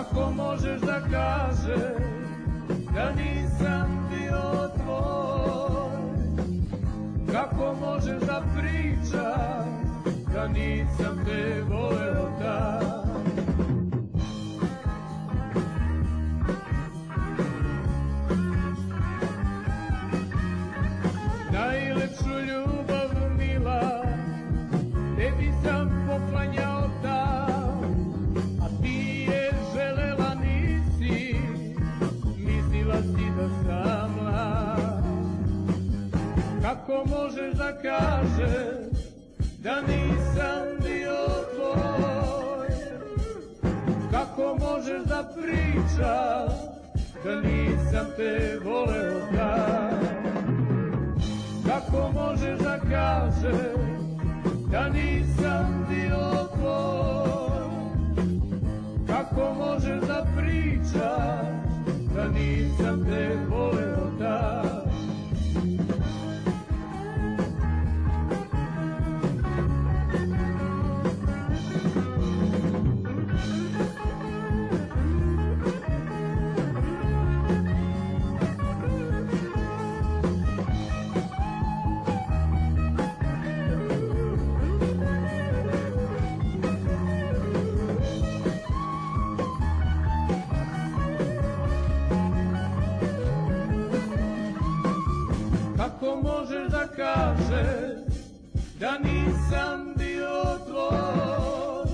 Kako možeš da kažeš da nisam bio tvoj? Kako možeš da pričaš da nisam te voleo tad? Najlepšu ljubav mila tebi sam poklanjao tad, a ti je želela nisi, mislila si da sam mlad. Kako možeš da kažeš da nisam bio tvoj? Kako možeš da pričaš da nisam te voleo tad? Kako možeš da kažeš da nisam bio tvoj? Kako možeš da pričaš da nisam te voleo tad? Kako možeš da kažeš da nisam bio tvoj?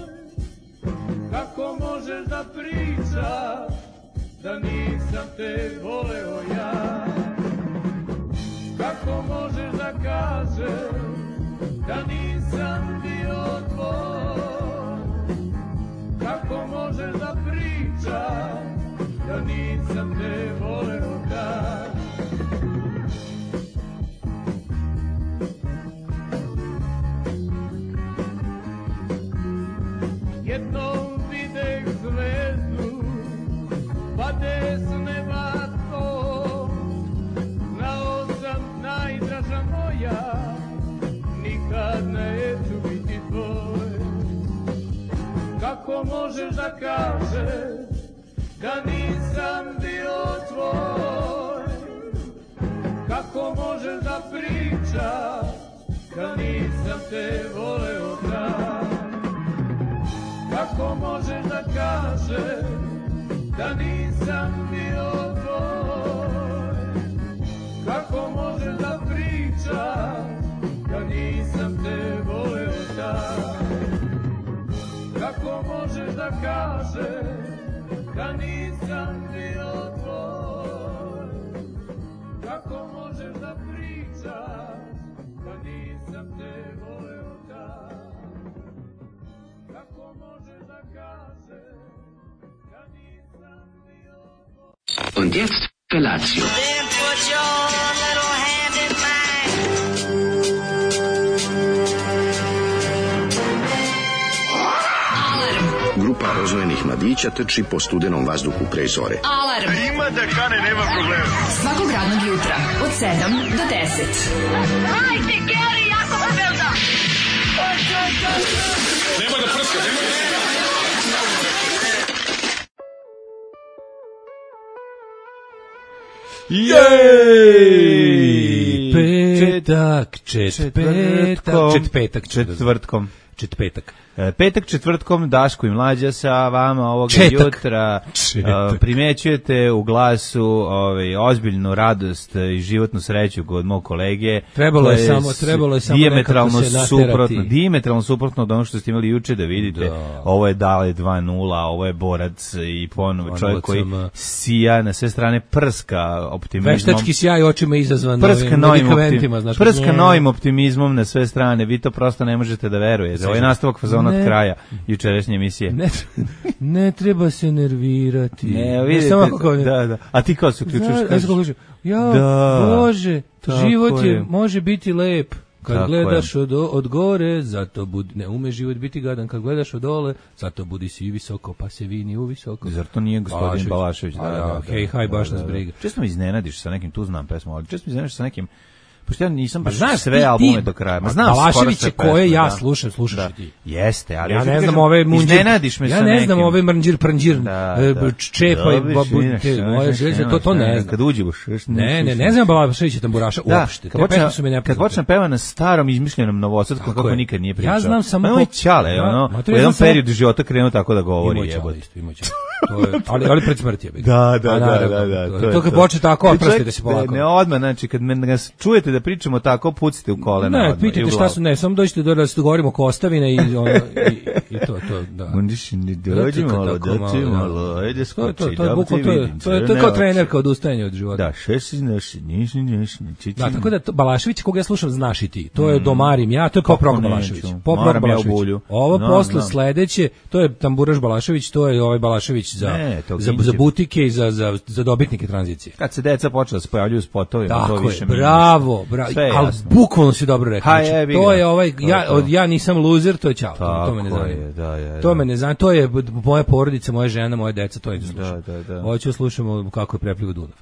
Kako možeš da pričaš da nisam te voleo ja? Kako možeš da kažeš da nisam bio tvoj? Kako možeš da pričaš da nisam te voleo tad? Jednom videh zvezdu, pade s neba to, znao sam najdraža moja, nikad neću biti tvoj. Kako možeš da kažeš da nisam bio tvoj? Kako možeš da pričaš da nisam te voleo tad? Kako možeš da kažeš da nisam bio tvoj? Kako možeš da pričaš da nisam te voleo tad? Kako možeš da kažeš da nisam bio tvoj? Kako možeš da pričaš da nisam te voleo tad? Kako možeš da kažeš da nisam bio tvoj? Und jetzt Felatio. Then put your little hand in mine. Grupa rozvojenih mladića trči po studenom vazduhu pre zore. Alarm. Ima da kane, nema problema. Svakog radnog jutra od 7 do 10. Hajde, Geri, jako se velda. Nema da prska, nema da prska. Jej! Petak četvrtkom Daško i Mlađa sa vama ovoga jutra. Primećujete u glasu ozbiljnu radost i životnu sreću kod mog kolege. Trebalo je samo dijametralno suprotno od ono što ste imali juče da vidite. Da. Ovo je Dale 2:0, ovo je borac i ponovo čovjek koji sija na sve strane, prska optimizmom. Veštački sjaj očima izazvan medikamentima. Prska novim optimizmom na sve strane. Vi to prosto ne možete da verujete. Ovo je nastavak fazona od kraja jučerašnje emisije. Ne treba se nervirati. Ne, vidite, da. A ti kao se uključuješ? Bože, život može biti lep. Kad gledaš od gore, zato ne ume život biti gadan. Kad gledaš od dole, zato budi si visoko, pa se vini u visoko. Zar to nije gospodin Balašević? Hej, baš nas briga. Često mi iznenadiš sa nekim, tu znam pesmu, ali često mi iznenadiš sa nekim Pošto ja nisam baš Znaš, sve albume do kraja. Ma znam, Balaševiće koje ja slušam, slušaš i ti. Jeste, ali ja ne znam ove munđir. Iznenadiš me sa nekim. Ja ne znam ove mrnđir pranđir, čepa i to ne znam. Kad uđe u ne znam Balaševića tamburaša uopšte. Kad počne peva na starom izmišljenom novosadskom kako nikad nije pričao. Ja znam samo moj ćale, u jednom periodu života krenuo tako da govori. Ali pred smrti je bilo. Da. To kad počne tako, oprostite se polako. Ne odmah, znači kad nas čujete da pričamo tako, pucite u kolena. Ne, pitajte šta su, samo dođite da se dogovorimo oko ostavine i to, da. Dođimo malo, ajde skoči, to je kao trener, kao odustajanje od života. Da, da, tako da Balašević, koga ja slušam, znaš i ti. To je Domarim ja, to je pop rock Balašević. Pop rock Balašević. Ovo posle sledeće, to je tamburaš Balašević, to je ovaj Balašević za butike i za dobitnike tranzicije. Kad se deca počela da se pojavljuju spotovima, to više mi. Bravo, ali bukvalno si dobro rekao. To je ovaj, ja nisam loser, to je ćao. To me ne zanima. To me ne zanima, to je moja porodica, moja žena, moja deca, to je da slušam. Hoću slušamo kako je preplivo Dunav.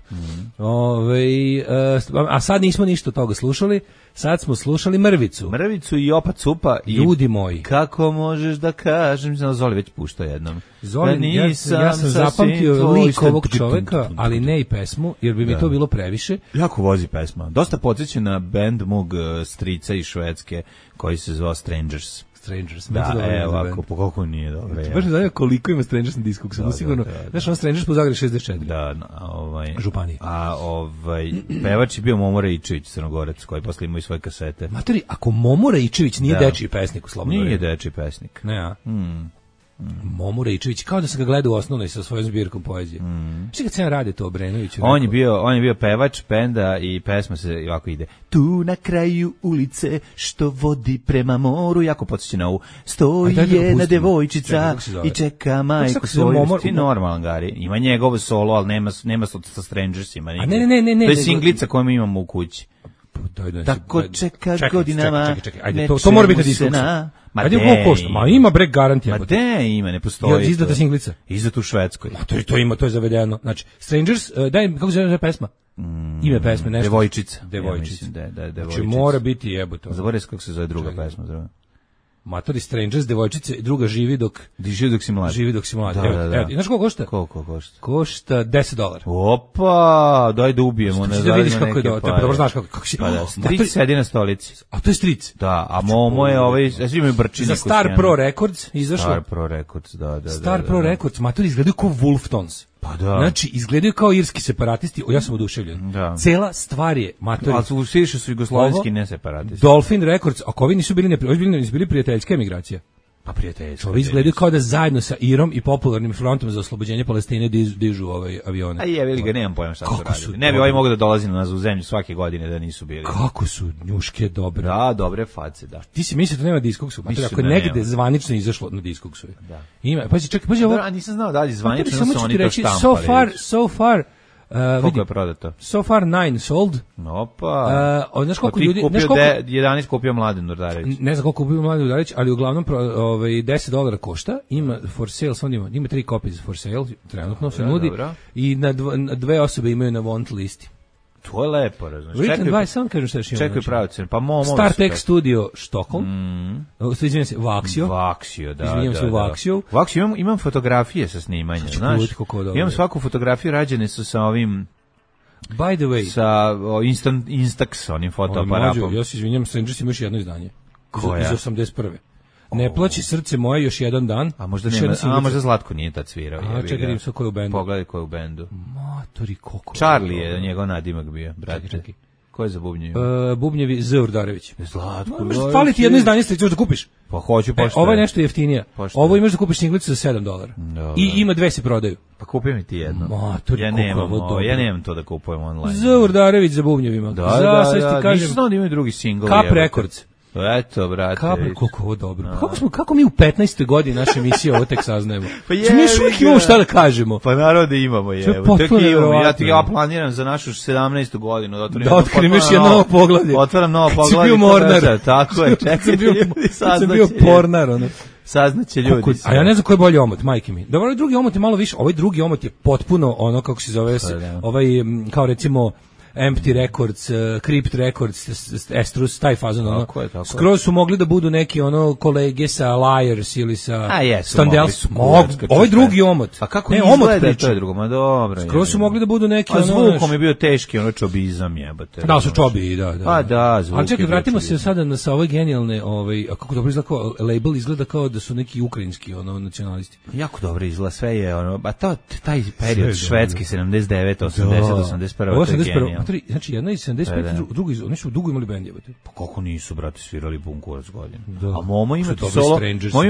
A sad nismo ništa toga slušali, sad smo slušali Mrvicu. Mrvicu i Opa Cupa. Ljudi moji. Kako možeš da kažem, Zoli već pušta jednom. Zoli, ja sam zapamtio lik ovog čoveka, ali ne i pesmu, jer bi mi to bilo previše. Jako vozi pesma. Dosta podsjeća na bend mog strica iz Švedske, koji se zvao Strangers. Da, ovako, po koliko nije dobro. Baš ne znam koliko ima Strangers na Discogsu, sigurno. Znaš, on Strangers po Zagrebu 64. Da, Županije. A pevač je bio Momo Raičević, Crnogorac, koji posle imao i svoje kasete. Matori, ako Momo Raičević nije dečiji pesnik u Slobodnoj. Nije dečiji pesnik. Ne, a? Momo Raičević, kao da se ga gleda u osnovnoj sa svojom zbirkom poezije. Što kad sam radi to Obrenoviću? On je bio pevač benda i pesma se ovako ide. Tu na kraju ulice što vodi prema moru, jako podsjeća na ovu. Stoji jedna devojčica i čeka majku svoju. Ti normalan, Gari. Ima njegovo solo, ali nema sa Strangersima. A ne. To je singlica koju mi imamo u kući. Tako čeka godinama. Ajde, to mora biti na Discogsu. Ajde, koliko košta? Ma ima brek garantija. Ma de ima, ne postoji. Izdata singlica. Izdata u Švedskoj. Ma to ima, to je zavedeno. Znači, Strangers, daj, kako se zove pesma? Ime pesme, nešto. Devojčica. Ja mislim da je Devojčica. Znači, mora biti jebote. Zaboravim kako se zove druga pesma, zove. Matori Strangers, devojčice, druga živi dok si mlad. Živi dok si mlad. Da. Znaš koliko košta? Koliko košta? Košta $10. Opa, daj da ubijemo. Da vidiš kako je dobro, znaš kako si. Pa da, stric sedi na stolici. A to je stric? Da, a Momo je ovaj, svi imaju brčine. Za Star Pro Records izašlo. Star Pro Records, da. Star Pro Records, matori izgledaju kao Wolf Tones. Pa da. Znači, izgledaju kao irski separatisti, ja sam oduševljen. Cela stvar je, matori. Ali su više su jugoslovenski ne separatisti. Dolphin Records, ako ovi nisu bili prijateljska emigracija. Pa prijateljska. Ovi izgledaju kao da zajedno sa Irom i popularnim frontom za oslobođenje Palestine dižu avione. A jevili ga, nemam pojma šta su radili. Ne bi ovaj mogao da dolazi na nas u zemlju svake godine da nisu bili. Kako su njuške dobre. Da, dobre face, da. Ti si mislio da nema Discogsu, ako je negde zvanično izašlo na Discogsu. Da. Ima, pazi ovo. A nisam znao da li zvanično su oni to štampali. So far koliko je prodato? So far 9 sold. Opa. Znaš koliko ljudi... 11 kupio Mladen Urdarević. Ne znam koliko kupio Mladen Urdarević, ali uglavnom $10 košta. Ima for sale, ima 3 kopije for sale, trenutno se nudi. I na 2 osobe imaju na want listi. To je lepo, razumiješ. Written by, sam kažem šta još ima. Čekaj pravi cenu, pa Momo... StarTech Studio Stockholm. Izvinjam se, Vaxio. Vaxio, da. Izvinjam se, Vaxio. Vaxio, imam fotografije sa snimanja, znaš. Imam svaku fotografiju, rađene su sa ovim... By the way... Sa Instax, onim fotoaparatom. Ja se izvinjam, Strangers ima još jedno izdanje. Koja? Iz 81. Ne plaći srce moje još jedan dan. A možda Zlatko nije tad svirao. Čekaj, ko je u bendu. Pogledaj ko je u bendu. Matori, koliko. Charlie je njegov nadimak bio, brate. Čekaj. Ko je za bubnjevi? Bubnjevi Z. Urdarević. Zlatko. Fali ti jedno izdanje, ćeš da kupiš? Pa hoću, pošto. Ovo je nešto jeftinije. Ovo imaš da kupiš singlicu za $7. I ima 2 se prodaju. Pa kupi mi ti jedno. Matori, ja nemam to da kupujem online. Z. Urdarević za bubnjevima. Da. Nisam znao da imaju drugi singl. Kap Records. Eto, brate. Koliko ovo dobro. Kako mi u 15. godini naše emisije ovo tek saznajemo? Pa mi još uvijek imamo šta da kažemo. Pa narode imamo, ja planiram za našu 17. godinu da otkrim još jedno novo poglavlje. Otvaram novo poglavlje. Kad si bio Mornar. Tako je, čekaj. Kad sam bio Pornar, ono. Saznaće ljudi. A ja ne znam koji je bolji omot, majke mi. Dobro, ovaj drugi omot je malo više, ovaj drugi omot je potpuno ono, kako se zove, ovaj, kao recimo, Empty Records, Crypt Records, Estrus, taj fazon, ono. Skroz su mogli da budu neki ono kolege sa Liars ili sa Standels. Ovaj drugi omot. A kako ne izgleda to je drugo, ma dobro. Skroz su mogli da budu neki ono. Zvukom je bio teški, ono čobizam jebote. Da, su čobi, da. Pa da, zvuk. Ali čekaj, vratimo se sada sa ove genijalne, a kako dobro izgleda kao label, izgleda kao da su neki ukrajinski ono nacionalisti. Jako dobro izgleda, sve je ono, a taj period švedski 79, 80, 81. Znači jedna iz 75, drugi, oni su dugo imali bend, jebote. Pa kako nisu, brate, svirali pun kurac godina. A Momo ima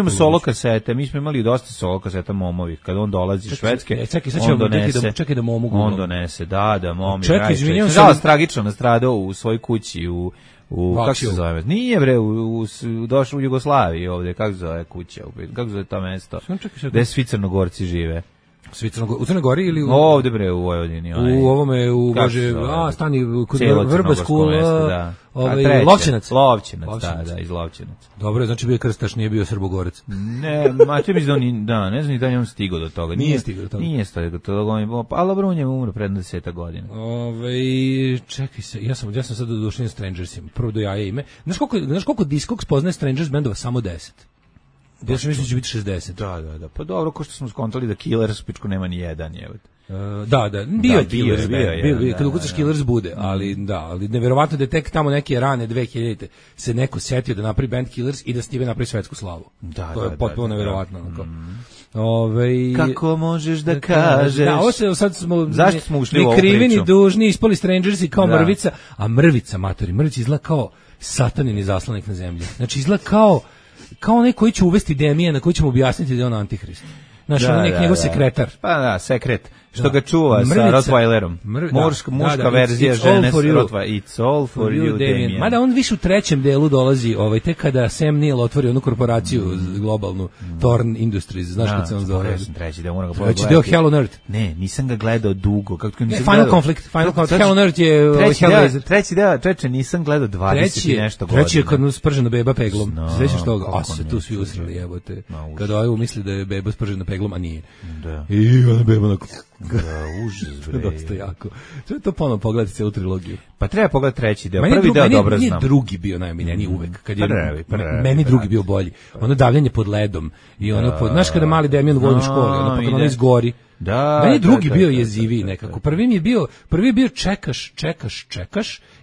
solo kasete, mi smo imali dosta solo kaseta Momovih, kad on dolazi iz Švedske, on donese. Čekaj da Momo gulo. On donese, da, Momo. Čekaj, izvinjavam se. Žalost, tragično nastradao u svojoj kući, kako se zove? Nije bre, došao u Jugoslaviji ovde, kako se zove kuća, kako se zove to mesto? Gde svi Crnogorci žive? U Crnoj Gori ili ovde bre u Vojvodini, u ovome u Bože, stani kod Vrbasku, Lovćenac, da, iz Lovćenaca. Dobro, znači bio krstaš, nije bio Srbogorac. Ne, mače mi da, ne znam ni da je on stigao do toga. Nije stigao do toga, ali dobro, on je umro pred 10 godina. Čekaj se, ja sam sad došao na Strangersima, prvo do jaje ime. Znaš koliko Discogs poznaje Strangers bendova? Samo 10. Ja sam mislio da će biti 60. Da. Pa dobro, ko što smo skontali da Killers pičku nema ni jedan, jebote. Da, bio Killers, bio. Kad ukucaš Killers bude, ali neverovatno da je tek tamo neke rane 2000-te se neko setio da napravi band Killers i da s time napravi svetsku slavu. To je potpuno neverovatno. Kako možeš da kažeš? Da, ovo se sad smo zašto smo ušli u ovu priču? Ni krivi ni dužni, ispali Strangersi kao mrvica, a mrvica izgleda kao satanini zaslanik na zemlji. Znači izgleda kao onaj koji će uvesti demije na koji ćemo objasniti da je on antihrist. Znaš, on je njegov sekretar. Pa da, sekret. Što ga čuva sa Rottweilerom. Muška verzija žene s Rottweilerom. It's all for you, Damien. Mada on više u trećem delu dolazi, tek Sam Neill otvori onu korporaciju globalnu, Thorn Industries, znaš kad se on zove. Ja sam treći deo, moram ga pogledati. Treći deo Hell on Earth. Ne, nisam ga gledao dugo. Final Conflict. Hell on Earth je Hellraiser. Treći deo, nisam gledao 20 i nešto godina. Treći je kad mu spržena beba peglom. Sećaš toga? A se tu svi usrali, jebote. Kada ovaj misli da je beba spržena peglom, a nije. I ona beba na užas, bre. Dosta jako. Treba to ponovno pogledati celu trilogiju. Pa treba pogledati treći deo. Prvi deo dobro znam. Meni drugi bio najomiljeniji uvek. Meni drugi bio bolji. Ono davljanje pod ledom. I ono znaš kada mali Damien u vojnoj školi, ono pa kada ono izgori. Meni drugi bio jeziviji nekako. Prvi je bio čekaš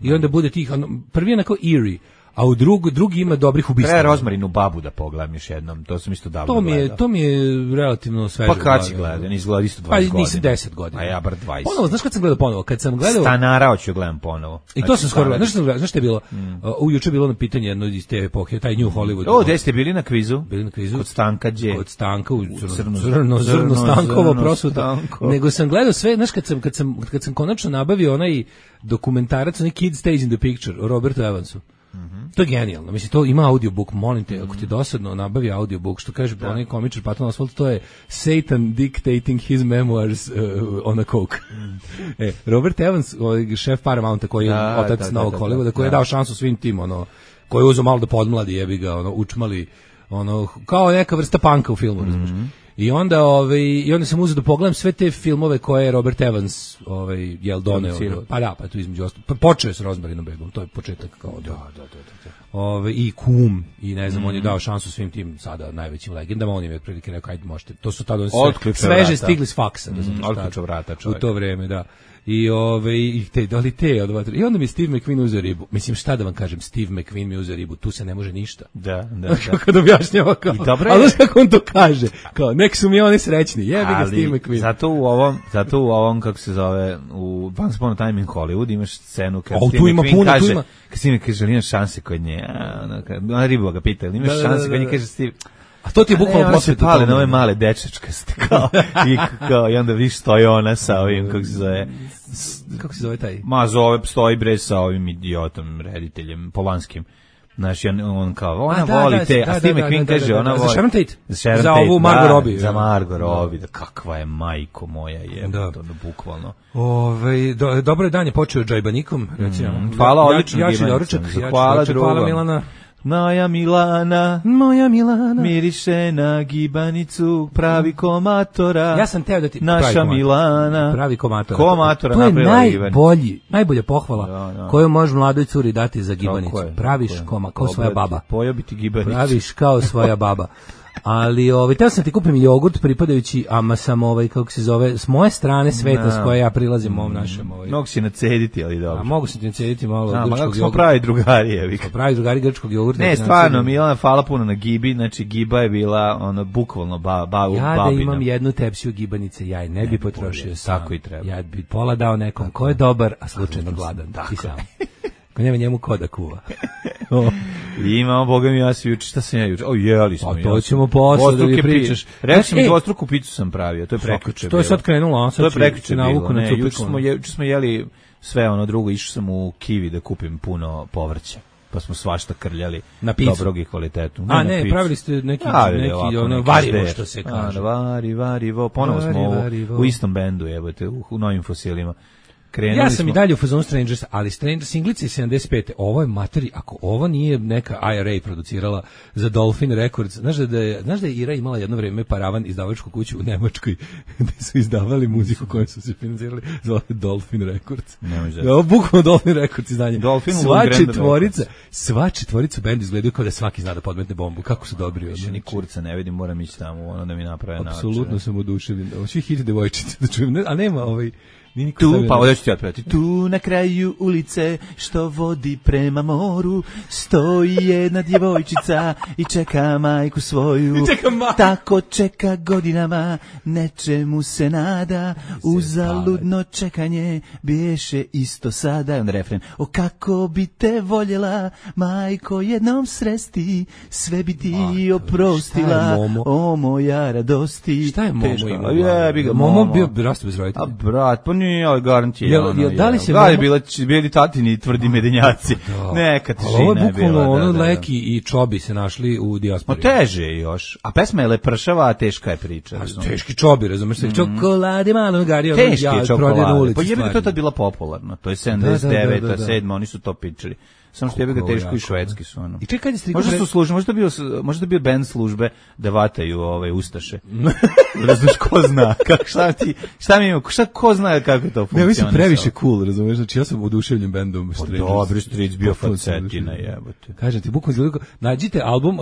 i onda bude tih, prvi je onako eerie. A u drugi ima dobrih ubistava. Treba Rozmarinu babu da pogledam još jednom, to sam isto davno gledao. To mi je relativno sveže. Pa kad si gledao, nisi gledao isto 20 godina. Pa nisi 10 godina. A ja bar 20. Ponovo, znaš kad sam gledao ponovo? Kad sam gledao... Stanara hoću gledam ponovo. I to sam skoro gledao. Znaš što je bilo? Juče je bilo na pitanje jedno iz te epohe, taj New Hollywood. Gde ste bili na kvizu? Bili na kvizu. Kod Stanka Đe. Kod Stanka, u zrno Stankovo prosuta. Nego sam gledao sve, znaš kad sam konačno nabavio onaj dokumentarac, onaj Kid Stays in the Picture, o Robertu Evansu. To je genijalno. Mislim, to ima audiobook, molim te, ako ti dosadno nabavi audiobook, što kaže onaj komičar Patton Oswalt, to je Satan dictating his memoirs on a coke. Robert Evans, šef Paramounta, koji je otac Novog Hollywooda, koji je dao šansu svim tim, koji je uzeo malo da podmladi, jebi ga, učmali, kao neka vrsta panka u filmu, razumiješ. I onda sam uzeo da pogledam sve te filmove koje je Robert Evans doneo. Pa da, pa tu između ostalo. Pa počeo je s Rozmarinom begom, to je početak kao i Kum, i ne znam, on je dao šansu svim tim sada najvećim legendama, on im je otprilike rekao, ajde možete, to su tada sveže stigli s faksa. Otključa vrata čovjek. U to vreme, da. I onda mi Steve McQueen uzeo ribu. Mislim, šta da vam kažem, Steve McQueen mi uzeo ribu, tu se ne može ništa. Da. Kad objašnjava kao, ali znaš kako on to kaže, kao, nek su mi oni srećni, jebi ga Steve McQueen. Zato u ovom, kako se zove, u Once Upon a Time in Hollywood imaš scenu kad Steve McQueen kaže, kad Steve McQueen kaže, imaš šanse kod nje, ona riba ga pita, ili imaš šanse kod nje, kaže Steve, a to ti je bukvalno posle pale na ove male dečačkaste kao i onda viš stoji ona sa ovim kako se zove taj stoji bre sa ovim idiotom rediteljem Polanskim. Znaš, on kao, ona voli te, a Steve McQueen kaže, ona voli... Za Sharon Tate? Za ovu Margot Robbie. Za Margot Robbie, kakva je majko moja je, to bukvalno. Dobro je dan je počeo džajbanikom, recimo. Hvala, odlično. Ja ću doručak, hvala Milana. Moja Milana, miriše na gibanicu, pravi komatora. Ja sam teo da ti naša Milana, pravi komatora. Komatora to je napravila najbolja pohvala koju može mladoj curi dati za gibanicu. Praviš kao svoja baba. Pojobiti gibanicu. Praviš kao svoja baba. Ali teo sam ti kupim jogurt pripadajući, ama sam kako se zove, s moje strane sveta s koje ja prilazim ovom našem mogu si nacediti, ali dobro. A mogu se ti nacediti malo grčkog jogurta. Smo pravi drugari, pravi drugari grčkog jogurta. Ne, stvarno, Milana, hvala puno na gibi, znači giba je bila bukvalno babina. Ja da imam jednu tepsiju gibanice, ja je ne bi potrošio sam. Tako i treba. Ja bi pola dao nekom ko je dobar, a slučajno gladan. Ti sam. Ko nema njemu ko da kuva. Imamo, boga mi, ja se juče, šta sam ja juče? Jeli smo. To ćemo posle da mi pričaš. Rekao sam, dvostruku picu sam pravio, to je prekjuče. To je sad krenulo, a sad to je prekjuče navuku na cupiku. Juče smo jeli sve drugo, išao sam u Kiwi da kupim puno povrća. Pa smo svašta krljali dobrog i kvalitetu. A ne, pravili ste neki varivo, što se kaže. Varivo, ponovo smo u istom bendu, jebote, u novim fosilima. Ja sam i dalje u fazonu Strangers, ali Strangers Singlice 75. Ovo je materi, ako ovo nije neka IRA producirala za Dolphin Records, znaš da je IRA imala jedno vreme paravan izdavačku kuću u Nemačkoj gde su izdavali muziku koju su se financirali, zove Dolphin Records. Ovo bukvalno Dolphin Records izdanje. Sva četvorica benda izgledaju kao da svaki zna da podmetne bombu. Kako su dobri. Više ni kurca ne vidim, moram ići tamo da mi naprave način. Apsolutno sam oduševljen. Svi hiti devojčice da čujem, a nema tu, pa ovdje ću ti otpevati. Tu na kraju ulice što vodi prema moru stoji jedna djevojčica i čeka majku svoju. Tako čeka godinama, nečemu se nada, uzaludno čekanje biješe isto sada. I on refren, o kako bi te voljela majko jednom sresti, sve bi ti oprostila, o moja radosti. Šta je Momo imao? Momo bio rastu bez roditelja. A brat, pa nije, ali garantijalno. Da li se bili tatini tvrdi medenjaci. Neka težina je bila. Ovo Leki i Čobi se našli u dijaspori. Teže je još. A pesma je lepršava, a teška je priča. Teški Čobi, razumeš se. Čokolade malo gario. Teški je čokolade. Pa jebe, to je tad bila popularna. To je 79. 7. Oni su to pičili. Samo što je ga teško i švedski su I čekaj, možda bio band službe da vataju ustaše. Razumiješ, ko zna? Ko zna kako to funkcionira? Ne, mi su previše cool, razumiješ? Znači, ja sam oduševljen bandom Strangers. Dobri Stric, bio facetina, jebote. Kažem ti, bukvalno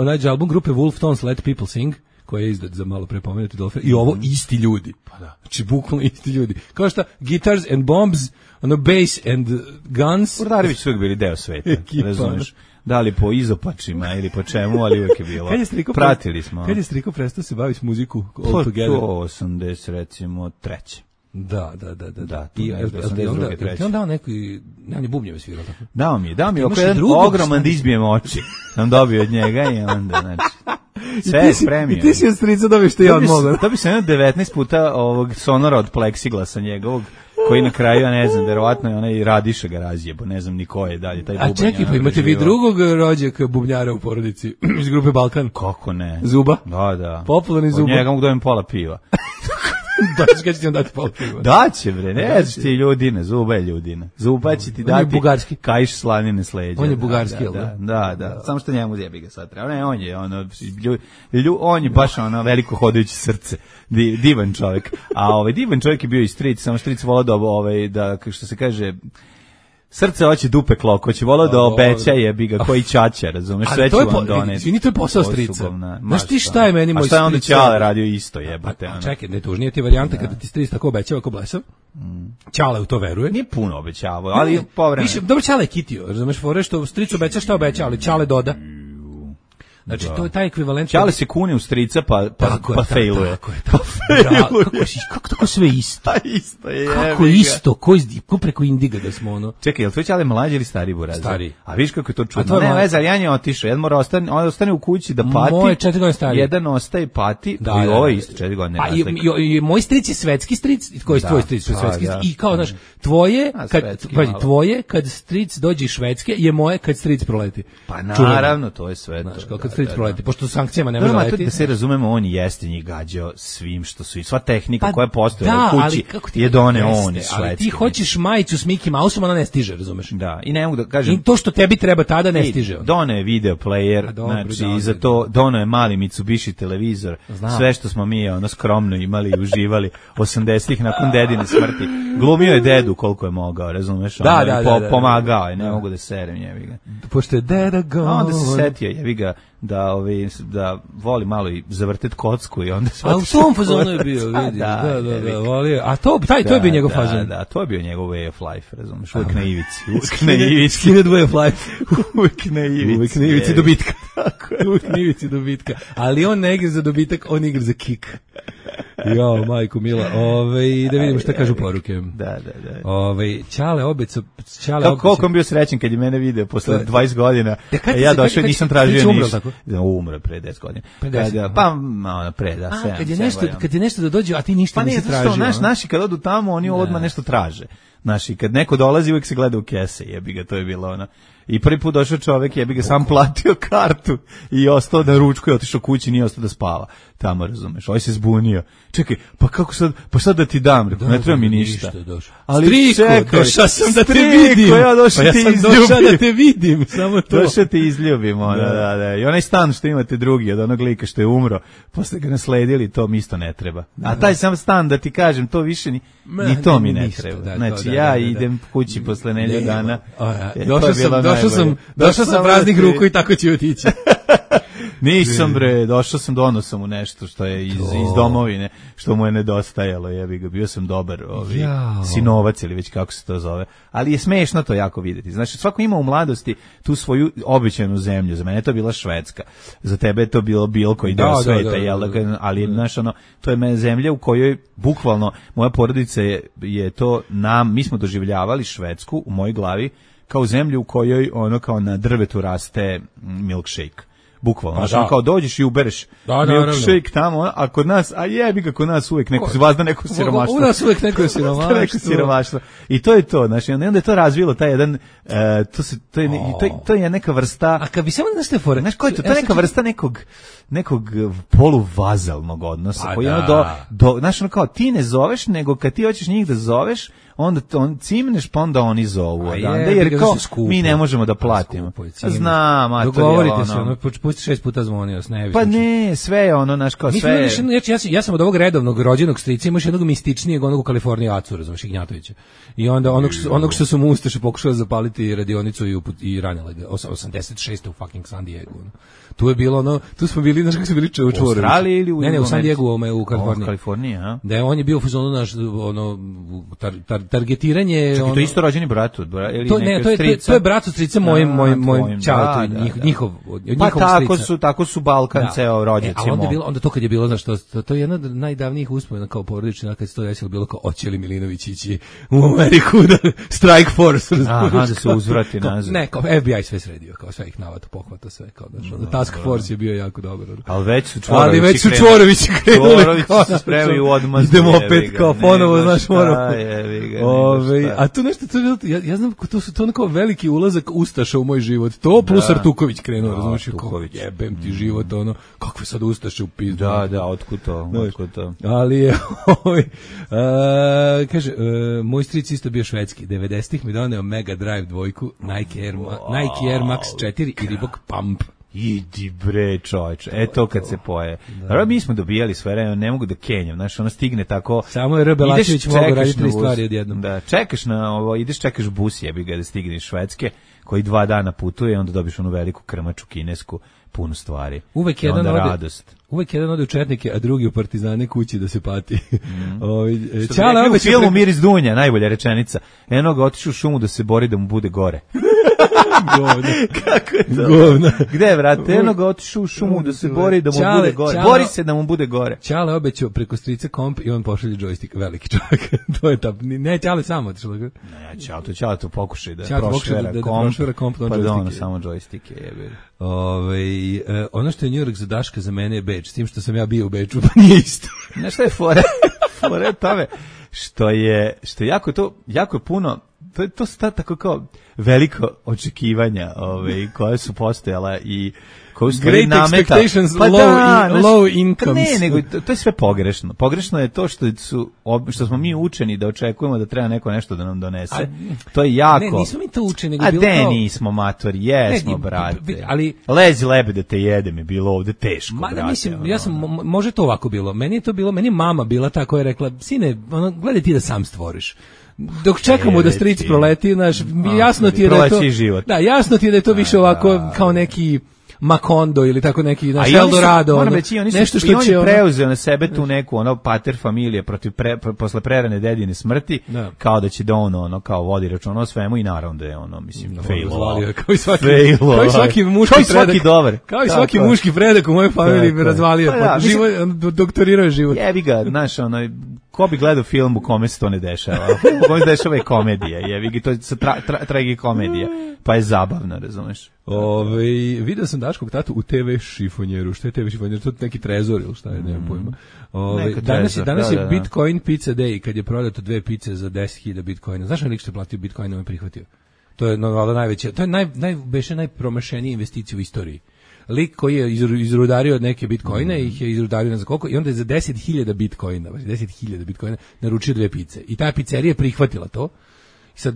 nađi album grupe Wolf Tones, Let People Sing, koja je izdat za malo prepomenuti Dolphin, i ovo isti ljudi. Znači, bukvalno isti ljudi. Kao šta, Guitars and Bombs, bass and Guns. Urdarević su uvijek bili deo sveta, razumiješ? Da li po izopačima ili po čemu, ali uvijek je bilo. Pratili smo. Kad je Striko prestao se baviti muziku all together? To 80, recimo, treće. Da. I on dao neki, on je bubnjeve svirao tako. Dao mi oko jedan ogroman da izbijem oči. Sam dobio od njega i onda, znači... Sve je spremio. I ti si od Strica dobio što ja od moga. Da bi se 19 puta ovog sonora od pleksiglasa njegovog, koji na kraju, ja ne znam, verovatno je onaj Radiša ga razjebo, ne znam ni ko je dalje, taj bubanj. A čekaj, pa imate vi drugog rođaka bubnjara u porodici iz grupe Balkan? Kako ne? Zuba? Da. Popularni Zuba. Od njega mogu dobijem pola piva. Daći kad će ti on dati pola piva? Daće, bre, ne znaš ti ljudine, Zuba je ljudina. Zuba će ti dati bugarski. Kajš slanine s leđa. On je bugarski, jel da? Da. Samo što njemu zjebi ga sad treba. Ne, on je baš veliko hodajuće srce. Divan čovjek. A divan čovjek je bio i Stric, samo Stric volao da što se kaže, srce hoće dupe klok, hoće volao da obeća jebi ga koji ćaća, razumeš, sve ću vam doneti. Izvini, to je posao Strica. Znaš ti šta je meni moj Stric? A šta je onda Ćale radio isto, jebate? Čekaj, ne tužnije ti varijanta kada ti Stric tako obećava kao blesav. Ćale u to veruje. Nije puno obećavao, ali povremeno. Dobro, Ćale je kitio, razumeš, fore što Stric obeća šta obeća, ali Ćale doda. Znači, to je taj ekvivalent. Ćale se kune u Strica pa failuje. Kako tako sve isto? Isto je. Kako isto? Ko preko Indiga da smo ono? Čekaj, je li tvoj Ćale mlađi ili stari buraz? Stari. A viš kako je to čudno? Ne, veze, ali Jan je otišao. Jedan mora ostane u kući da pati. Moj 4 godine stari. Jedan ostaje pati. I ovo je isto 4 godine. I moj stric je svetski stric. Koji je tvoj stric? Svetski stric. I kao, znaš, tvoje, kad stric dođe iz Švedske, je moje kad stric proleti. Pa naravno, to je sve. Znaš, kao kod street proleti, pošto sankcijama ne može letiti. Da se razumemo, on jeste njih gađao svim što su i sva tehnika koja postoje u kući je doneo on iz Švedske. Ali ti hoćeš majicu s Mickey Mouseom, ona ne stiže, razumeš? Da, i ne mogu da kažem. I to što tebi treba tada ne stiže. Doneo je video player, znači i za to doneo je mali Mitsubishi televizor. Sve što smo mi skromno imali i uživali 80-ih nakon dedine smrti. Glumio je dedu koliko je mogao, razumeš? Pomagao je, ne mogu da serem jebi ga. Pošto je deda gone. Onda se setio jebi ga da voli malo i zavrtet kocku i onda a u tom fazonu je bio, vidi. Da, volio. A to je bio njegov fazon. Da, to je bio njegov way of life, razumeš? Uvijek na ivici. Uvijek na ivici. Skinhead way of life. Uvijek na ivici. Uvijek na ivici dobitka. Uvijek na ivici dobitka. Ali on ne igra za dobitak, on igra za kick. Jo, majko mila. Da vidimo šta kažu poruke. Da. Ćale obeca. Koliko on bio srećen kad je mene video posle 20 godina. Ja došao i nisam tražio ništa. Umro pre 10 godina. Pre 10. Pa pre 7. Kad je nešto da dođe, a ti ništa nisi tražio. Naši kad odu tamo, oni odmah nešto traže. Naši kad neko dolazi, uvijek se gleda u kese, jebi ga, to je bilo ona. I prvi put došao čovek, jebi ga, sam platio kartu i ostao da ručkuje, otišao kući, nije ostao da spava. Tamo, razumeš, ovaj se zbunio. Čekaj, pa kako sad, pa sad da ti dam, ne treba mi ništa. Ali čekaj, došao sam da te vidim. Ja došao da te vidim, samo to. Došao te izljubim, da. I onaj stan što imate drugi, od onog lika što je umro, posle ga nasledili, to mi isto ne treba. A taj sam stan, da ti kažem, to više ni to mi ne treba. Znači, ja idem kući posle nedelju dana. Došao sam praznih ruku i tako ću otići. Nisam bre, došao sam, donao sam mu nešto što je iz domovine, što mu je nedostajalo, jebi ga, bio sam dobar sinovac ili već kako se to zove, ali je smešno to jako vidjeti. Znači, svako ima u mladosti tu svoju običajnu zemlju, za mene je to bila Švedska, za tebe je to bilo bilo koji deo sveta, ali znaš, to je zemlja u kojoj bukvalno moja porodica je to mi smo doživljavali Švedsku u mojoj glavi kao zemlju u kojoj kao na drvetu raste milkshake. Bukvalno, kao dođeš i ubereš milkshake tamo, a kod nas, jebi ga, kod nas uvijek neko vazda neko siromaštvo. U nas uvijek neko siromaštvo. I to je to, znači, onda je to razvilo taj jedan, to je neka vrsta. A kad bi samo nešto fore, znaš koji je to? To je neka vrsta nekog poluvazalnog odnosa, koji znaš, kao ti ne zoveš, nego kad ti hoćeš njih da zoveš, onda cimneš, pa onda oni zovu. Jer kao, mi ne možemo da platimo. Znam, a to je dogovorite se, pusti 6 puta zvonio, pa ne, sve je naš kao sve. Ja sam od ovog redovnog rođenog strica, imaš jednog mističnijeg, onog u Kaliforniji Acu, razumiješ, Ignjatovića. I onda onog što su mu Ustaše pokušali zapaliti radionicu i ranjali ga, 86. u fucking San Diego. Tu je bilo tu smo bili, znaš kako smo bili čučvorovići. U Australiji ili u Ne, u San Diego, u Kaliforniji. U Kaliforniji, a? Da, on je bio u fazonu naš, targetiranje. Čekaj, to je isto rođeni brat ili to je brat od strica mojim čaletu, njihov pa tako su Balkan ceo rođaci. Onda to kad je bilo, znaš, to je jedna od najdavnijih uspomena kao porodična, kad se to desilo, bilo kao oće li Milinović ići u Ameriku da Strike Force. Da se uzvrati nazad. Ne, kao FBI sve sredio, kao sve ih navata, pohvata sve, kao da Task Force je bio jako dobar. Ali već su Čvorovići krenuli. Čvorovići se spremaju u odmazdu. Idemo opet kao ponovo, znaš, moramo. A tu nešto, ja znam, to su to kao veliki ulazak Ustaša u moj život. To plus Artuković krenuo, razumiješ, jebem ti život, kakve sad Ustaše u pizdu. Da, otkud to. Ali je, kaže, moj stric isto bio švedski, 90-ih mi doneo Mega Drive 2, Nike Air Max 4 i Reebok Pump. Idi bre, čovječe, to kad se poje. Naravno, mi smo dobijali sve vreme, ne mogu da kenjam, znaš, stigne tako. Samo je Rebelačević mogu raditi 3 stvari odjednom. Da, čekaš čekaš bus, jebi ga da stigne iz Švedske, koji 2 dana putuje, onda dobiš onu veliku krmaču kinesku, puno stvari. Uvek jedan ode u Četnike, a drugi u Partizane kući da se pati. U filmu Miris Dunja, najbolja rečenica. Eno ga otišao u šumu da se bori da mu bude gore. Kako je to? Govna. Gde, brate? Eno ga otišao u šumu da se bori da mu bude gore. Bori se da mu bude gore. Ćale obećao preko strica komp i on pošalje džojstik. Veliki čovjek. To je ta. Ne, Ćale samo otišao. Ne, Ćale to pokušaj da prošvera komp. Pa da ono samo džojstike jebe. Ono što je New York za Daška, za mene je Beč, s tim što sam ja bio u Beču, pa nije isto. Znaš šta je fore? Fore je tome što je jako je puno, to su tako kao veliko očekivanja koja su postojala i koju stvari Great nameta. expectations, low income. Ne, nego to je sve pogrešno. Pogrešno je to što smo mi učeni da očekujemo da treba neko nešto da nam donese. To je jako. Ne, nismo mi to učeni, nego a bilo de kao... nismo matori, jesmo, brate. Ali lezi lebe da te jedem je bilo ovde teško, brate. Mislim, ja sam, može to ovako bilo. Meni je mama bila ta koja je rekla, sine, gledaj ti da sam stvoriš. Dok čekamo da stric proleti, znaš, jasno ti je da je to... Da, jasno ti je da je to više ovako kao neki Macondo ili tako neki naš Eldorado. Moram reći, nešto što će preuzeo na sebe tu neku pater familije protiv posle prerane dedine smrti, kao da će da ono kao vodi račun o svemu i naravno da je mislim failo. Kao i svaki muški predak. Kao i svaki muški predak u mojoj familiji razvalio. Doktorirao je život. Jebi ga, znaš, ko bi gledao film u kome se to ne dešava? U kome se dešava je komedija, jebi ga, to je tragikomedija, pa je zabavno, razumeš? Video sam Daškog tatu u TV šifonjeru. Šta je TV šifonjer? To je neki trezor ili šta je, nemam pojma. Danas je Bitcoin Pizza Day, kad je prodato 2 pice za 10.000 Bitcoina. Znaš lik što je platio Bitcoinom i prihvatio? To je najveće, to je najpromašenija investicija u istoriji. Lik koji je izrudario neke bitcoine, ih je izrudario ne znam koliko, i onda je za 10.000 bitcoina, 10.000 bitcoina naručio 2 pice. I ta pizzerija je prihvatila to. I sad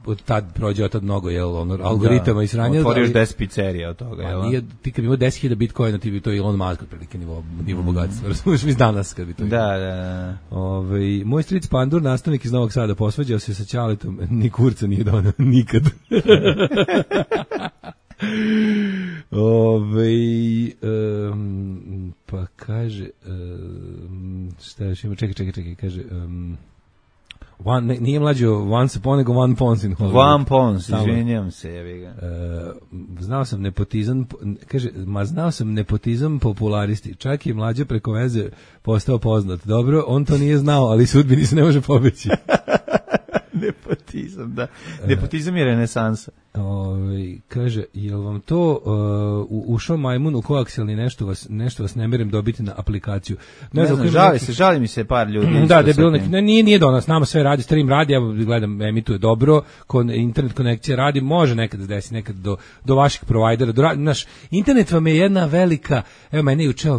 od tad prođe mnogo algoritama i sranja. Otvoriš 10 pizzerija od toga. Ti kad bi imao 10.000 bitcoina, ti bi to Elon Musk otprilike nivo bogatstva. Razumiješ mi danas kad bi to imao. Da. Moj stric Pandur, nastavnik iz Novog Sada, posvađao se sa Ćaletom, ni kurca nije donao nikad. Pa kaže šta još ima, čekaj, kaže nije mlađo Once Upon, nego One Pons in Hollywood. One Pons, izvinjam se, jebi ga. Znao sam nepotizam popularisti, čak i mlađo preko veze postao poznat. Dobro, on to nije znao, ali sudbini se ne može pobeći. Nepotizam, da. Nepotizam je renesansa. Kaže, jel vam to ušao majmun u koakselni nešto vas ne merem dobiti na aplikaciju? Ne znam, žali mi se par ljudi. Da je bilo nije do nas, nama sve radi, stream radi, ja gledam, emituje dobro, internet konekcija radi, može nekad da desi, nekad do vaših provajdera, naš internet vam je jedna velika, evo mene juče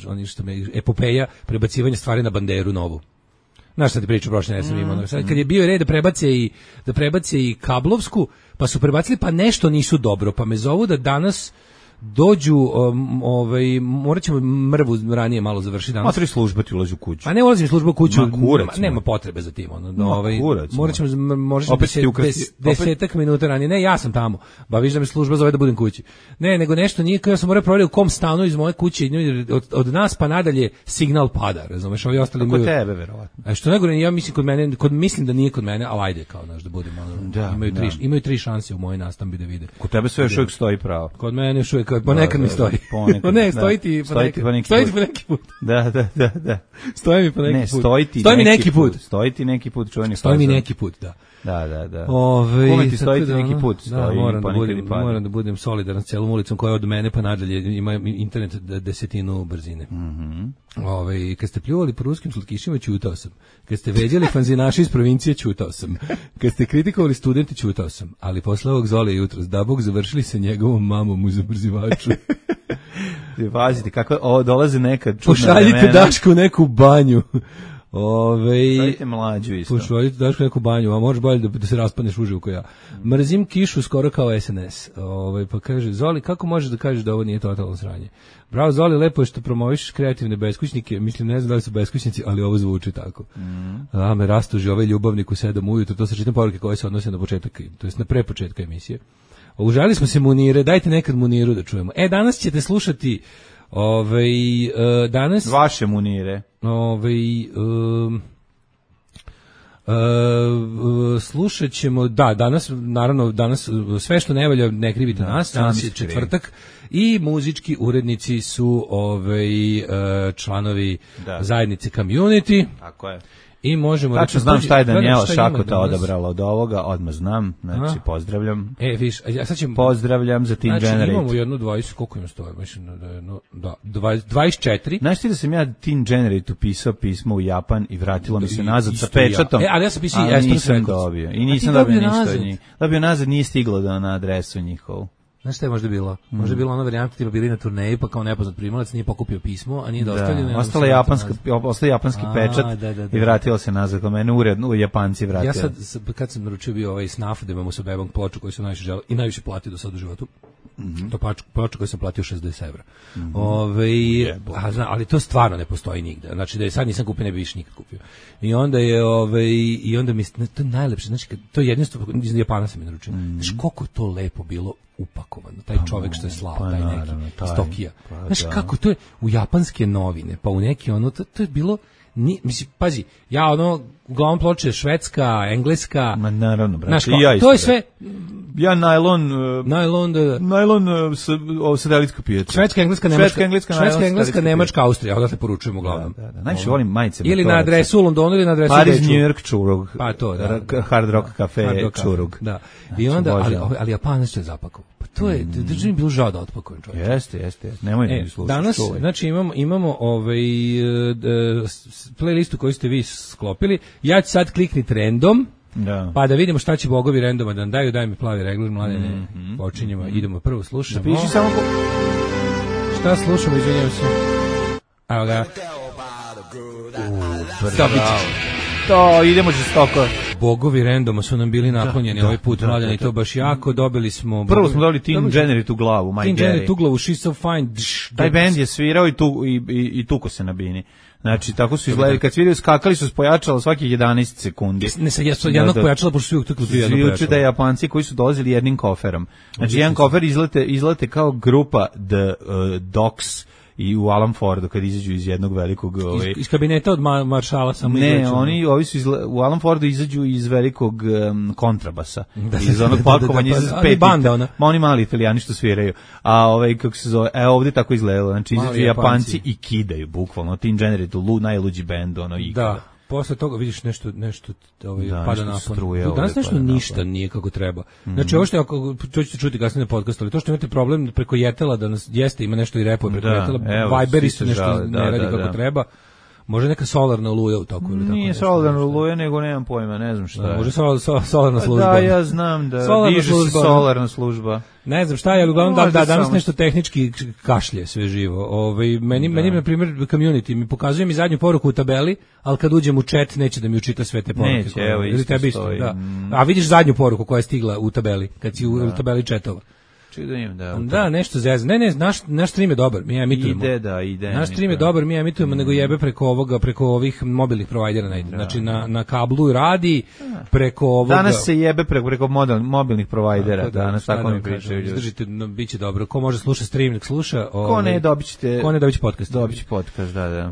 oni što me epopeja prebacivanja stvari na banderu novu. Znaš šta ti priču prošle nesam imao. Kad je bio red da prebace i kablovsku, pa su prebacili, pa nešto nisu dobro, pa me zovu da danas dođu, morat ćemo mrvu ranije malo završiti danas. Matri služba ti ulazi u kuću. A ne ulazim služba u kuću, nema potrebe za tim. Morat ćemo, možda 10 minuta ranije. Ne, ja sam tamo, viš da me služba zove da budem kući. Ne, nego nešto nije, ja sam morao provjeriti u kom stanu iz moje kuće, od nas pa nadalje signal pada, razumeš, ovi ostali kod tebe, verovatno. A što nego, ja mislim mislim da nije kod mene, ali ajde, kao naš da budemo. Imaju 3 šanse u mojoj nastambi da vide. Kod tebe sve još uvijek stoji pravo. Kod mene još uvijek, ponekad mi stoji. Ne, stoji ti po neki put. Da. Stoji mi po neki put. Stoji mi neki put. Stoji ti neki put, čuveni fazon. Stoji mi neki put, da. Da. Kome ti stoji ti neki put? Moram da budem solidaran s celom ulicom koja od mene pa nadalje ima internet 10 brzine. Kad ste pljuvali po ruskim slatkišima, ćutao sam. Kad ste veđali fanzinaši iz provincije, ćutao sam. Kad ste kritikovali studenti, ćutao sam. Ali posle ovog Zole jutros, da Bog, završili se njegovom mamom u zabrzivaču. Pazite, kako dolaze nekad čudna vremena. Pošaljite Dašku u neku banju. Pošaljite mlađu isto. Pošaljite Dašku neku banju, a možeš bolje da se raspadneš uživo ko ja. Mrzim kišu skoro kao SNS. Pa kaže, Zoli, kako možeš da kažeš da ovo nije totalno sranje? Bravo, Zoli, lepo je što promoviš kreativne beskućnike. Mislim, ne znam da li su beskućnici, ali ovo zvuči tako. Me rastuži ovaj ljubavnik u 7 ujutro. To se čitam poruke koje se odnose na početak, to jest na prepočetka emisije. Užali smo se Munire, dajte nekad Muniru da čujemo. Danas ćete slušati danas vaše Munire. Slušat ćemo, danas sve što ne valja ne krivite nas, danas je četvrtak i muzički urednici su članovi zajednice Community. Tako je. I možemo tačno znam šta je Danijela Šakota odabrala od ovoga, odmah znam, znači pozdravljam. Pozdravljam za Teen Generate. Znači imamo jednu 20, koliko im stoje, mislim da je 24. Znaš ti da sam ja Teen Generate upisao pismo u Japan i vratilo mi se nazad sa pečatom, ali ja sam pisao nisam dobio. I nisam dobio ništa od njih. Dobio nazad, nije stiglo na adresu njihovu. Znaš šta je možda bilo? Možda je bilo ona varijanta tipa bili na turneji, pa kao nepoznat primalac nije pokupio pismo, a nije dostavljeno. Ostao japanski pečat i vratilo se nazad kod mene, uredno u Japanci vratilo. Ja sad, kad sam naručio bio ovaj snaf, da imamo sa bebom ploču koju sam najviše želeo i najviše platio do sada u životu, to ploču koju sam platio 60 evra. Ali to stvarno ne postoji nigde. Znači da je sad nisam kupio, ne bi više nikad kupio. I onda je, i onda mi, to je najlepše, znači to je jedinstvo, iz Japana sam je naručio. Znači koliko je to lepo bilo upakovano, taj čovek što je slao, taj neki iz Tokija. Znaš kako, to je u japanske novine, pa u neki ono, to je bilo, mislim, pazi, ja ono, uglavnom ploče švedska, engleska, ma naravno, brate, znaš, to je sve, ja najlon satelitska pijaca. Švedska, engleska, nemačka, Austrija, odatle poručujemo uglavnom. Najviše volim majice. Ili na adresu u Londonu, ili na adresu u Paris, New York, Čurug. Pa to, Hard Rock Cafe, Čurug. Da. I onda, ali Japanac će zapakovao. Pa to je, držim bilo žao da otpakujem, čovječe. Jeste. Nemoj ne slušati. Danas, znači imamo playlistu koju ste vi sklopili. Ja ću sad klikniti random. Da. Pa da vidimo šta će bogovi randoma da nam daju, daj mi plavi regler, Mladene, počinjemo, idemo prvo, slušamo. Zapiši samo šta slušamo, izvinjam se. Evo ga. To, idemo žestoko. Bogovi randoma su nam bili naklonjeni ovaj put, Mladene, i to baš jako, dobili smo... Prvo smo dobili Teen Generate u glavu, My Teen Generate u glavu, She's So Fine. Taj band je svirao i tuko se na bini. Znači, tako su izgledali, kad sviraju, skakali su s pojačala svakih 11 sekundi. Ne sad, jednog pojačala, pošto su uvijek tukli dvije jednog pojačala. Da je Japanci koji su dolazili jednim koferom. Znači, jedan kofer izlete kao grupa The Dogs i u Alan Fordu kad izađu iz jednog velikog... Iz kabineta od maršala samo ne, ovi su u Alan Fordu izađu iz velikog kontrabasa. Iz onog pakovanja iz peti. Ma oni mali Italijani što sviraju. A kako se zove, ovdje tako izgledalo. Znači izađu Japanci i kidaju, bukvalno. Teen Generate, najluđi bend, da. Posle toga vidiš nešto pada napon. Danas nešto ništa nije kako treba. Znači ovo što ako ćete čuti kasnije na podcastu, ali to što imate problem preko Jetela da nas jeste ima nešto i repuje preko Jetela, Viberi su nešto ne radi kako treba. Može neka solarna oluja u toku ili tako. Nije solarna oluja, nego nemam pojma, ne znam šta je. Može solarna služba. Da, ja znam da diže se solarna služba. Ne znam šta je, ali uglavnom danas nešto tehnički kašlje sve živo. Meni na primjer community mi pokazuje mi zadnju poruku u tabeli, ali kad uđem u chat neće da mi učita sve te poruke. Neće, evo isto stoji. A vidiš zadnju poruku koja je stigla u tabeli, kad si u tabeli chatova. Da, nešto zezno. Ne, naš stream je dobar, mi emitujemo. Ide. Naš stream je dobar, mi emitujemo, nego jebe preko ovih mobilnih provajdera ne ide. Znači na kablu radi, preko ovoga... Danas se jebe preko mobilnih provajdera, danas tako mi pričaju. Izdržite, bit će dobro. Ko može sluša stream, nek sluša. Ko ne, dobit će podcast. Dobit će podcast, da.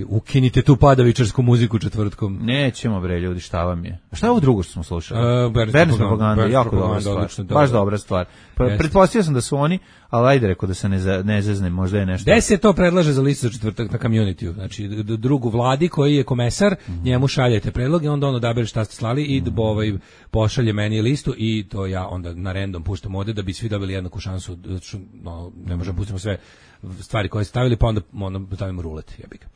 Ukinite tu padavičarsku muziku četvrtkom. Nećemo bre, ljudi, šta vam je? Šta je ovo drugo što smo slušali? Berns propaganda, jako dobra stvar. Baš dobra stvar. Pretpostavio sam da su oni, ali ajde rekao da se ne zezne, možda je nešto. Gde se to predlaže za listu za četvrtak na community-u? Znači, drugu vladi koji je komesar, njemu šaljete predloge, onda on odabere šta ste slali i pošalje meni listu i to ja onda na random puštam ovde da bi svi dobili jednaku šansu. Ne možemo pustimo sve stvari koje ste stavili, pa onda stavimo rulet, jebika.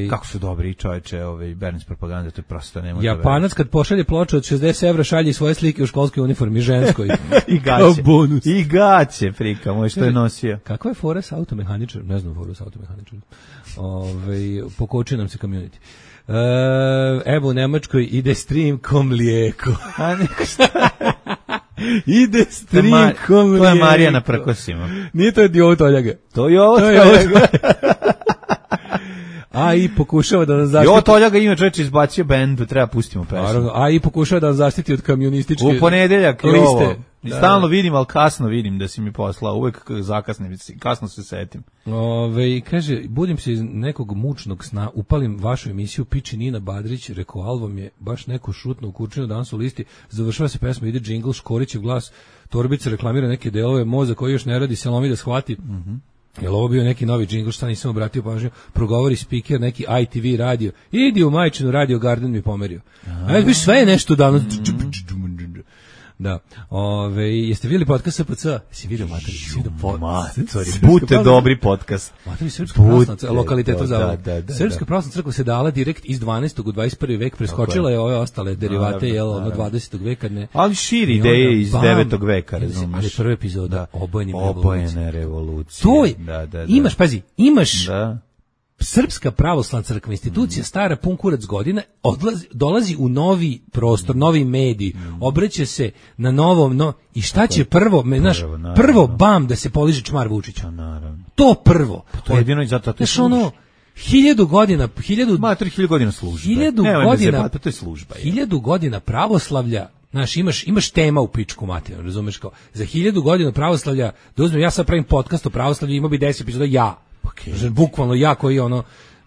Kako su dobri čoveče, Berns propaganda, to je prosto ne može. Japanac kad pošalje ploču od 60 evra šalje svoje slike u školskoj uniformi ženskoj. I gaće, prika, moj što je nosio. Kakva je fora sa automehaničarom? Ne znam foru sa automehaničarom. Pokoči nam se community. Evo u Nemačkoj ide stream ko mlijeko. A neko šta? Ide stream ko mlijeko. To je Marija na prkosima. Nije to Jovo Toljaga. To je Jovo Toljaga. A i pokušava da nas zaštiti. Jo, Toljaga ima čovječe izbacio bend, treba pustimo pesmu. Naravno, a i pokušava da nas zaštiti od kamionističke u ponedeljak liste. Stalno vidim, ali kasno vidim da si mi poslao. Uvek zakasnim, kasno se setim. Kaže, budim se iz nekog mučnog sna, upalim vašu emisiju, piči Nina Badrić, rekao, album je baš neko šutno u kurčinu danas u listi, završava se pesma, ide džingl, Škorićev glas, Torbica reklamira neke delove moza koji još ne radi, se lomi da shvati. Jel ovo bio neki novi džingl, šta nisam obratio pažnju, progovori speaker, neki ITV radio, idi u majčinu Radio Garden mi pomerio. Ajde, sve je nešto danas. Da. Jeste vidjeli podcast SPC? Jesi vidio mater? Bute dobri podcast. Mater, Srpska pravoslavna crkva, lokaliteta za da. Srpska pravoslavna crkva se dala direkt iz 12. u 21. vek, preskočila je ove ostale derivate, ono 20. veka, ne. Ali širi ideje iz 9. veka, razumeš. Ali prva epizoda, Obojene revolucije. To je, imaš, pazi, imaš da. Srpska pravoslavna crkva, institucija stara pun kurac godina, dolazi u novi prostor, novi medij, obraća se na novom, i šta će prvo, prvo bam da se poliže čmar Vučića. To prvo. To je jedino i zato to je služba. 1000 godina, 1000 godina službe. 1000 godina, to je služba. 1000 godina pravoslavlja. Znaš, imaš tema u pičku materiju, razumeš, kao za 1000 godina pravoslavlja, da uzmem, ja sad pravim podcast o pravoslavlju, imao bi 10 epizoda ja. Znači, bukvalno ja koji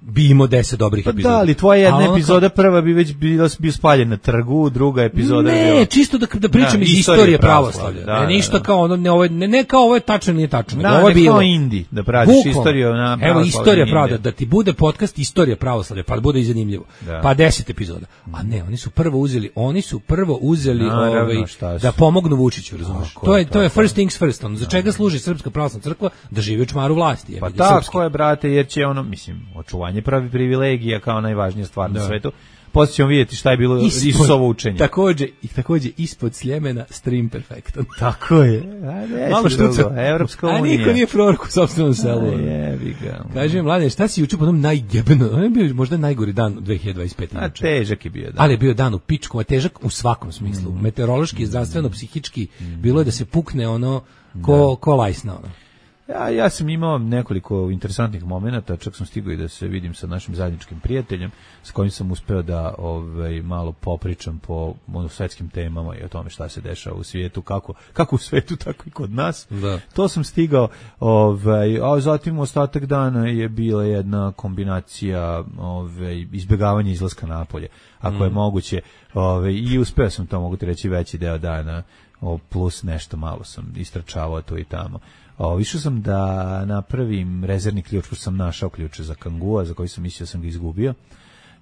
bi imao 10 dobrih epizoda. Da, ali tvoja jedna epizoda prva bi već bio spaljen na trgu, druga epizoda ne, bio... čisto da pričam iz istorije pravoslavlja. Ništa kao ne kao ovo je tačno ili nije tačno. Da, ovo je bilo kao Indi, da praviš istoriju na pravoslavlju. Evo, istorija pravoslavlja, da ti bude podcast istorija pravoslavlja, pa bude i zanimljivo. Da. Pa 10 epizoda. A ne, oni su prvo uzeli da pomognu Vučiću, razumeš? To je first things first. Za čega služi Srpska pravoslavna crkva? Da živi u čmaru vlasti. Pa tako je, brate, jer će očuvanje pravi privilegija kao najvažnija stvar na svetu. Poslije ćemo vidjeti šta je bilo Isusovo učenje. Takođe ispod Sljemena stream perfektan. Tako je. Malo štuca. Evropska unija. A niko nije prorok u sopstvenom selu. Jebi ga. Kaži mi, mlade, šta si juče po onom najjebeno? On je bio možda najgori dan u 2025. A težak je bio dan. Ali je bio dan u pičku, a težak u svakom smislu. Meteorološki, zdravstveno, psihički. Bilo je da se pukne ko lajsna ono. Ja sam imao nekoliko interesantnih momenata, čak sam stigao i da se vidim sa našim zajedničkim prijateljem, s kojim sam uspeo da malo popričam po svetskim temama i o tome šta se dešava u svijetu, kako u svijetu, tako i kod nas. Da. To sam stigao, a zatim ostatak dana je bila jedna kombinacija izbjegavanja izlaska napolje, ako je moguće, i uspeo sam to, mogu ti reći, veći deo dana, plus nešto malo sam istračavao tu i tamo. Išao sam da napravim rezervni ključ, pošto sam našao ključe za kangua, za koji sam mislio da sam ga izgubio.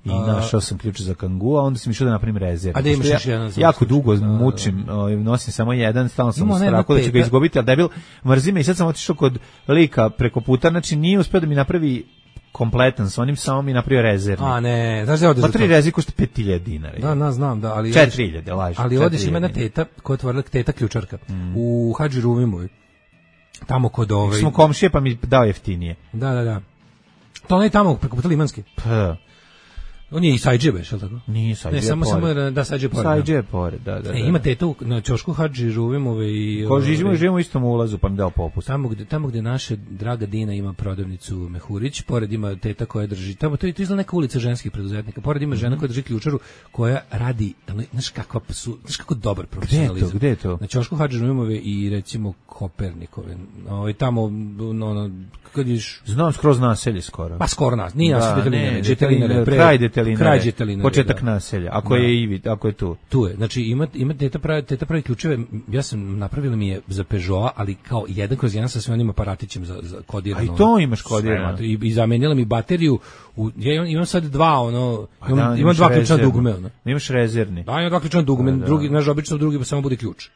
I našao sam ključe za kangua, onda sam išao da napravim rezervni. A da imaš još jedan? Jako dugo mučim, nosim samo jedan, stalno sam u strahu da ću ga izgubiti, ali debil mrzi me i sad sam otišao kod lika preko puta, znači nije uspio da mi napravi kompletan sa onim, samo mi napravio rezervni. A ne, znaš da ovdje za to? 3 rezervi košta 5.000 dinara. Da, znam, da, ali... 4.000, lažem. Ali ovdje ima jedna teta, koja je otvorila teta ključarka, u Hadži Ruvimovoj. Tamo kod smo komšije, pa mi dao jeftinije. Da. To je tamo preko puta Limanski. Pa. On je i Sajđe beš, je li tako? Nije Sajđe. Ne, samo da Sajđe pored. Sajđe pored, da. Ima teta na ćošku Hadži Žuvimove i... Živimo u istom ulazu, pa mi dao popust. Tamo gde naša draga Dina ima prodavnicu Mehurić, pored ima teta koja drži, tamo to izgleda neka ulica ženskih preduzetnika, pored ima žena koja drži ključaru, koja radi, znaš kako dobar profesionalizam. Gde je to? Na ćošku Hadži Žuvimove i recimo Kopernikove. Tamo, kad ješ... Znam skroz naselje skoro. Pa skoro nas, nije naselje Detelinare, kraj Detelinare, početak da. Naselja, ako je Ivid, ako je tu. Tu je, znači ima teta pravi ključeve, ja sam napravila mi je za Peugeot, ali kao 1/1 sa svim onim aparatićem za kodirano. A i to imaš kodirano. I zamenila mi bateriju, ja imam sad imam dva ključna dugme. Imaš rezervni. Da, imam dva ključna dugme, drugi, znaš, obično drugi samo bude ključ.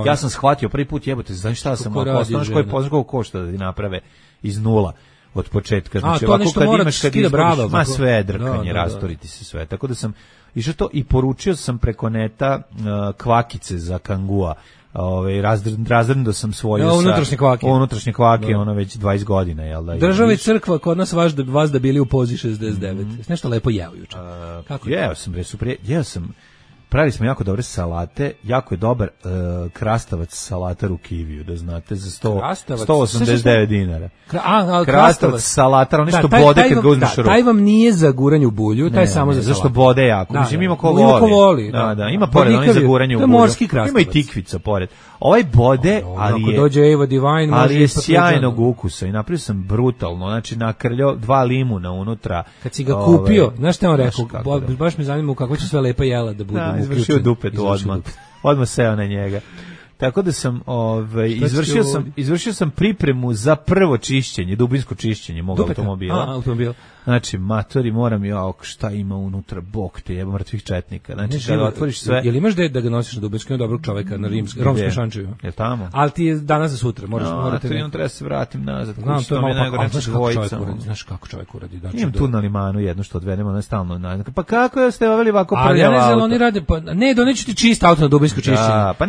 Ja sam shvatio prvi put, jebote, znaš šta sam znaš koji pozdrav košta da ti naprave iz nula od početka. Znači, to nešto mora skida brava. Ma sve drkanje, rastoriti se sve. Tako da sam išao to i poručio sam preko neta kvakice za kangua. Razredno sam svoju unutrašnje kvake, ono već 20 godina, jel da? Država i crkva kod nas vas da bili u pozi 69. Nešto lepo jeo juče. Jeo sam pravili smo jako dobre salate, jako je dobar krastavac salatar u kiviju, da znate, za 189 dinara. Krastavac salatar, on nešto bode kad ga uzmeš u ruku. Taj vam nije za guranje u bulju, taj samo za salatu. Zašto bode jako? Mislim, ima ko voli. Da, ima pored, on je za guranje u bulju. To je morski krastavac. Ima i tikvica pored. Ovaj bode, ali je sjajnog ukusa i napravio sam brutalno, znači nakrljao 2 limuna unutra. Kad si ga kupio, znaš šta on rekao, baš me zanima kako će sve lepa jela da bude. Izvršio dupetu odmah seo na njega. Tako da sam izvršio sam pripremu za prvo čišćenje, dubinsko čišćenje mog automobila. Znači, matori, moram šta ima unutra, bog te jeba mrtvih četnika. Znači, kada otvoriš sve... Jel imaš da ga nosiš na dubinsko, dobrog čoveka, na romskom šančevu? Je tamo? Ali ti je danas za sutra, morate... Treba se vratim nazad. Znam, to je malo znaš kako čovjek uradi. Imam tu na limanu jedno što odvedemo na stalno. Pa kako ste oveli ovako prljava auto? Ali ja ne znam, oni rade... Ne, doneću ti čist auto na dubinsko čišćenje. Pa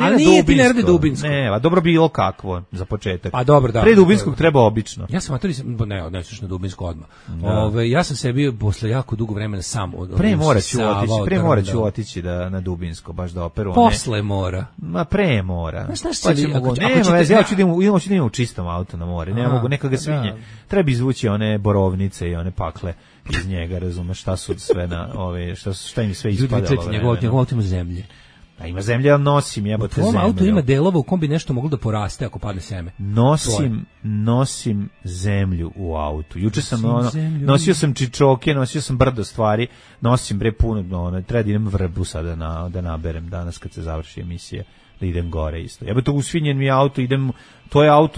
ti ne rade dubinsko. Ne, dobro bilo kakvo, za početak. Pa dobro, da. Pre dubinskog treba obično. Ja sam matori, ne, odneseš na dubinsko odmah. Ja sam sebi posle jako dugo vremena sam pre mora ću otići na dubinsko baš da operu. Posle mora. Ma pre mora. Ja ću da idem u čistom auto na more. Ne mogu neka ga svinje. Treba izvući one borovnice i one pakle iz njega, razumeš šta su sve na ove šta im sve ispadalo. Njegovo auto ima zemlje. A ima zemlje, ja nosim jebote zemlju. U auto ima delova u kom bi nešto moglo da poraste ako padne seme. Nosim zemlju u autu. Juče sam nosio sam čičoke, nosio sam brdo stvari, nosim puno, treba da idem vrbu sada da naberem danas kad se završi emisija, da idem gore isto. Jebote, usvinjen mi auto,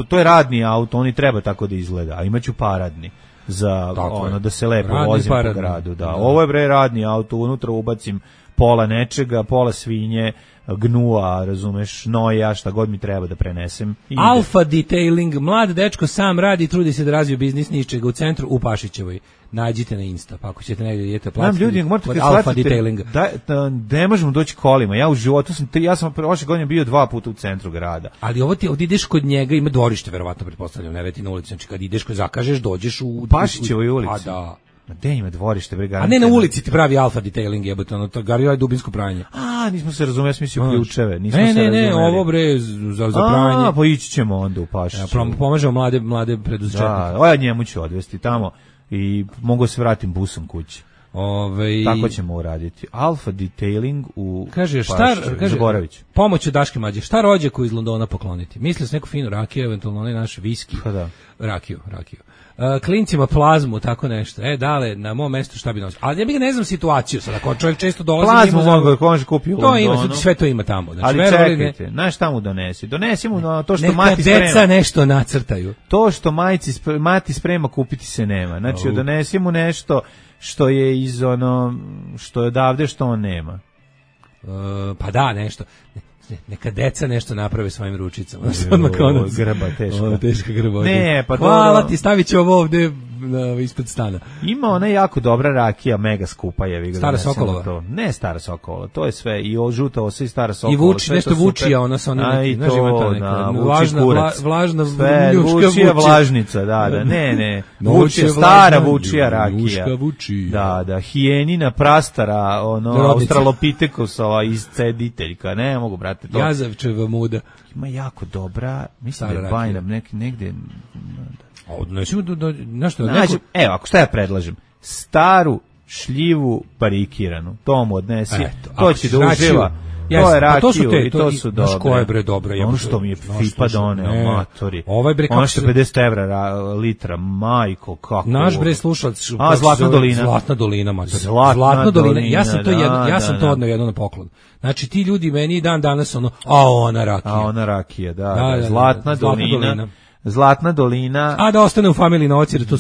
to je radni auto, on i treba tako da izgleda, a imaću paradni za da se lepo vozim po gradu. Da. Ovo je radni auto, unutra ubacim pola nečega, pola svinje, gnua, razumeš, noja, šta god mi treba da prenesem. Alfa Detailing, mlad dečko sam radi i trudi se da razvije biznis ničega u centru u Pašićevoj. Nađite na Insta, pa ako ćete negdje idete platiti od Alfa Detailinga. Ne možemo doći kolima, ja u životu sam prošle godine bio 2 puta u centru grada. Ali ovdje ideš kod njega, ima dvorište, verovatno pretpostavljam, ne veti na ulici, znači kad ideš, kad zakažeš, dođeš u Pašićevoj ulici. A da. Ma gde ima dvorište, bre, a ne na ulici ti pravi Alfa Detailing, jebote, to Gario je dubinsko pranje. Nismo se razumeli, ja sam mislio ključeve, Ne, ovo bre za pranje. Pa ići ćemo onda u Pašiću. Pomažemo mlade preduzetnike. Da, njemu ću odvesti tamo i mogu se vratim busom kući. Tako ćemo uraditi. Alfa Detailing u Zaboravić. Pomoć od Daške Mlađe. Šta rođaku iz Londona pokloniti? Mislio se neku finu rakiju, eventualno onaj naš viski. Pa da. Rakiju. Klincima plazmu, tako nešto. Dale, na mom mestu šta bi nosio. Ali ja bih ne znam situaciju sada, ako čovjek često dolazi... Plazmu može kupiti u Londonu. Sve to ima tamo. Znači, ali čekajte, znaš šta mu donesi? Donesi mu to što mati sprema. Neka deca nešto nacrtaju. To što mati sprema kupiti se nema. Znači, donesi mu nešto što je iz što je odavde, što on nema. Pa da, nešto. Neka deca nešto naprave svojim ručicama. Grba teška. Teška grba. Ne, pa hvala ti, stavit ću ovo ovde ispred stana. Ima ona jako dobra rakija, mega skupa je. Stara Sokolova? Ne Stara Sokolova, to je sve. I žuta osa i Stara Sokolova. I vuči, nešto vučija, ona sa onim neki, znaš ima ta neka vlažna vučija vlažnica, da, ne. Vučija, stara vučija rakija. Da, hijenina prastara, australopitekosova iscediteljka, ne mogu, brate. Jazavčeva muda. Ima jako dobra, mislim da je bajna, negde... Evo, ako šta ja predlažem, staru šljivu barikiranu, to mu odnesi, to će da uživa, to je rakiju i to su dobre. Znaš ko je bre dobro? Ono što mi je FIPA doneo, matori. Ono što je 50 evra litra, majko, kako. Naš bre slušalac. Zlatna dolina. Zlatna dolina, matori. Zlatna dolina. Ja sam to odneo jedno na poklon. Znači ti ljudi meni dan danas ona rakija. Da. Zlatna dolina. Zlatna dolina. A da ostane u familiji na ocjeri, to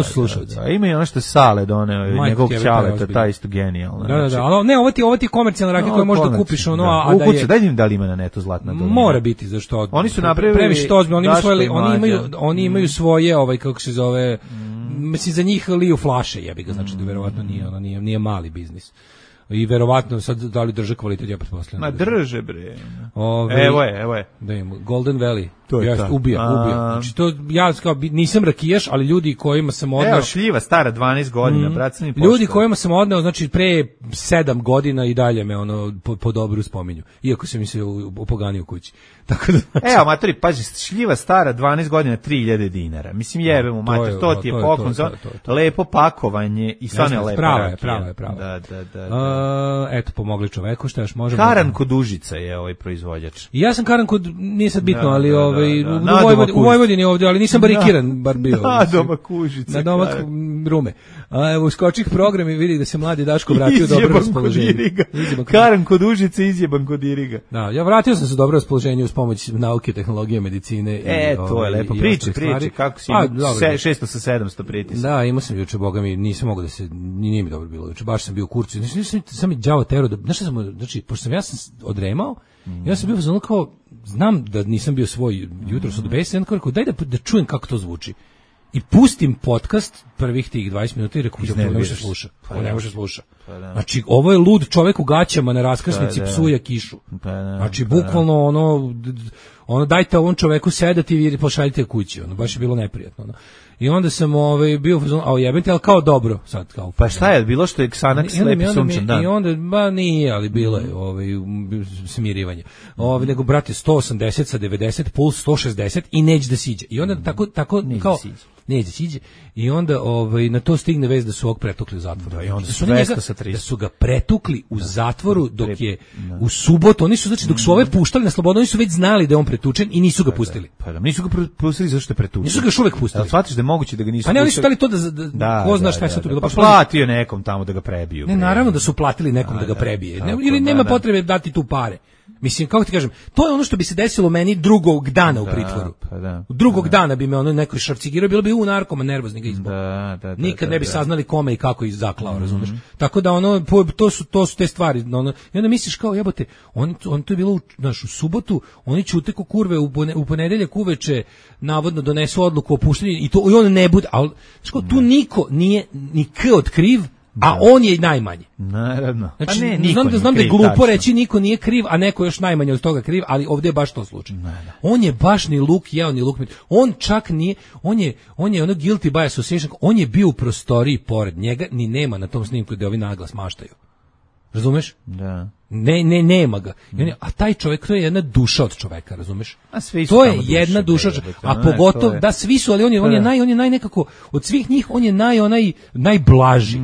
su slušalci. Ima i ono što je Sale doneo, njegov ćaleta, ta isto genijalna. Da, ali ne, ovo ti je komercijalna rakija koju možda kupiš a da je... Daj im da li ima na netu Zlatna dolina. Mora biti, zašto? Oni su napravili... Previše to ozbiljno, oni imaju svoje, kako se zove, mislim, za njih liju flaše, jebi ga, znači da verovatno nije mali biznis. I verovatno sad da li drže kvalitet, ja pretpostavljam. Ma drže bre. Evo je. Da imamo Golden Valley. Ubija. Znači to ja nisam rakijaš, ali ljudi kojima sam odneo. Evo šljiva stara 12 godina, bracani pošto. Ljudi kojima sam odneo, znači pre 7 godina i dalje me po dobru spominju. Iako sam mi se opoganio kući. Tako da evo matori, pazi, šljiva stara 12 godina 3000 dinara. Mislim jebe mu mater, to ti je poklon za lepo pakovanje i stvarno je lepo. Prava je. Da. Eto, pomogli čoveku, šta još možemo. Karan kod Užica je ovaj proizvođač. I ja sam Karan kod, nije sad bitno, ali u Vojvodini ovdje, ali nisam barikiran, bar bio. Na domak Užice. Na domak Rume. A evo, skočih program i vidi da se mladi Daško vratio u dobro raspoloženje. Karan kod Užice, izjeban kod Iriga. Da, ja vratio sam se u dobro raspoloženje uz pomoć nauke, tehnologije, medicine. To je lepo. Priči, kako si imao 600 sa 700 pritisak. Da, imao sam juče, boga mi, nisam mogao da se, nije mi dobro bilo juče, baš sam bio u kurcu. Sam mi đavo tero, znaš šta sam, znači, pošto sam ja odremao, ja sam bio ono kao, znam da nisam bio svoj jutros od besa, ja kao, daj da čujem kako to zvuči. I pustim podcast prvih tih 20 minuta i rekao, ne može sluša. Ne može sluša. Znači, ovo je lud čovek u gaćama na raskrsnici psuje kišu. Znači, bukvalno ono dajte ovom čoveku sedati i pošaljite kući. Ono, baš je bilo neprijatno. Ono. I onda sam bio, jebente, ali kao dobro. Sad, kao, pa šta je, bilo što je Xanax lepi sunčan dan? I onda, nije, ali bilo je smirivanje. Nego, brate, 180 sa 90, puls 160 i neće da siđe. I onda tako kao... Neće da siđe. I onda na to stigne vez da su ovog pretukli u zatvoru. Da, i onda su 200 sa 300. Da su ga pretukli u zatvoru dok je u subotu, oni su, znači, dok su ove puštali na slobodu, oni su već znali da je on pretučen i nisu ga pustili. Pa da, nisu ga pustili zato što je pretučen. Nisu ga još uvek pustili. Da, shvatiš da je moguće da ga nisu pustili. Pa ne, oni su dali to da ko zna šta je sad to bilo. Pa platio nekom tamo da ga prebiju. Ne, naravno da su platili nekom da ga prebije. Ili nema potrebe dati tu pare. Mislim, kako ti kažem, to je ono što bi se desilo meni drugog dana u pritvoru. Drugog dana bi me ono neko šarcigirao, bilo bi narkoman, nervozni ga izbog. Nikad ne bi saznali kome i kako ih zaklao, razumeš? Tako da to su te stvari. I onda misliš kao, jebote, on to je bilo u subotu, oni ćute ko kurve u ponedeljak uveče navodno donesu odluku o puštenju i on ne bude, ali tu niko nije ni od kriv, a on je najmanje. Naravno. Znači, znam da je glupo reći niko nije kriv, a neko još najmanje od toga kriv, ali ovdje je baš to slučaj. On je baš ni luk jeo, ni luk mit. On čak nije, on je ono guilty by association, on je bio u prostoriji pored njega, ni nema na tom snimku da ovi naglas maštaju. Razumeš? Da. Nema ga. A taj čovjek, to je jedna duša od čoveka, razumeš? To je jedna duša, a pogotovo, da svi su, ali on je naj nekako, od svih njih, on je najblaži.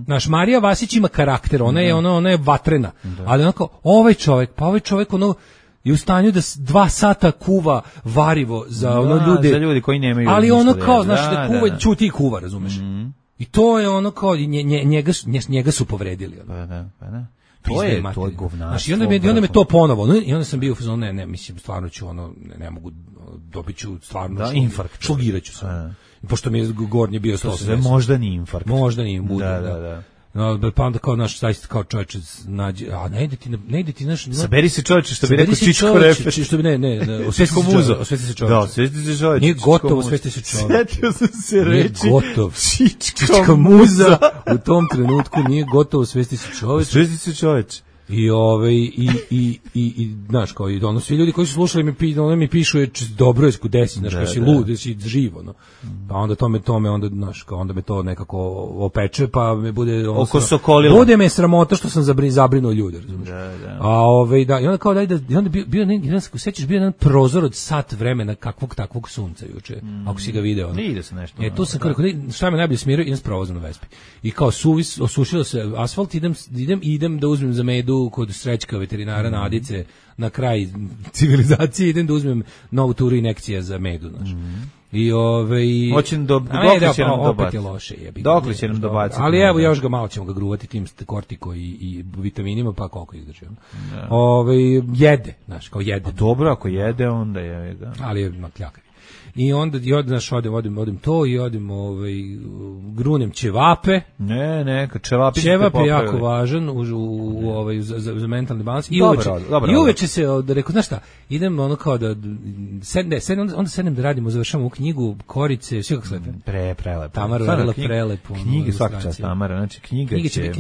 Naš Marija Vasić ima karakter, ona je vatrena, ali onako, ovaj čovjek je u stanju da 2 sata kuva varivo za ljude. Za ljudi koji nemaju. Ali ono kao, znaš, da kuva, čuti i kuva, razumeš? I to je ono kao, njega su povredili. Pa da. To je govnarstvo. I onda me to ponovo, i onda sam bio u fazonu, ne, mislim, stvarno ću ne mogu, dobit ću stvarno infarkt. Šlogirat ću se. Pošto mi je gornji bio 180. Možda ni infarkt. Možda ni bude. Da. Pa onda kao naš zaista kao čovječe nađe, a ne ide ti naš... Saberi se čovječe, što bi rekao Čičko Refet. Što bi, ne, osvesti se čovječe. Da, osvesti se čovječe. Nije gotovo, osvesti se čovječe. Sjetio sam se reći. Nije gotov. Čička muza. U tom trenutku nije gotovo, osvesti se čovječe. Osvesti se čovječe. I znaš, kao i ono, svi ljudi koji su slušali mi pišu dobro je desi, znaš, kao si lud, da si živ, ono. Pa onda tome onda, znaš, kao onda me to nekako opeče, pa me bude oko sokolila. Bude me sramota što sam zabrinuo ljude, razumiješ? Da. I onda kao i onda bio sećaš bio jedan prozor od sat vremena kakvog takvog sunca juče. Ako si ga video. Ne ide se nešto. Tu sam kao šta me najbolje smiruje, idem s provozom na Vespi. I kao osušilo se asfalt, idem da uzmem za medu kod Srećka veterinara na Adice, na kraj civilizacije, idem da uzmem novu turu injekcija za medu, znaš. Hoćem dokle će nam dobaciti. Opet je loše, jebi. Dokle će nam dobaciti. Ali evo, još ga malo ćemo ga gruvati tim kortiko i vitaminima, pa koliko izdrži. Jede, znaš, kao jede. Dobro, ako jede, onda je ga. Ali je makljaka. I onda odim to i odim grunem ćevape. Neka ćevapi. Ćevap je jako važan za mentalni balans. I uveče se rekao, znaš šta, idem ono kao da onda sednem da radimo, završamo u knjigu Korice, sve kako slepe. Prelepo. Tamara radila prelepo. Knjige svaka čast Tamara, znači knjiga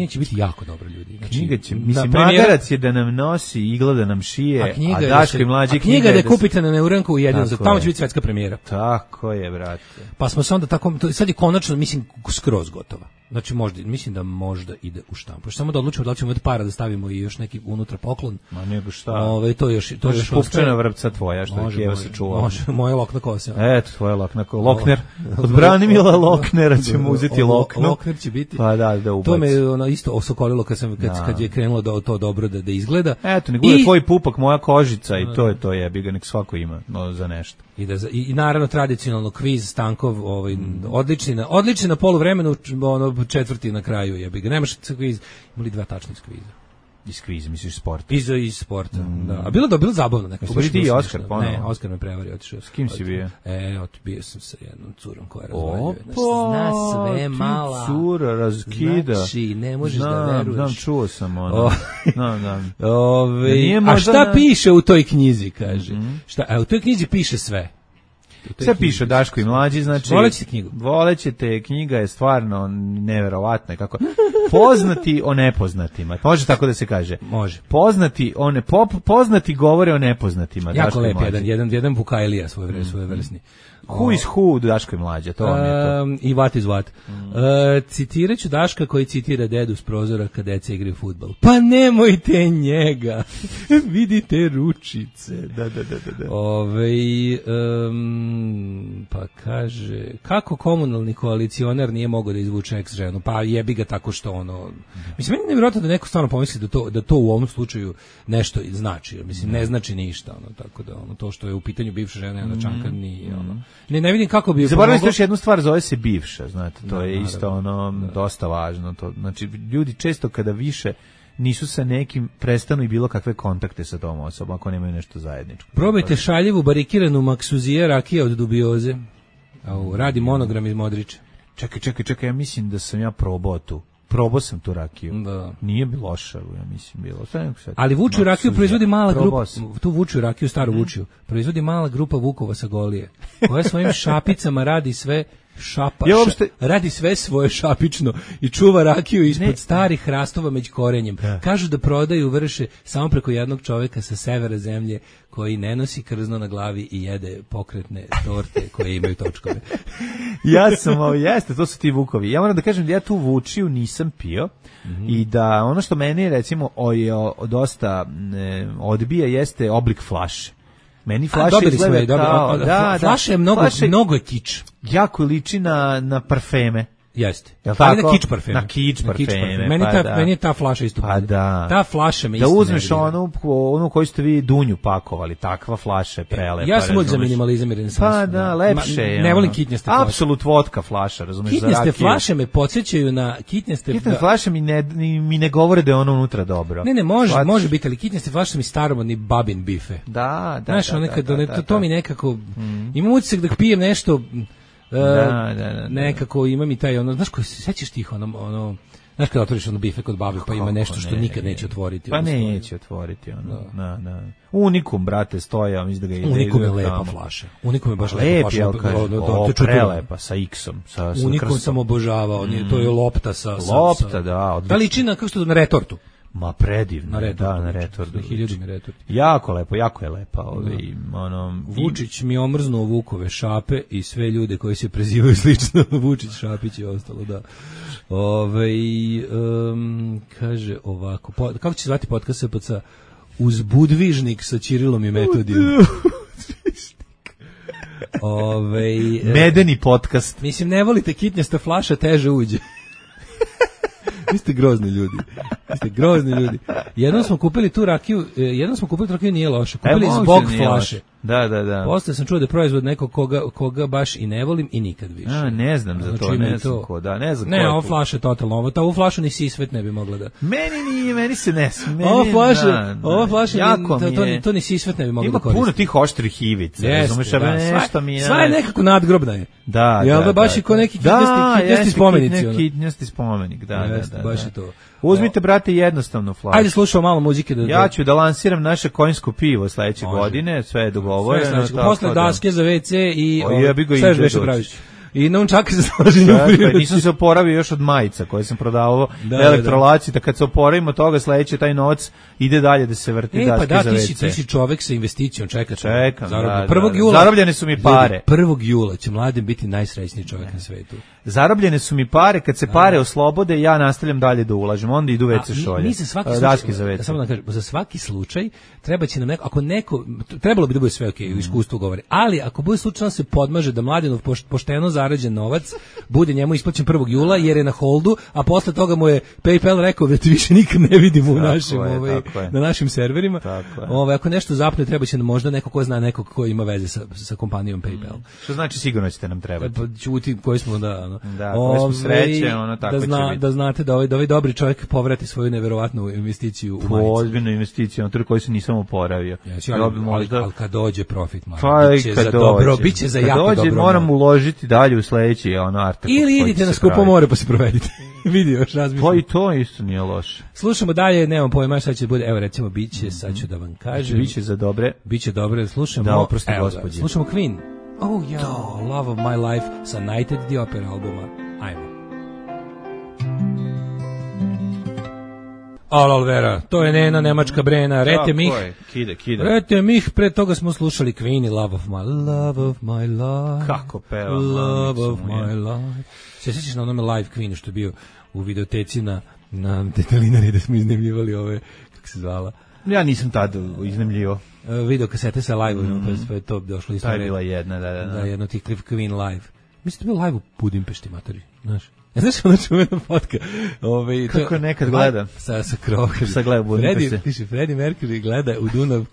će biti jako dobro, ljudi. Knjiga će, mislim, magarac je da nam nosi, igla da nam šije, a Daško i mlađi knjiga da kupite na Neuranku u jednom, tamo će biti svetska premijera. Tako je, brate. Pa smo se onda tako, sad je konačno, mislim, skroz gotova. Znači možda, mislim da možda ide u štampu. Samo da odlučimo da li ćemo od para da stavimo i još neki unutra poklon. Ma nego šta. To još pupčana vrpca tvoja što je Keva se čuva. Može, moje lokna kose. Eto, tvoja lokna kosa. Lokner. Od Branimila Loknera ćemo uzeti loknu. Lokner će biti. Pa da ubaci. To me ono isto osokolilo kad je krenulo da to dobro da izgleda. Eto, nego je tvoj pupak, moja kožica i to je, bi ga nek svako ima za nešto. I naravno tradicionalno kviz Stankov, odlični na poluvremenu, četvrti na kraju, jebi ga. Nemaš kviz, imali 2 tačna iz kviza. Iz kviza, misliš sporta? Iz sporta, da. A bilo zabavno nekako. Ubili ti i Oskar ponovo? Ne, Oskar me prevario, otišao. S kim si bio? Bio sam sa jednom curom koja razvaljuje. Zna sve, mala. Cura razkida. Znači, ne možeš da veruješ. Znam, čuo sam ono. A šta piše u toj knjizi, kaže? U toj knjizi piše sve. Sve piše Daško i Mlađi, znači volećete knjigu. Volećete, knjiga je stvarno neverovatna, kako poznati o nepoznatima. Može tako da se kaže. Može. Poznati govore o nepoznatima. Jako lep jedan Vukajlija svojevrsni. Who is who, Daško i Mlađa, to vam je to. I what is what. Citirat ću Daška koji citira dedu s prozora kad deca igraju fudbal. Pa nemojte njega. Vidite ručice. Da. Pa kaže, kako komunalni koalicionar nije mogao da izvuče ex ženu? Pa jebi ga tako što ono... Mislim, meni je nevjerojatno da neko stvarno pomisli da to u ovom slučaju nešto znači. Mislim, ne znači ništa. Tako da to što je u pitanju bivša žena Ana Čankar nije ono... Ne vidim kako bi... Zaboravili ste još jednu stvar, zove se bivša, znate, to je isto dosta važno. Znači, ljudi često kada više nisu sa nekim, prestanu i bilo kakve kontakte sa tom osobom, ako nemaju nešto zajedničko. Probajte šaljivu barikiranu maksuzije rakije od dubioze. Radi monogram iz Modrića. Čekaj, ja mislim da sam ja probao sam tu rakiju. Da. Nije bilo loša, ja mislim bilo. Ali Vučiju rakiju proizvodi mala grupa, tu Vučiju rakiju, staru Vučiju, proizvodi mala grupa Vukova sa Golije, koja svojim šapicama radi sve radi sve svoje šapično i čuva rakiju ispod starih hrastova među korenjem. Kažu da prodaju vrše samo preko jednog čoveka sa severa zemlje koji ne nosi krzno na glavi i jede pokretne torte koje imaju točkove. Jeste, to su ti Vukovi. Ja moram da kažem da ja tu Vučiju nisam pio i da ono što meni recimo dosta odbija jeste oblik flaše. Meni flaša izgleda kao... Flaša je mnogo je kič. Jako liči na parfeme. Jeste. Ali na kič parfeme. Na kič parfeme. Meni je ta flaša isto. Pa da. Ta flaša me isto. Da uzmeš onu koju ste vi Dunju pakovali, takva flaša je prelepa. Ja sam za minimalizam i renesans. Pa da, lepše je. Ne volim kitnjaste flaše. Apsolut vodka flaša, razumeš, za rakiju. Kitnjaste flaše me podsjećaju na kitnjaste... Kitnjaste flaše mi ne govore da je ono unutra dobro. Ne, može biti, ali kitnjaste flaše mi staromodni babin bife. Da. Znaš, to mi nekako... Imam utisak da pijem nešto... nekako ima mi taj znaš koji se sećaš tih znaš kada otvoriš bife kod babi pa ima nešto što nikad neće otvoriti. Pa neće otvoriti Unikum, brate, stoja, mislim da ga ide. Unikum je lepa flaša. Unikum je baš lepa flaša. Prelepa sa X-om. Unikum sam obožavao, to je lopta sa... Lopta, da. Da liči na, kako što na retortu. Ma predivno, na retortu. Jako lepo, jako je lepa. Vučić mi omrznuo Vukove šape i sve ljude koji se prezivaju slično. Vučić, Šapić i ostalo, da. Kaže ovako, kako će zvati podcast SPC? Uzbudvižnik sa Ćirilom i Metodijom. Medeni podcast. Mislim, ne volite kitnjasta flaša, teže uđe. Vi ste grozni ljudi. Jednom smo kupili tu rakiju, nije loše. Kupili zbog flaše. Da. Posle sam čuo da je proizvod nekog koga baš i ne volim i nikad više. Ne znam za to, ne znam ko, da, ne znam ko. Ne, ovo flaša je totalno ovo. Ovu flašu ni Sisvet ne bi mogla da... Meni se ne smije. Ovo flaše, to ni Sisvet ne bi mogla da koristi. Ima puno tih oštrih ivica, razumeš, nešto mi je... Sva je nekako nadgrobna je. Da. Baš i ko neki kitnjasti spomenici. Kitnjasti spomenik, da. Baš je to. Uzmite, brate, jednostavno flašu. Ajde, slušamo malo muzike. Ja ću da lansiram naše konjsko pivo sledeće godine, sve je dogovoreno. Posle daske za WC i sve još više praviš. I nunčake za slaženje u prirodi. Nisam se oporavio još od majica koje sam prodavao elektrolaci, da kad se oporavimo toga sledeće taj novac ide dalje da se vrti daske za WC. Ti si čovek sa investicijom, čekam. 1. jula. Zarobljene su mi pare. 1. jula će Mladen biti najsrećniji čovek na svetu. zarobljene su mi pare, kad se pare oslobode, ja nastavljam dalje da ulažem, onda idu WC šolje. Mi za svaki slučaj, samo da kažem, za svaki slučaj treba će nam neko, ako neko, trebalo bi da bude sve okej, iskustvo govori, ali ako bude slučajno se podmaže da Mladenov pošteno zarađen novac bude njemu isplaćen 1. jula jer je na holdu, a posle toga mu je PayPal rekao da te više nikad ne vidimo u našim, na našim serverima. Ako nešto zapne, treba će nam možda neko ko zna nekog ko ima veze sa kompanijom PayPal. Što znači sigurno ćete nam trebati. Pa čuti koji smo koji smo sreće, tako će biti. Da znate da ovaj dobri čovjek povrati svoju neverovatnu investiciju u majicu. Ozbiljnu investiciju, na koji se nisam oporavio. Ali kad dođe profit, biće za jako dobro. Kad dođe, moram uložiti dalje u sledeći artekst. Ili idite na skupo more pa se provedite. Vidi još razmišljam. Pa i to isto nije loše. Slušamo dalje, nemam pojma šta će bude. Evo recimo biće, sad ću da vam kažem. Biće za dobre. Biće dobre, slušamo. Da, oprosti gospođe. Slušamo Queen. Oh ja, Love of My Life sa Nighted the Opera albuma. Ajmo. Alvera, to je Nena, nemačka Brena, Rete Mich. Kida. Rete Mich, pre toga smo slušali Queen i Love of My Life. Kako peva. Love of My Life. Se sjećaš na onome live Queenu što je bio u videoteci na Detelinari da smo iznemljivali ove, kako se zvala? Ja nisam tad iznemljivo. Video kasete sa live-om, pa je to došlo isto. Ta je bila jedna, da. Jedno tih Queen live. Mislim da je bio live u Budimpešti, materi, znaš. Znaš ona čuvena fotka? Kako nekad gleda? Sa krovom. Sa gleda Budimpešte. Freddie Mercury gleda u Dunav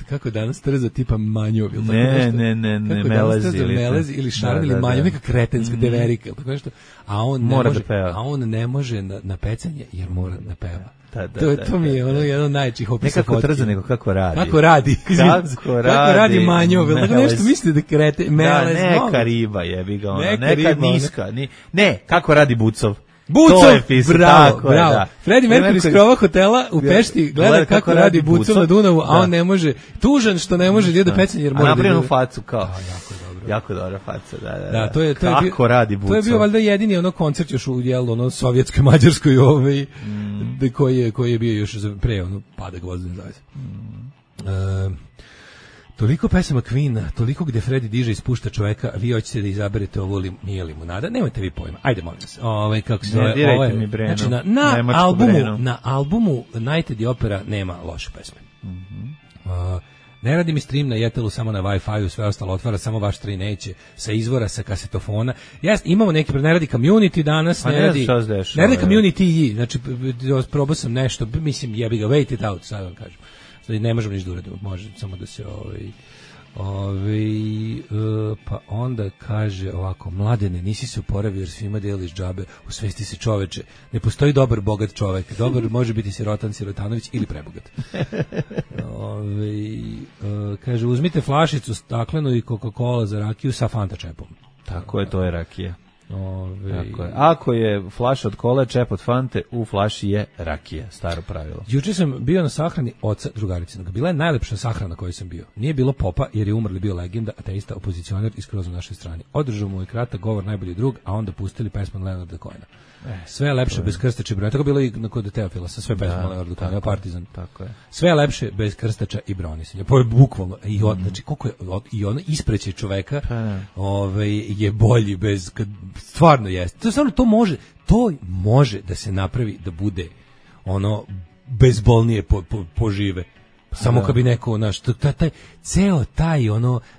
kako danas trza tipa manjov. Ne, melezi ili šarm ili manjov, neka kretenska deverika, tako nešto. A on ne može na pecanje jer mora da peva. To mi je jedno najčih opisa fotke. Nekako trza, nego kako radi. Kako radi manjov. Tako nešto mislite da krete, melez. Neka riba jebi ga ona, neka niska. Ne, kako radi Bucov. Bravo. Freddie Mercury iz krova hotela u Pešti gleda kako radi Bucov na Dunavu, a on ne može, tužan što ne može da pecanje jer mora da... A napravljenu facu kao. Jako dobra faca, da. Kako radi Bucov. To je bio valjda jedini koncert još u sovjetskoj, mađarskoj koji je bio još pre pada gvozdene zavese. Toliko pesama Queena, toliko gde Freddie diže i spušta čoveka, vi hoćete da izaberete ovo nije limunada, nemojte vi pojma. Ajde, molim vas. Kako se zove? Znači, na albumu Nighted the Opera nema loše pesme. Ne radi mi stream na Jetelu samo na Wi-Fi-u, sve ostalo otvara, samo vaš tri neće, sa izvora, sa kasetofona. Imamo neki, ne radi Community danas, ne radi Community, znači probao sam nešto, mislim jebi ga, wait it out, sad vam kažem. Ne možemo ništa da uradimo, može samo da se pa onda kaže ovako: Mladene, nisi se oporavio jer svima deliš džabe, osvesti se čoveče, ne postoji dobar bogat čovek, dobar može biti sirotan, sirotanović ili prebogat. Kaže, uzmite flašicu staklenu i Coca-Cola za rakiju sa Fanta čepom. Tako je, to je rakija. Tako je. Ako je flaša od kole, čep od Fante, u flaši je rakija, staro pravilo. Juče sam bio na sahrani oca drugarice. Bila je najlepša sahrana na kojoj sam bio. Nije bilo popa jer je umrli bio legenda, ateista, opozicioner i skroz na našoj strani. Održao mu je kratak govor najbolji drug, a onda pustili pesmu Leonarda Cohena. Sve je lepše bez krstača i brojeva. Tako bilo i kod Teofila sa sve pesme Leonarda Cohena, Partizan. Tako je. Sve je lepše bez krstača i bronisanja. Po bukvalno znači koliko je i ono ispreće čoveka, je bolji bez stvarno jeste. To stvarno to može da se napravi da bude bezbolnije požive. Samo kad bi neko, ceo taj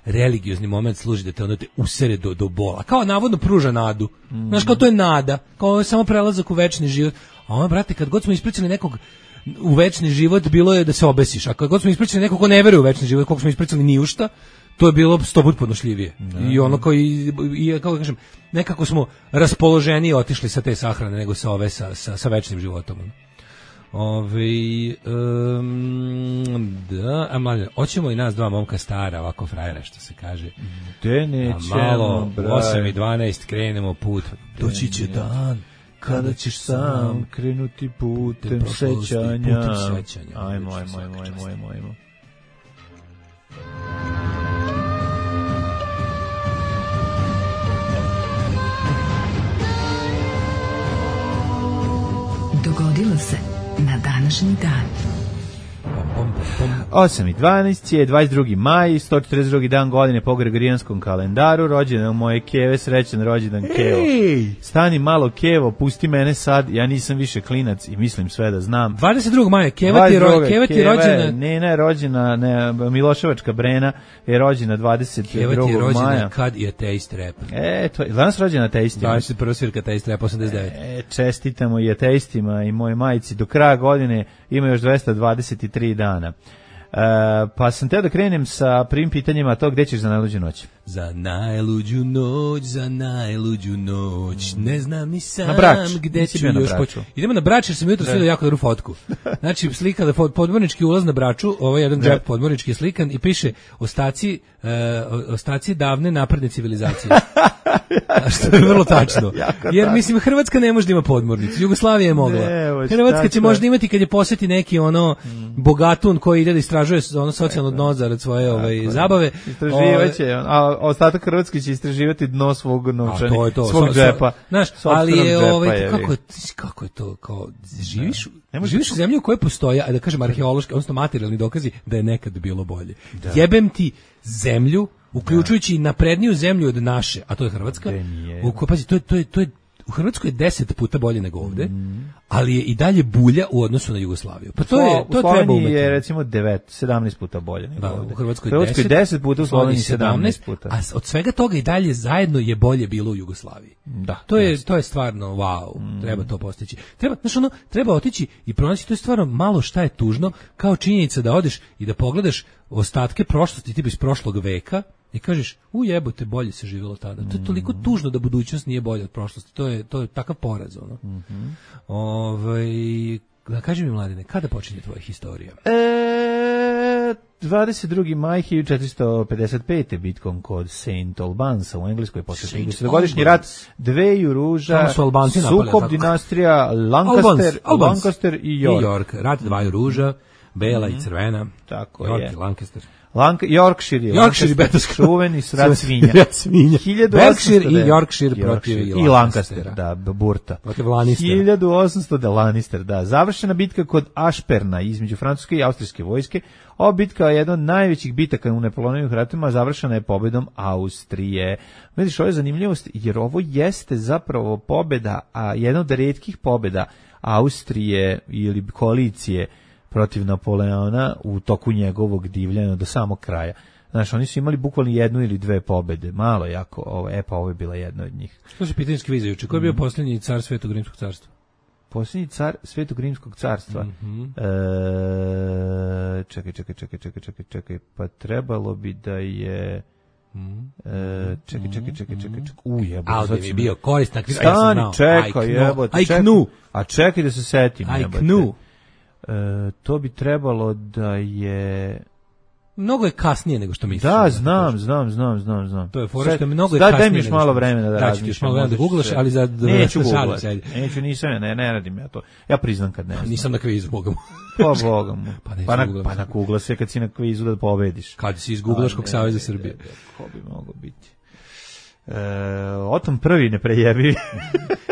religiozni moment služi da te usere do bola. Kao navodno pruža nadu. Znaš, kao to je nada. Kao samo prelazak u večni život. A brate, kad god smo ispričali nekog u večni život, bilo je da se obesiš. A kad god smo ispričali nekog ko ne veruje u večni život, koliko smo ispričali ni u šta, to je bilo 100 puta podnošljivije. I kako kažem, nekako smo raspoloženiji otišli sa te sahrane nego sa ove sa večnim životom. A mlađe, hoćemo i nas dva momka stara, ovako frajera, što se kaže. Te nećemo, malo, 8:12 krenemo put. Doći će dan kada ćeš sam krenuti putem sećanja. Ajmo. Dogodilo se na današnji dan. 8.12 je 22. maj, 142. dan godine po Gregorijanskom kalendaru, rođendan moje Keve, srećan rođendan Kevo. Stani malo Kevo, pusti mene sad, ja nisam više klinac i mislim sve da znam. 22. maja, Keva ti je rođena. Nena je rođena, Miloševačka Brena je rođena 22. Keva ti je rođena maja. kad je ateist rap. To je danas rođena ateistima. 21. svirka ateist rap, 89. Čestitamo i ateistima i moje majici. Do kraja godine ima još 223 dana. Pa sam teo da krenem sa prvim pitanjima, to gde ćeš za najluđu noć? Za najluđu noć, ne znam ni sam gde ću još poći. Idemo na Brač jer sam jutro svidio jako dobru fotku. Znači slika da podmornički ulaz na Braču, ovaj jedan džep podmornički je slikan i piše ostaci davne napredne civilizacije. Što je vrlo tačno. Jer mislim Hrvatska ne može da ima podmornicu, Jugoslavija je mogla. Hrvatska će možda imati kad je posjeti neki bogatun koji ide da istražuje socijalno dno zarad svoje zabave. Istraživaće, a ostatak Hrvatske će istraživati dno svog novčanih, svog džepa. Znaš, ali je kako je to, kao živiš u zemlji u kojoj postoje, da kažem arheološki, odnosno materijalni dokazi da je nekad bilo bolje. Jebem ti zemlju, uključujući i napredniju zemlju od naše, a to je Hrvatska. Pazi, to je u Hrvatskoj je 10 puta bolje nego ovde, ali je i dalje bulja u odnosu na Jugoslaviju. Pa to treba umeti. Je recimo 17 puta bolje nego ovde. U Hrvatskoj 10 puta, u Sloveniji 17 puta. A od svega toga i dalje zajedno je bolje bilo u Jugoslaviji. Da. To je stvarno wow, treba to postići. Treba otići i pronaći, to je stvarno malo šta je tužno, kao činjenica da odeš i da pogledaš ostatke prošlosti, tipa iz prošlog veka, i kažeš, jebote, bolje se živjelo tada. To je toliko tužno da budućnost nije bolja od prošlosti. To je takav poraz, ono. Da kažem mi, Mladine, kada počinje tvoja historija? 22. maj 1455. bitkom kod St. Albansa u Engleskoj posle 30-godišnji rat dveju ruža, sukob dinastija Lancaster i York. Rat dvaju ruža, bela i crvena. Tako York je. i Lancaster. Yorkshire čuveni srat svinja. Berkshire i Yorkshire protiv i Lancaster, da, burta. Protiv Lannistera. 1800 da Lannister, da. Završena bitka kod Ashperna između francuske i austrijske vojske. Ova bitka je jedna od najvećih bitaka u Napoleonovim ratovima, završena je pobedom Austrije. Vidiš, ovo je zanimljivost, jer ovo jeste zapravo pobeda, a jedna od retkih pobeda Austrije ili koalicije protiv Napoleona u toku njegovog divljanja do samog kraja. Znaš, oni su imali bukvalno jednu ili dve pobede, malo jako, ovo je bila jedna od njih. To su pitanje skvizajuće. Ko je bio posljednji car Svetog Rimskog carstva? Posljednji car Svetog Rimskog carstva? Čekaj, pa trebalo bi da je... Čekaj. Ovdje bi bio koristan. Stani, čekaj, jebote. A čekaj da se setim. To bi trebalo da je... Mnogo je kasnije nego što misliš. Da, znam. To je fora što je mnogo je kasnije. Daj mi još malo vremena da razmišljam. Ćeš malo vremena da googlaš, ali za... Neću googlati. Ne radim ja to. Ja priznam kad ne znam. Nisam na kvizu, Boga mu. Pa Boga mu. Pa na googla se kad si na kvizu da pobediš. Kad si iz Googlaškog saveza Srbije. Ko bi mogo biti? Otom prvi ne prejebi.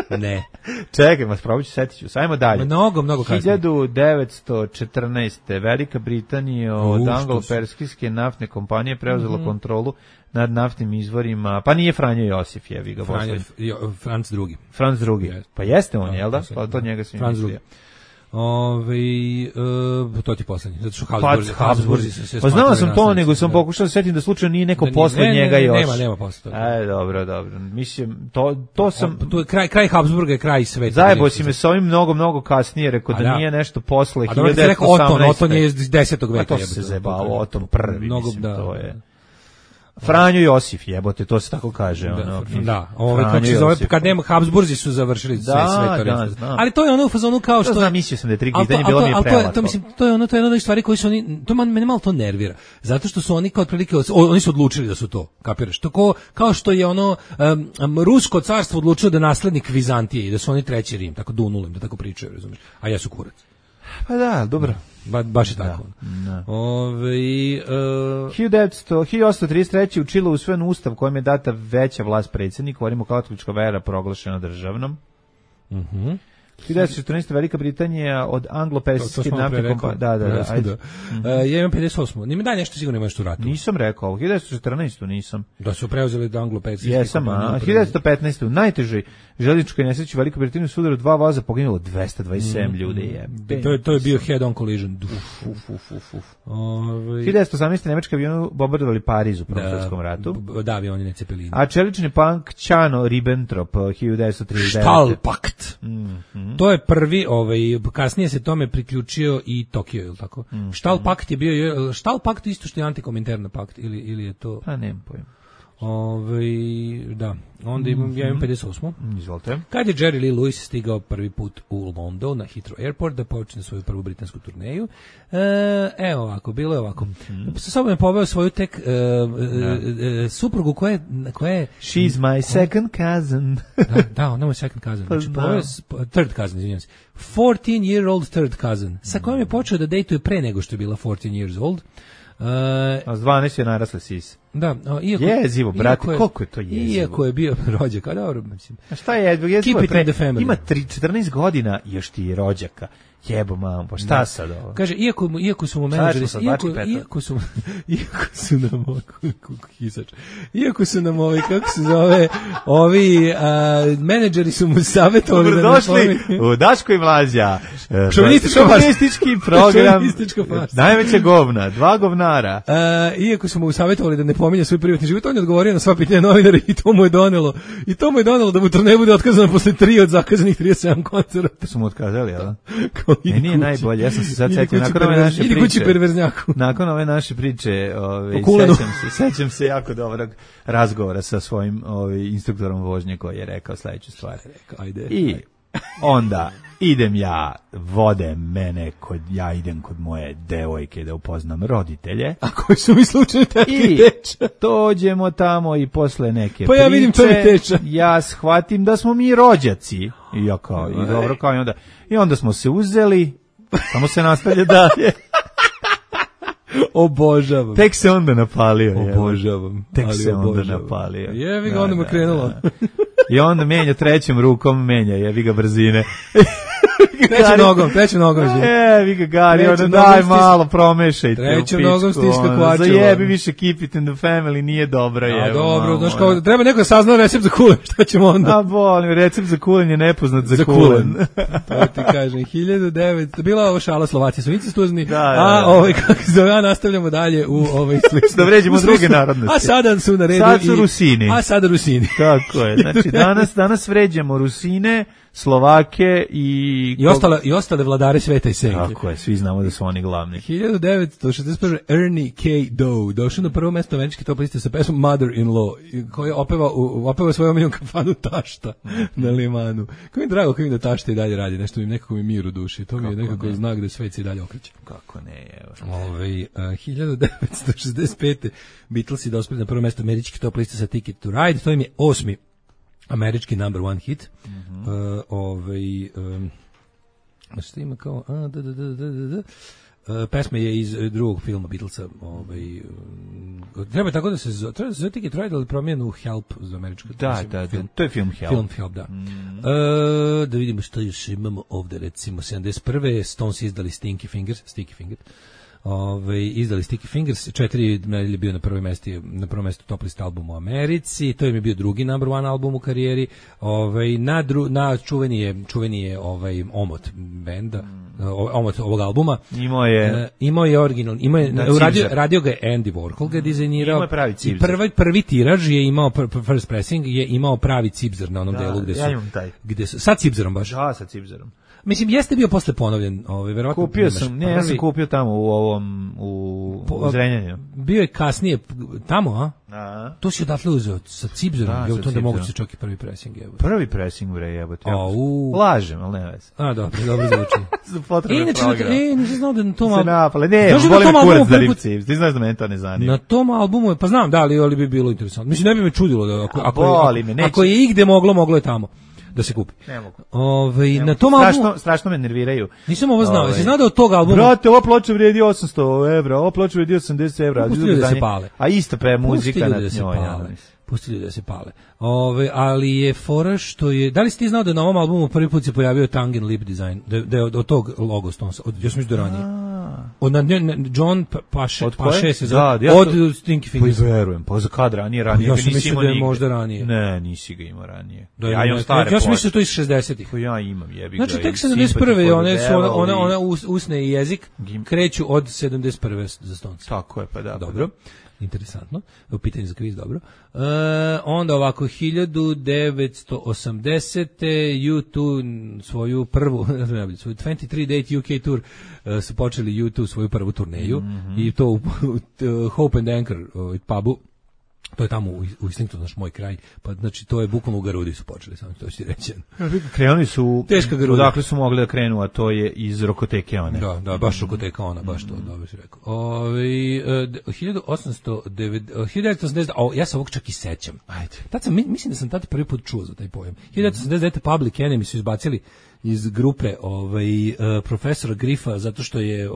Ne. Čekaj, mas probat ću, setit ću. Sajmo dalje. Mnogo kasnije. 1914. Velika Britanija od anglo-perskijske naftne kompanije preuzela kontrolu nad naftnim izvorima. Pa nije Franjo Josif, jevi ga. Franc drugi. Pa jeste on, jel da? Pa to njega se mislio. To ti poslednji, zato što Habsburzi se pa znao sam to, nego sam pokušao da setim da slučajno nije neko posle njega još. Nema posle toga. Dobro. Mislim, to sam... To je kraj Habsburga je kraj sveta. Zajebo si me s ovim mnogo kasnije, rekao da nije nešto posle 1918. Oton je iz 10. veka. To se zebalo, Oton prvi, mislim, to je... Franjo Josif, jebote, to se tako kaže. Kad nema Habsburzi su završili sve to. Ali to je ono u fazonu kao što... Znam, mislio sam da je tri pitanje, bilo mi je prelako. To je jedna od stvari koji su oni... Mene malo to nervira. Zato što su oni kao otprilike... Oni su odlučili da su to, kapiraš? Kao što je Rusko carstvo odlučilo da naslednik Vizantije i da su oni treći Rim, tako Dunulim, da tako pričaju, razumiješ? A ja su kurac. Pa da, dobro. Baš je tako. 1833. u Čilu usvojen ustav kojem je data veća vlast predsjedniku, ovim katolička vera proglašena državnom. 1914. Velika Britanija od anglo-persijske naftne kompanije. Da. Ajde. Ja imam 58. Nima daj nešto sigurno imaš tu ratu. Nisam rekao, 1914. nisam. Da su preuzeli da anglo-persijske kompanije. 1915. U najtežoj željezničkoj nesreći u Velikoj Britaniji su udaru 2 voza, poginulo 227 ljudi. To je bio head-on collision. 1918. nemački avioni bombardovali Pariz u Prvom svjetskom ratu. Da, avioni ne Cepelini. A čelični punk Čano Ribbentrop 1939. Stahlpakt. To je prvi, kasnije se tome priključio i Tokio, je li tako? Stahlpakt je bio, Stahlpakt isto što je antikominterna pakt, ili je to... Pa nemam pojma. Da, onda ja imam 58. Izvolite. Kad je Jerry Lee Lewis stigao prvi put u London na Heathrow Airport da počne svoju prvu britansku turneju, evo ovako, bilo je ovako. Sa sobom je poveo svoju tek suprugu koja je... She's my second cousin. Da, ona je second cousin. Znači, third cousin, izvinjam se. 14-year-old third cousin, sa kojom je počeo da dejtuje pre nego što je bila 14 years old. A s 12 je narasle sis. Da, jezivo, brate, koliko je to jezivo? Iako je bio rođak, a dobro, mislim. A šta je jezivo? Keep it in the family. Ima 14 godina i još ti je rođaka. Jebo mam, pa šta sad ovo? Kaže, iako su mu menadžeri, iako su nam kako se zove, menadžeri su mu savjetovali da došli u Daško i Mlađa. Šovinistički program. Najveća govna, 2 govnara. Iako su mu savjetovali da ne pominje svoj privatni život, on je odgovorio na sva pitanja novinara i to mu je donelo da mu to ne bude otkazano posle 3 od zakazanih 37 koncerta. Su mu otkazali, jel da? Nije najbolje, ja sam se sad setio nakon ove naše priče, sećam se jako dobrog razgovora sa svojim instruktorom vožnje koji je rekao sledeću stvar. I onda idem ja, vode mene, ja idem kod moje devojke da upoznam roditelje. A koji su mi slučajno takvi teča? I dođemo tamo i posle neke priče, ja vidim to mi teča. Ja shvatim da smo mi rođaci. I ja kao, i dobro, kao i onda smo se uzeli, samo se nastavlja dalje. Obožavam. Tek se onda napalio. Obožavam. Tek se onda napalio. Jevi ga, onda mu krenulo. I onda menja trećom rukom, jevi ga brzine. Trećom nogom. Vi ga Gari, onda daj malo promešajte. Trećom nogom stiska kvačeva. Zajebi više keep it in the family, nije dobro. A dobro, znaš kao, treba neko saznao recept za kulen, šta ćemo onda? A bolim, recept za kulen je nepoznat za kulen. To ti kažem, 1900, bila ovo šala, Slovaci su incistuzni, kako se zove, nastavljamo dalje u da vređemo druge narodnosti. A sada su na redu sad su Rusini. A sada Rusini. Tako je, znači danas vređamo Rusine, Slovake i ostale vladare sveta i senke. Tako je, svi znamo da su oni glavni. 1961. Ernie K. Doe došao na prvo mesto američke top liste sa pesmom Mother-in-Law, koji opeva svoju omiljenu kafanu Tašta na Limanu. Kako mi drago da Tašta i dalje radi, nešto nekako mi mir u duši. To mi je nekako znak da svet se i dalje okreće. Kako ne, evo. 1965. Beatlesi dospeli na prvo mesto američke top liste sa Ticket to Ride, to im je 8. američki number one hit. Što ima kao pesma je iz drugog filma Beatlesa. Treba tako da se zove Ticket to Ride, ali promijenu Help za američku. Da, to je film Help. Da. Da vidimo što još imamo ovde, recimo 71. Stones izdali Sticky Fingers. Izdali Sticky Fingers, 4 nedelje bio na prvom mestu top list album u Americi, to je bio drugi number one album u karijeri. Na čuveni je Omot benda, Omot ovog albuma. Imao je original, radio ga je Andy Warhol, ga je dizajnirao. Imao je pravi cipzer. I prvi tiraž je imao, first pressing je imao pravi cipzer na onom delu gde su. Ja imam taj. Sa cipzerom baš. Da, sa cipzerom. Mislim, jeste bio posle ponovljen, verovatno. Kupio sam, ja sam kupio tamo u Zrenjaninu. Bio je kasnije tamo, a? To si odatle uzeo sa cipzerom, to da mogu se čak i prvi pressing, jebote. Prvi pressing, bre, jebote. Lažem, ali ne veze. Dobro zvuči. Nisam znao da na tom albumu... Se napale, ne, volim kurac da ripci, ti znaš da mene to ne zanima. Na tom albumu, pa znam, da, ali bi bilo interesantno. Mislim, ne bi me čudilo da ako je igde moglo je tamo da se kupi. Ne mogu. Na tom albumu strašno me nerviraju. Nisam ovo znao. Jesi znao da od tog albuma? Brate, ova ploča vredi 800 €, ova ploča vredi 80 €. Pusti ljudi da se pale. A ista muzika na njoj. Pustili da se pale. Ali je fora što je... Da li si ti znao da na ovom albumu prvi put se pojavio Tongue and Lip Design? Da je od tog logo Stonesa. Ja sam mislio da ranije. John Paše se zove. Od Stinky Fingers. Pa verujem. Pa za kad ranije? Ja sam mislio da je možda ranije. Ne, nisi ga imao ranije. Ja imam stare. Ja sam mislio to iz 60-ih. Pa ja imam, jebi ga. Znači tek 71. Ona usne i jezik kreću od 71. za Stonesa. Tako je, pa da. Dobro. Interesantno, u pitanju za kviz, dobro. Onda ovako, 1980. U2 svoju prvu, svoju 23 Date UK Tour su počeli U2 svoju prvu turneju i to u Hope and Anchor pubu. To je tamo u Islingtonu, naš moj kraj. Pa znači to je bukvalno u Garudi su počeli, samo to ću ti reći. Krenuli su teška Garuda. Odakle su mogli da krenu, a to je iz Rokoteke one. Da, baš Rokoteka ona, baš to, dobro si rekao. 1989, ja se ovog čak i sećam. Ajde. Tad mislim da sam tad prvi put čuo za taj pojam. 1989 Public Enemy su izbacili iz grupe profesora Griffa zato što je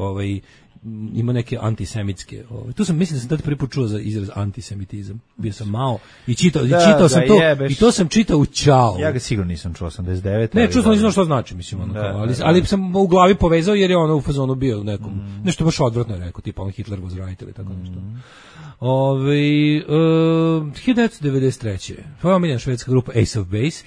ima neke antisemitske. Tu sam mislim da sam tad prvi put čuo za izraz antisemitizam. Bio sam malo i čitao sam to jebeš. I to sam čitao u Ćao. Ja ga sigurno nisam čuo 89. Ne, čuo sam nisam što znači, mislim ali sam u glavi povezao jer je ono u fazonu bio nekom nešto baš odvratno je rekao, tipa on Hitler was right ili tako nešto. 1993. Tvoja omiljena švedska grupa Ace of Base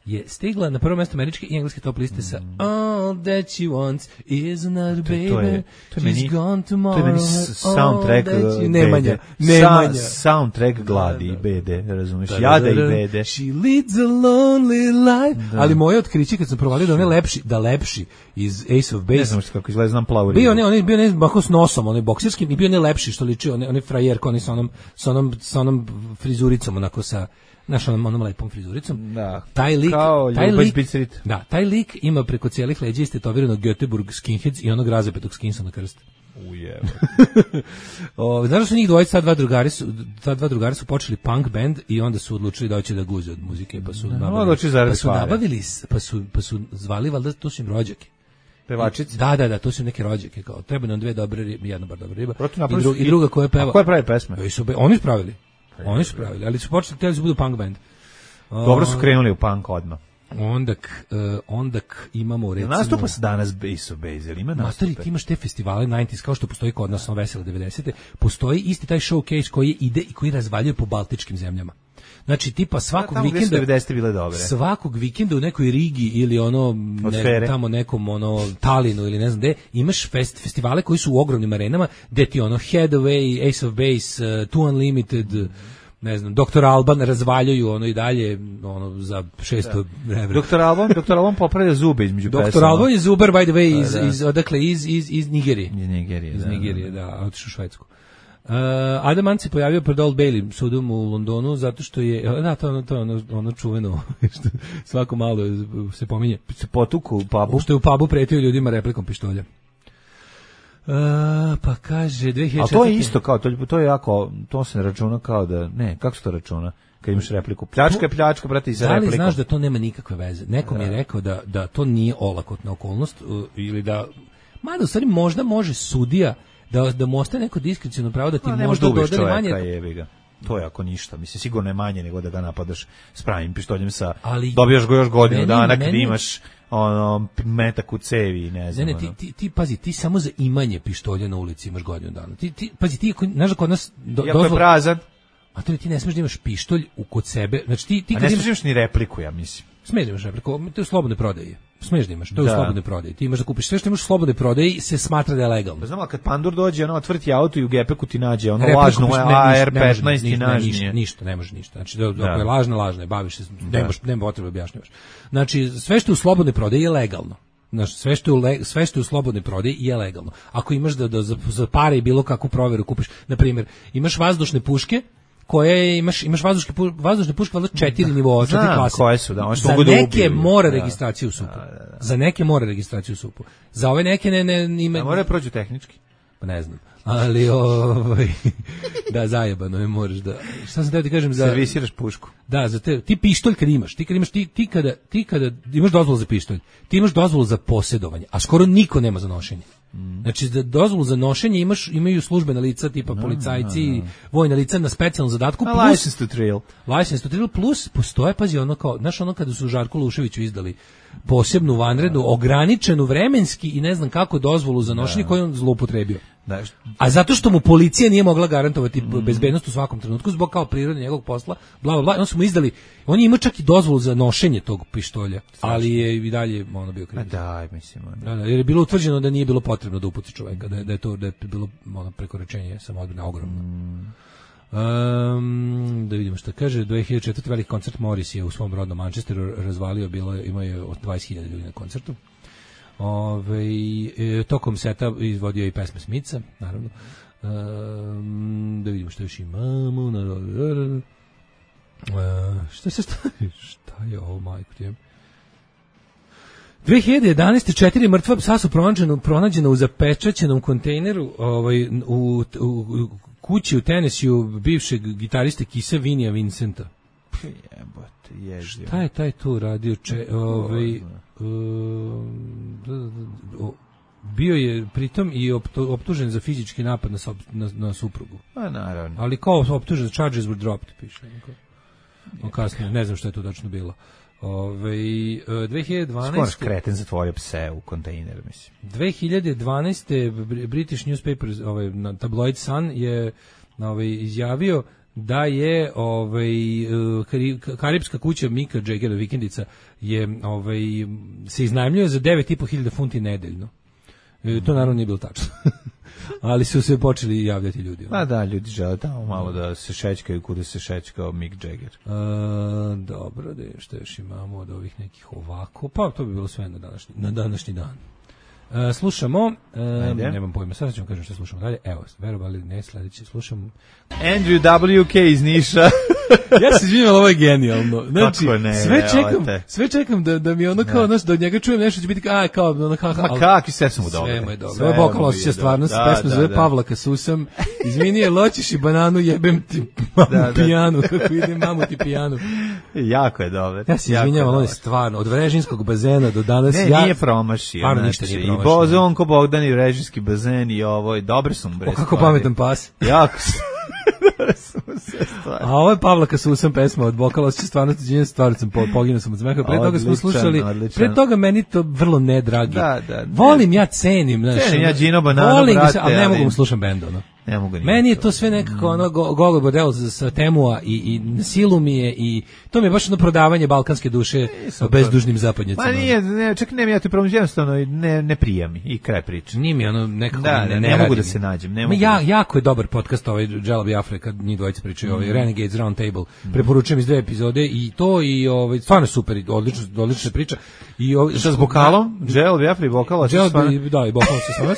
je stigla na prvo mjesto američke i engleske top liste sa All That She Wants Is Another Baby, She's Gone Tomorrow. To je meni soundtrack Nemanja. Soundtrack gladi i bede, razumiješ? Jada i bede. She leads a lonely life. Ali moje otkriće kad sam provalio da lepši iz Ace of Base. Ne znam kako izgleda, znam plavu ribu. Bio ne bako s nosom, onaj bokserskim i bio ne lepši što liči, onaj frajerko, onaj sa onom frizuricom, onako sa onom lepom frizuricom. Da. Taj lik Da, taj lik ima preko cijelih leđa istetovirano Göteborg skinheads i onog razapetog skinsa na krst. Ujebe. Znaš da su njih dvojica, ta dva drugari su počeli punk band i onda su odlučili da hoće da guze od muzike, pa su nabavili, pa su zvali, valjda to su im rođake. Pevačice? Da, to su neke rođake, kao treba nam dve dobre ribe, jedna bar dobra riba i druga koja peva. A koja pravi pesme? Oni su pravili, ali su počeli da budu punk band. Dobro su krenuli u punk odmah. Ondak imamo recimo... Nastupa se danas Ace of Base, ili ima nastupe? Ti imaš te festivale 90s, kao što postoji kod nas Vesele 90. Postoji isti taj showcase koji ide i koji razvaljuje po baltičkim zemljama. Znači tipa svakog vikenda u nekoj Rigi ili tamo nekom Talinu ili ne znam gde, imaš festivale koji su u ogromnim arenama gde ti Headway, Ace of Base, Two Unlimited, ne znam, Dr. Alban razvaljuju i dalje za 600 evra. Dr. Alban popravlja zube između pesama. Dr. Alban je zubar, by the way, iz Nigerije. Iz Nigerije, da, otišao u Švedsku. Adam Ant se pojavio pred Old Bailey sudom u Londonu zato što je, to je ono čuveno što svako malo se pominje. Se potuku u pubu. Što je u pubu pretio ljudima replikom pištolja. Pa kaže 2004. A to je isto kao, to je jako, to se ne računa kao da, ne, kako se to računa? Kad imaš repliku, pljačka, brate, i sa replikom. Da li znaš da to nema nikakve veze? Neko mi je rekao da to nije olakotna okolnost ili da, mada u stvari možda može sudija da mu ostaje neko diskreciono pravo da ti možda dodali manje. To je ako ništa, mislim, sigurno je manje nego da ga napadaš s pravim pištoljem dobijaš ga još godinu dana kad imaš metak u cevi, ne znam. Ti pazi, ti samo za imanje pištolja na ulici imaš godinu dana. Pazi, ti znaš da kod nas jako je prazan. A to ti ne smiješ da imaš pištolj kod sebe. Znači ti kad ne smiješ ni repliku, ja mislim. Smiješ da imaš repliku, to je slobodne prodaje. Smiješ da imaš, to je u slobodnoj prodaji. Ti imaš da kupiš sve što imaš u slobodnoj prodaji se smatra da je legalno. Znam, kad pandur dođe, otvrti auto i u gepeku ti nađe lažnu AR-15 ti nađe. Ništa, ne može ništa. Znači, ako je lažna, baviš se, nema potrebe objašnjavaš. Znači, sve što je u slobodnoj prodaji je legalno. Znači, sve što je u slobodnoj prodaji je legalno. Ako imaš da za pare i bilo kakvu proveru kupiš, na primjer, imaš vazdušne puške, koje imaš vazdušne puške valjda 4 nivoa, 4 klase. Koje su, za neke mora registraciju u SUP-u. Za neke mora registraciju u SUP-u. Za ove neke ne ima. Mora prođu tehnički. Pa ne znam. Ali da, zajebano je, moraš da. Šta sam teo ti kažem za servisiraš pušku. Da, za ti pištolj kad imaš, ti kada imaš dozvolu za pištolj, ti imaš dozvolu za posjedovanje, a skoro niko nema za nošenje. Znači, da dozvolu za nošenje imaju službena lica, tipa policajci, vojna lica na specijalnom zadatku. License to trill. License to trill, plus postoje, pazi, ono kao, znaš, ono kada su Žarku Luševiću izdali posebnu vanrednu, ograničenu vremenski i ne znam kako dozvolu za nošenje koju on zloupotrebio. A zato što mu policija nije mogla garantovati bezbednost u svakom trenutku zbog kao prirode njegovog posla, bla bla bla, on su mu izdali, on je imao čak i dozvolu za nošenje tog pištolja, ali je i dalje ono bio kriv. Daj, mislim. Jer je bilo utvrđeno da nije bilo potrebno da uputi čoveka, da je bilo ono prekoračenje samoodbrane ogromno. Da vidimo šta kaže. 2004. veliki koncert Morris je u svom rodnom Manchesteru razvalio, imao je 20.000 ljudi na koncertu. Tokom seta izvodio i pesme Smitha, naravno. Da vidimo šta još imamo. Šta je ovo, majko ti je? 2011. 4 mrtva psa su pronađena u zapečaćenom kontejneru u kući u Tennesseeu bivšeg gitariste Kisa Vinija Vincenta. Jebote, ježio. Šta je taj tu radio? Bio je pritom i optužen za fizički napad na suprugu. A naravno. Ali kao optužen, charges were dropped, piše. Kasnije, ne znam što je to tačno bilo. 2012. Skoro kreten zatvorio pse u kontejner, mislim. 2012. British newspaper, tabloid Sun je izjavio da je karipska kuća Mika Jaggera vikendica je se iznajmljuje za 9.500 funti nedeljno. To naravno nije bilo tačno. Ali su se počeli javljati ljudi. Da, ljudi žele tamo malo da se šećkaju kuda se šećkao Mick Jagger. Dobro, što još imamo od ovih nekih ovako. Pa to bi bilo sve na današnji dan. Slušamo, nemam pojma, sad ćemo kažem što slušamo dalje. Evo, verovali ne, sledeće slušamo Andrew WK iz Niša. Ja se izvinjam, ovo je genijalno. Znači, ne, sve čekam da mi ono kao, da od njega čujem nešto, će biti kao, ono, kakvi sve su mu dobro. Sve mu je dobro. Ovo je Bokal osjeća stvarnost, pesma zove Pavlaka Susam. Izvini je, loćiš i bananu, jebem ti mamu pijanu, kako ide mamu ti pijanu. Jako je dobro. Ja se izvinjam, ono je stvarno, od Vrežinskog bazena do danas. Nije promašio. I Bozonko Bogdan i Vrežinski bazen i ovo, dobre su mu bre. Kako pametan pas. Jako su. A ovo je Pavlaka Susam pesma od Bokala osjeća stvarnosti, stvarno sam poginuo sam od smeha. Pre toga smo slušali, pre toga meni to vrlo nedragi. Volim, ja cenim. Cenim ja Gino Banano, brate. Ali ne mogu mu slušam bend, ono. Meni je to sve nekako ono Gogol Bordel sa Temua i silu mi je i to mi je baš jedno prodavanje balkanske duše bezdužnim zapadnjacima. Ma nije, čak nema ja ti problem, jednostavno ne prija mi i kraj priče. Nije mi ono nekako ne mogu da se nađem. Jako je dobar podcast ovaj Džela Biafre kad njih dvojica pričaju, ovaj Renegades Round Table. Preporučujem iz 2 epizode i to i ovaj stvarno super, odlična priča. I šta s vokalom? Džela Biafre i vokal, da, i vokal se stvarno.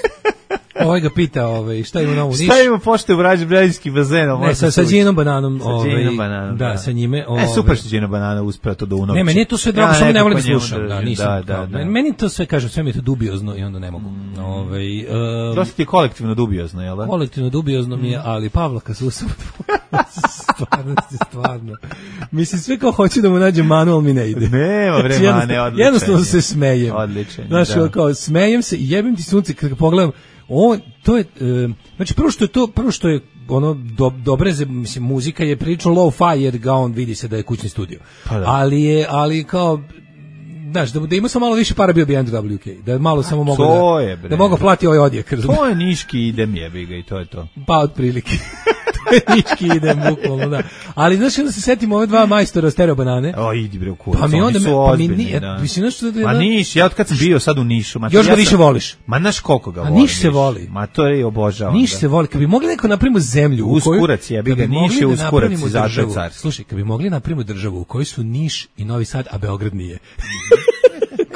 Ovaj ga pita, šta ima novu Niš? Šta ima pošte u Vrežinski bazen? Ne, sa Ginom Bananom. Sa Ginom Bananom, da. Sa njime. Super što Gino Banana uspeo to da unovči. Ne, meni je to sve drago, samo ne volim da slušam. Meni to sve, kažem, sve mi je to dubiozno i onda ne mogu. Dosta ti je kolektivno dubiozno, jel da? Kolektivno dubiozno mi je, ali Pavlaka Susam, stvarno. Mislim, sve kao hoće da mu nađe manual mi ne ide. Nema vremane, odličan. Jednostavno se smejem. Odličan. Znaš, kao, smejem se i jebim ti sunce kada pogledam. To je, znači prvo što je ono dobre, mislim, muzika je prilično low-fi jer ga on vidi se da je kućni studio. Ali kao, znaš, da ima samo malo više para bio bi Andrew WK, da je malo samo mogu da mogu plati ovaj odjek. To je niški idem jebi ga i to je to. Pa otprilike. Nički idem bukvalno, da. Ali znaš, onda se setimo ove dva majstora stereo banane. Idi bre u kurac, pa mi onda, oni su ozbiljni, da. Mislim, Ma Niš, ja od kad sam bio sad u Nišu. Još ga više voliš. Ma znaš koliko ga volim. A Niš se voli. Ma to je obožavam. Niš se voli, kad bi mogli neko napravimo zemlju u kojoj... Uskurac jebi ga, Niš je uskurac i zato je car. Slušaj, kad bi mogli napravimo državu u kojoj su Niš i Novi Sad, a Beograd nije.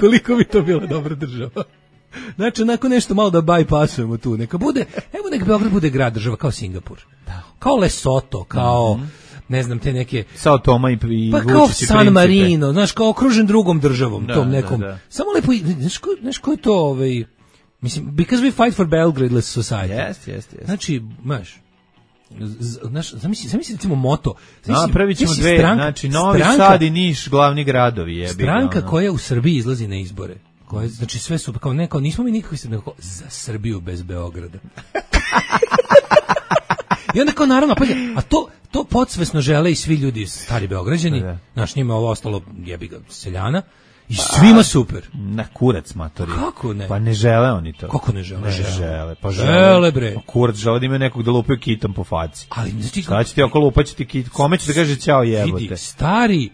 Koliko bi to bila dobra država. Znači, onako nešto malo da bypassujemo tu. Neka Beograd bude grad, država, kao Singapur. Da. Kao Lesoto, kao, ne znam, te neke... Sao Toma i pa kao San Marino, znaš, kao okružen drugom državom, tom nekom. Da. Samo lepo, znaš ko je to, mislim, because we fight for Belgrade-less society. Yes. Znači, znaš, zamisli recimo moto. Napravit ćemo dve, znači Novi Sad i Niš, glavni gradovi. Stranka koja u Srbiji izlazi na izbore, koje, znači sve su, kao neko, nismo mi nikakvi se nekako za Srbiju bez Beograda. I onda kao naravno, pa a to podsvesno žele i svi ljudi stari Beograđani, znaš, njima ovo ostalo jebi ga seljana, i svima super. Na kurac matori. Kako ne? Pa ne žele oni to. Kako ne žele? Ne žele. Pa žele bre. Kurac žele da imaju nekog da lupaju kitom po faci. Ali znači šta će ti oko lupaćiti kit? Kome će da kaže ćao jebote? Vidi, stari,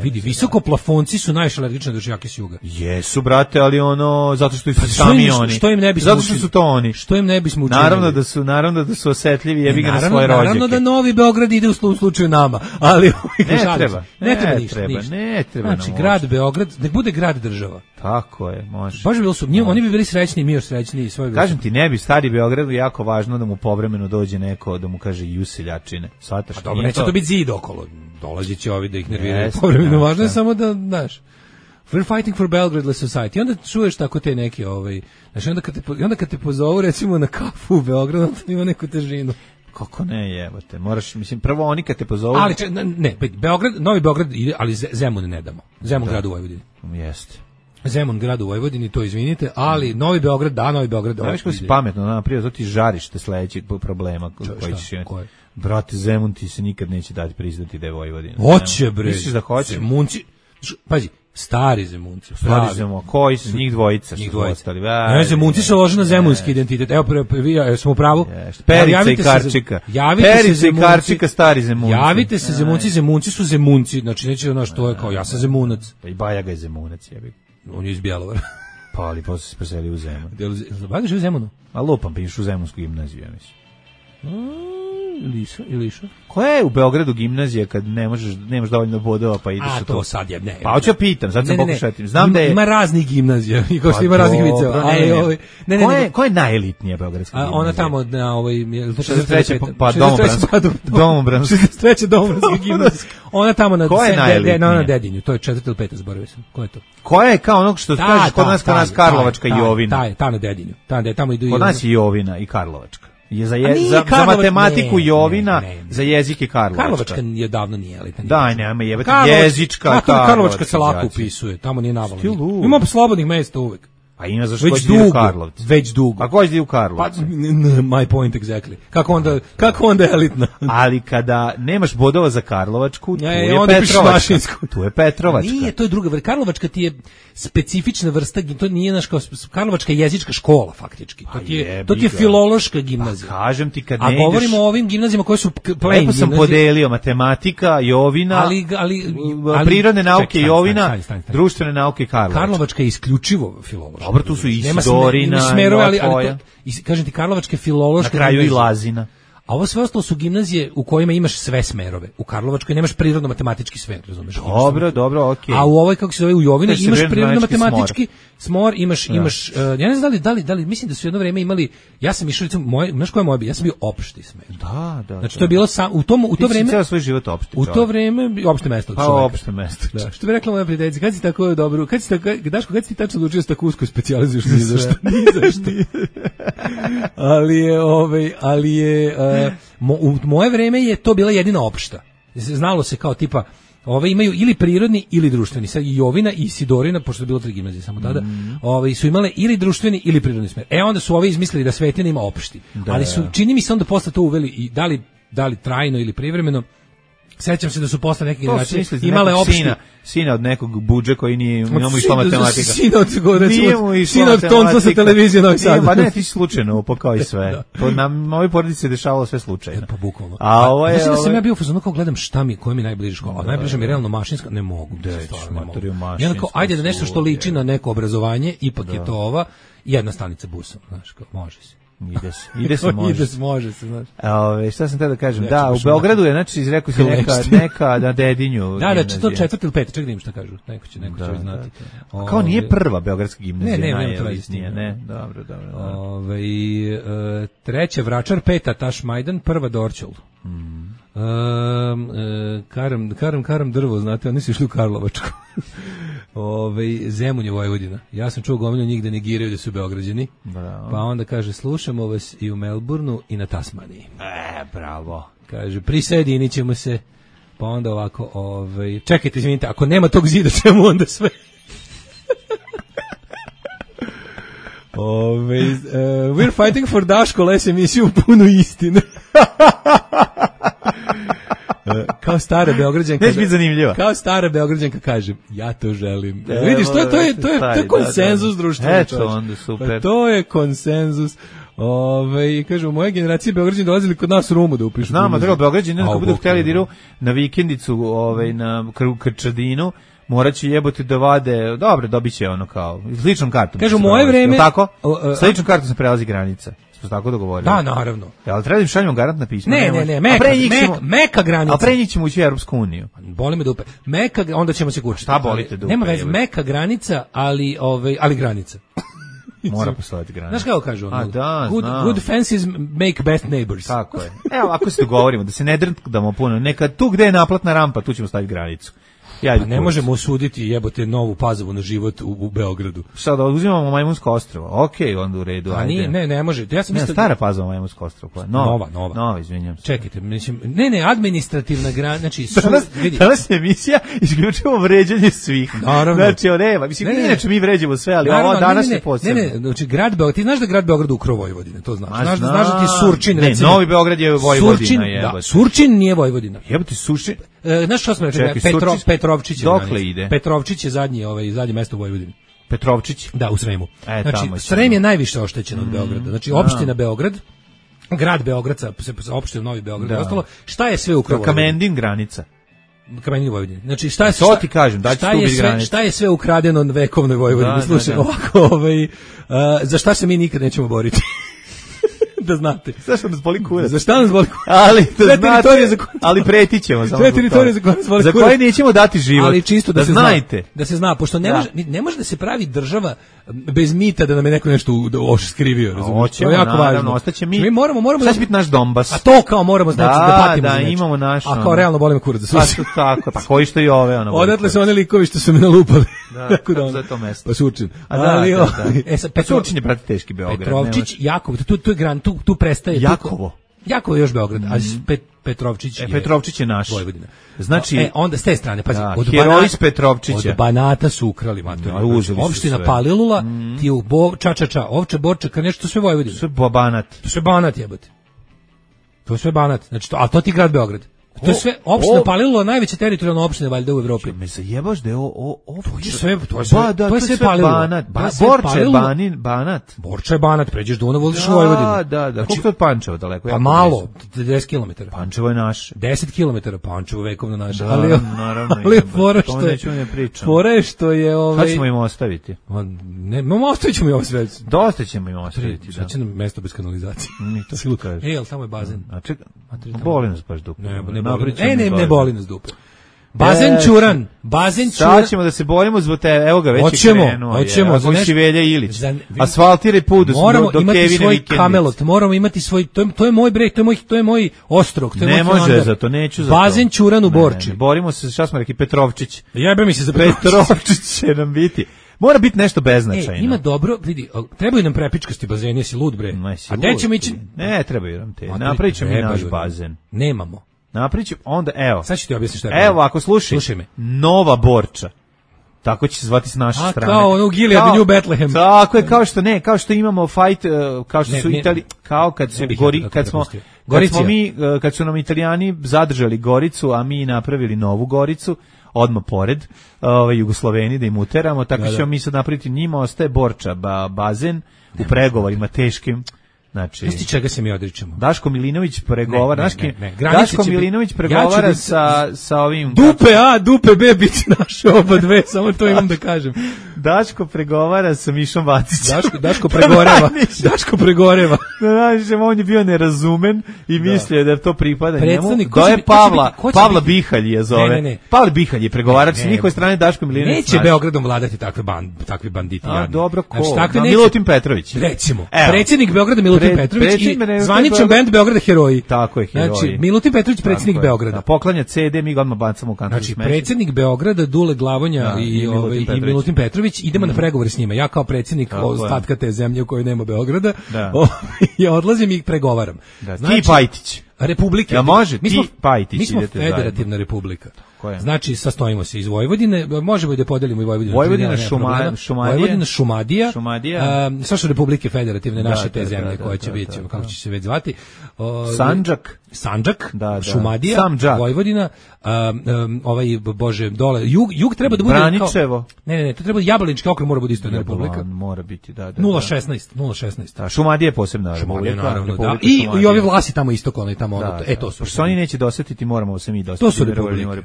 vidi, visoko plafonci su najviše alergični na dočjake s juga. Jesu, brate, ali ono, zato što su sami oni. Što im ne bismo zato što su to oni. Što im ne bismo učinili? Naravno da su osetljivi, jebi ga na svoje rođake. Naravno da Novi Beograd ide u slučaju nama, ali ne treba. Znači, grad Beograd, nek bude grad država. Tako je, može. Baš bi bilo su, oni bi bili srećni, mi još srećniji. Kažem ti, ne bi stari Beogradu jako važno da mu povremeno dođe neko da mu kaže i useljačine. Svataš? A dobro, neće to biti zid okolo. Dolazit će ovi da ih nerviraju povremeno. Važno je samo da, znaš, we're fighting for Belgrade society. I onda čuješ tako te neke, znači onda kad te pozovu recimo na kafu u Beogradu, to ima neku težinu. Kako ne, jebote, moraš, mislim, prvo oni kad te pozovu... Ali, Novi Beograd ide, ali Zemun ne damo. Zemun grad u Vojvodini. Jeste. Zemun grad u Vojvodini, to izvinite, ali Novi Beograd, Novi Beograd... Znaš ko si pametno, naprije, to ti žariš te sledećeg problema koji ćeš imati. Brate, Zemun ti se nikad neće dati priznati da je Vojvodina. Hoće, bre. Misliš da hoće? Zemunci, pazi, stari Zemunci. Stari Zemunci, koji su njih dvojica? Njih dvojica. Ne, Zemunci se lože na zemunski identitet. Evo, smo u pravu. Perica i Karčika. Perica i Karčika, stari Zemunci. Javite se Zemunci, Zemunci su Zemunci. Znači, neće ono što je kao, ja sam Zemunac. I Bajaga je Zemunac, jebi. On je iz Bjelovara. Pa, ali posle se preselio u Zemun. Bajaga živi u Zemunu? A lupam, pa išu u Zemunsku gimnaziju, ja mislim. Ili išao? Koja je u Beogradu gimnazija kad nemaš dovoljno bodova pa ideš u to? A to sad je, ne. Pa hoću pitam, sad sam pokušatim. Znam da je... Ima raznih gimnazija, i kao što ima raznih viceva. Koja je najelitnija beogradska gimnazija? Ona tamo na 63. pa Domobranska. 63. Domobranska gimnazija. Ona tamo na Dedinju, to je 4. ili 5. zaboravio sam. Ko je to? Koja je kao onog što kažeš kod nas Karlovačka i Jovina? Ta na Dedinju. Tamo idu i... Kod nas je Jovina i Karlovačka. Je za matematiku Jovina, za jezik je Karlovačka. Karlovačka je davno nije elitna. Daj, nema jebati, jezička Karlovačka se lako upisuje, tamo nije navalno. Ima slobodnih mesta uvek. A ima zašto koji ide u Karlovcu. Već dugo. A koji ide u Karlovcu? My point exactly. Kako onda elitna? Ali kada nemaš bodova za Karlovačku, tu je Petrovačka. Tu je Petrovačka. Nije, to je druga vrsta. Karlovačka ti je specifična vrsta, to nije naš kao Karlovačka jezička škola faktički. To ti je filološka gimnazija. Pa kažem ti kad ne ideš. A govorimo o ovim gimnazijama koje su plain. Lepo sam podelio matematika, Jovina, prirodne nauke Jovina, društvene nauke Karlovačka. Karlovačka je isključivo filološka. Dobro, tu su i Sidorina, smerove, ali kažem ti, Karlovačke filološke... Na kraju i Lazina. A ovo sve ostalo su gimnazije u kojima imaš sve smerove. U Karlovačkoj nemaš prirodno-matematički smer, razumeš? Dobro, okej. A u ovoj, kako se zove, u Jovini, imaš prirodno-matematički smor, imaš, ja ne znam da li, mislim da su jedno vreme imali, ja sam išao, znaš koja je moja, ja sam bio opšti smer. Da. Znači, to je bilo u to vreme... Ti si ceo svoj život opšti. U to vreme, opšte mesto. Pa opšte mesto. Da, što bi rekla moja prijateljica, kad si tako dobro, Daško, kad si ti tačno odlučio se tako usko specijalizuješ ni za što? Ali je u moje vreme je to bila jedina opšta. Znalo se kao tipa, ove imaju ili prirodni ili društveni. Sad i Jovina i Sidorina, pošto je bilo 3 gimnazije samo tada, su imale ili društveni ili prirodni smer. Onda su ove izmislili da Svetina ima opšti. Ali su, čini mi se onda posle to uveli i da li trajno ili privremeno. Sećam se da su posle neke generacije imale opšti. Sina od nekog budže koji nije imamo išla matematika. Sina od tonca sa televizije Novi Sad. Pa ne, ti si slučajno upakao i sve. To na ovoj porodici se dešavalo sve slučajno. Pa bukvalno. A ovo je... Mislim da sam ja bio u fazonu kao gledam koja mi najbliža škola. Najbliža mi je realno mašinska. Ne mogu. Ja kao, ajde da nešto što liči na neko obrazovanje, ipak je to ova jedna stanica busom. Znaš, kao, može se. Ide se može se, znaš. Šta sam te da kažem? Da, u Beogradu je, znači, izrekao si neka na Dedinju. Da, to 4. ili 5. Ček da im šta kažu. Neko će znati. Kao nije prva beogradska gimnazija. Ne. Dobro. Treća Vračar, 5. Tašmajdan, 1. Dorćol. Karam drvo, znate, oni su išli u Karlovačku. Zemun je Vojvodina. Ja sam čuo gomilu njih da negiraju da su Beograđani. Bravo. Pa onda kaže, slušamo vas i u Melbourneu i na Tasmaniji. Bravo. Kaže, prisjedinit ćemo se. Pa onda ovako, čekajte, izvinite, ako nema tog zida, čemu onda sve? We're fighting for Daško, les emisiju punu istine. Kao stara Beograđanka. Neće biti zanimljivo. Kao stara Beograđanka kažem, ja to želim. Vidiš, to je konsenzus društva. Eto, onda super. Pa to je konsenzus. I kažu, u moje generacije Beograđani dolazili kod nas u Rumu da upišu. Znamo, treba Beograđani, ako budu htjeli da idu na vikendicu na Krčadinu, morat će jebote da vade, dobro, dobit će ono kao, s ličnom kartom. Kažu, moje vreme... Tako? S ličnom kartom se prelazi granica. Smo tako dogovorili. Da, naravno. Ali treba da im šaljemo garantna pisma. Ne, meka granica. A pre njih ćemo ući u Europsku uniju. Boli me dupe. Meka, onda ćemo se kućiti. Šta bolite dupe? Nema veze, meka granica, ali granica. Mora postojati granica. Znaš kako kažu? Good fences make best neighbors. Tako je. Evo, ako se dogovorimo, da se ne drndamo puno, neka tu gde je naplatna rampa, tu ćemo staviti granicu. Pa ne možemo osuditi jebote Novu Pazovu na život u Beogradu. Šta da uzimamo Majmunsko ostrvo? Okej, onda u redu, ajde. Ne može. Ja sam mislio stara Pazova Majmunsko ostrvo. Nova, izvinjam se. Čekajte, mislim, administrativna granica, znači danas je emisija isključivo vređanje svih. Naravno. Znači, nema, mislim, inače mi vređamo sve, ali ovo danas je posebno. Ne, znači grad Beograd, ti znaš da grad Beograd ukro Vojvodine, to znaš. Znaš da ti Surčin, recimo. Ne, Novi Beograd je Vojvodina, jebote. Surčin nije Vojvodina. Jebote, Surčin. Znaš što smo rekli? Petrovčić je. Dokle ide? Petrovčić je zadnje mesto u Vojvodini. Petrovčić? Da, u Sremu. Znači, Srem je najviše oštećen od Beograda. Znači, opština Beograd, grad Beograd sa opštinom Novi Beograd i ostalo, šta je sve u Vojvodini? Kamendin granica. Kamendin Vojvodini. Znači, šta je to ti kažem, da će tu biti granica. Šta je sve ukradeno vekovnoj Vojvodini? Slušaj, ovako, za šta se mi nikad nećemo boriti? Da znate. Zašto nas boli kurac? Za šta nas boli kurac? Ali da znate, ali pretićemo. Sve teritorije za koje nas boli kurac. Za koje nećemo dati život. Ali čisto da se znajte. Da se zna, pošto ne može da se pravi država bez mita da nam je neko nešto skrivio. Hoćemo, naravno, ostaće mi. Mi moramo da će biti naš Donbas. A to kao moramo znači da patimo. Da, imamo naš. A kao realno bolimo kurac. Tako, pa koji što i ove. Odatle su oni likovi što su me nalupali. Tako da za to mesto. Pa Surčin. Ali Surčin je prati teški Beograd. Petrovčić, Jakov, tu je gran, tu prestaje. Jakovo je još Beograd, a Petrovčić je... Petrovčić je naš. Vojvodina. Znači... onda s te strane, pazi, heroj iz Petrovčića. Od Banata su ukrali, opština Palilula, ti u Ovče, Borčaka, nešto sve Vojvodina. Sve Banat. To sve Banat jebote. To sve Banat, znači a to ti grad Beograd. To je sve opština Palilula, najveća teritorijalna opština valjda u Evropi. Me zajebaš da je ovo to je sve Palilula. Banat. Borča je Banat, pređeš Dunav, voziš u Vojvodinu. Da. Koliko je od Pančeva daleko? Pa malo, 10 km. Pančevo je naš. 10 km, Pančevo vekovno naše. Naravno. Ali fora je što je Šta ćemo im ostaviti? Ne, ostavit ćemo im ovo sve. Dosta ćemo im ostaviti, da. Sad će nam mesto bez kanalizacije. To si kaže. Ali tamo je bazen. Boli nas baš dupe. Ne boli nas dupe. Bazen Čuran. Sad ćemo da se borimo zbog te, evo ga, već je krenuo. Hoćemo. Velja Ilić. Asfaltiraj put do Kevine vikendice. Kamelot, moramo imati svoj, to je moj breg, to je moj ostrog. Ne može za to, neću za to. Bazen Čuran u Borči. Borimo se, šta smo rekli, Petrovčić. Jebe mi se za Petrovčić će nam biti. Mora biti nešto beznačajno. Ima dobro, vidi, trebaju nam prepičkasti bazeni, jesi lud bre. A gde ćemo ići? Ne, trebaju nam te. Napravit ćemo i naš bazen. Nemamo. Napričam, onda, evo. Sad ću ti objasniti šta je. Evo, ako slušaj me. Nova Borča. Tako će se zvati s naše strane. Kao ono u Gilead, New Bethlehem. Tako je, kao što imamo fight, kao što su Italiji, kao kad su kad su nam Italijani zadržali Goricu, a mi napravili Novu Goricu, odmah pored, Jugosloveni da im uteramo, tako ćemo mi sad napraviti, njima ostaje Borča, bazen u pregovorima teškim. Znači, znaš ti čega se mi odričemo? Daško Milinović pregovara, Daško Milinović pregovara sa ovim... Dupe B biti naše oba dve, samo to imam da kažem. Daško pregovara sa Mišom Vacićem. Daško pregoreva. Znači, on je bio nerazumen i mislio da to pripada njemu. To je Pavla Bihalj je zove. Ne. Pavla Bihalj je pregovarač s njihove strane Daško Milinović. Neće Beogradom vladati takvi banditi. Dobro, ko? Milutin Petrović. Recimo, predsjednik Beograda Milutin Petrović i zvaničan bend Beograda Heroji. Tako je, Heroji. Znači, Milutin Petrović, predsjednik Beograda. Poklanja CD, mi ga odmah bacamo u kantu. Znači, predsjednik Beograda, Dule Glavonja i Milutin Petrović, idemo na pregovore s njima. Ja kao predsjednik ostatka te zemlje u kojoj nema Beograda, ja odlazim i pregovaram. Ti Pajtić. Republike. Ja može, ti Pajtić. Mi smo federativna republika. Tako je. Znači, sastojimo se iz Vojvodine, možemo i da podelimo i Vojvodinu. Vojvodina, Šumadija. Sve Republike Federativne naše te zemlje koje će biti, kako će se već zvati. Sandžak, Šumadija, Vojvodina, dole, jug treba da bude Braničevo. Ne, to treba Jablanički okrug mora biti isto jedna republika. Mora biti, 016. Šumadija je posebna republika. Naravno, da. I ovi vlasi tamo istok, ono i tamo ono. To su. Što oni neće dosetiti, moramo se mi dosetiti. To su republike.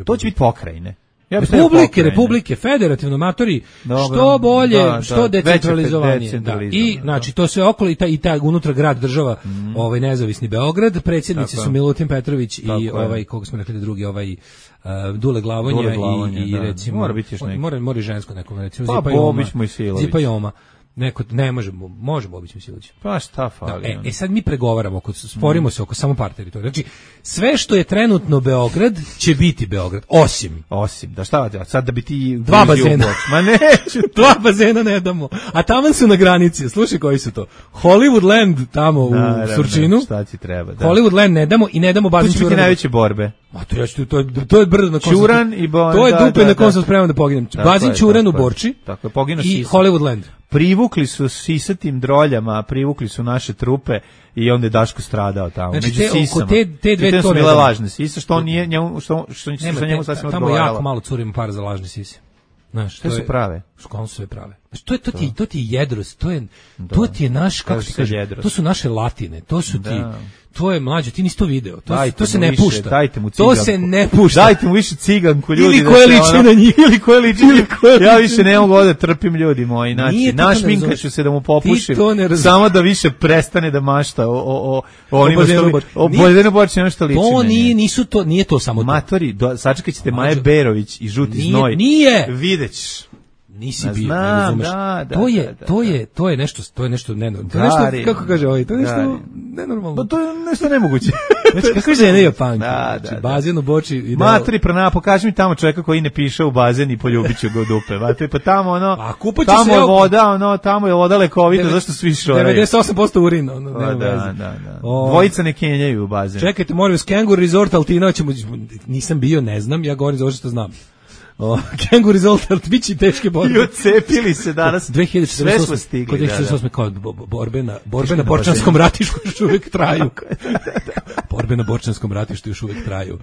To će biti pokrajine. Republike, federativno matori, što bolje, što decentralizovanije. I znači to sve okolo i taj unutra grad država, nezavisni Beograd, predsjednici su Milutin Petrović i koga smo rekli drugi, Dule Glavonja i recimo mora biti još neki. Mora žensko neko, recimo Zipa Joma. Neko ne možemo obići Misilić. Pa šta fali? Sad mi pregovaramo, sporimo se oko samo par teritorija. Znači, sve što je trenutno Beograd će biti Beograd, osim, da šta sad da bi ti 2 bazena. Ma neću, 2 bazena ne damo. A tamo su na granici. Slušaj koji su to. Hollywoodland tamo u Surčinu. Šta ti treba? Hollywoodland ne damo i ne damo bazen Ćuranu. To će biti najveće borbe. Ma to je brdo na kom Ćuran i to je dupe na kom sam spreman da poginem. Bazen Ćuran u Borči. Tako je, poginu i Hollywoodland. Privukli su sisatim droljama, privukli su naše trupe i onda je Daško stradao tamo. Znači, među sisama. Te dve to bile lažne sise, što on nije njemu, što sa njemu sasvim odgovaralo. Tamo jako malo curimo para za lažne sise. Znaš, to su prave. Školno su sve prave. Znači, to ti je jedrost, to ti je naš, kako ti kaže, to su naše latine, to su ti, to je mlađe, ti nisi to video, to se ne pušta. Dajte mu ciganku. To se ne pušta. Dajte mu više ciganku, ljudi. Ili koje liči na njih. Ja više ne mogu da trpim, ljudi moji. Znači, naš minka ću se da mu popušim, samo da više prestane da mašta o onima što... O Boždenu Borči, ono što liči na nje. Nije to samo to. Matori, sačekat ćete Maje Berović i Žuti znoj. Nije. Videćeš. Nisi bio, ne razumeš. To je nešto nenormalno. Kako kaže ovaj, to je nešto nenormalno. Pa to je nešto nemoguće. Znači, kako žene Japanke. Znači, bazen u Boči. Matri, pokaži mi tamo čovjeka koji ne piše u bazen i poljubit ću ga u dupe. Matri, pa tamo tamo je voda, tamo je voda lekovita, zašto svi šoraju? 98% urina. Da. Dvojica ne kenjaju u bazen. Čekajte, molim vas, Kengur Resort Altina, nisam bio, ne znam, ja govorim za ovo što znam. Kengur Resort, bići teške borbe. I ocepili se danas. 2048. Sve smo stigli. 2048. kao borbe na Borčanskom ratištu još uvijek traju. Borbe na Borčanskom ratištu još uvijek traju.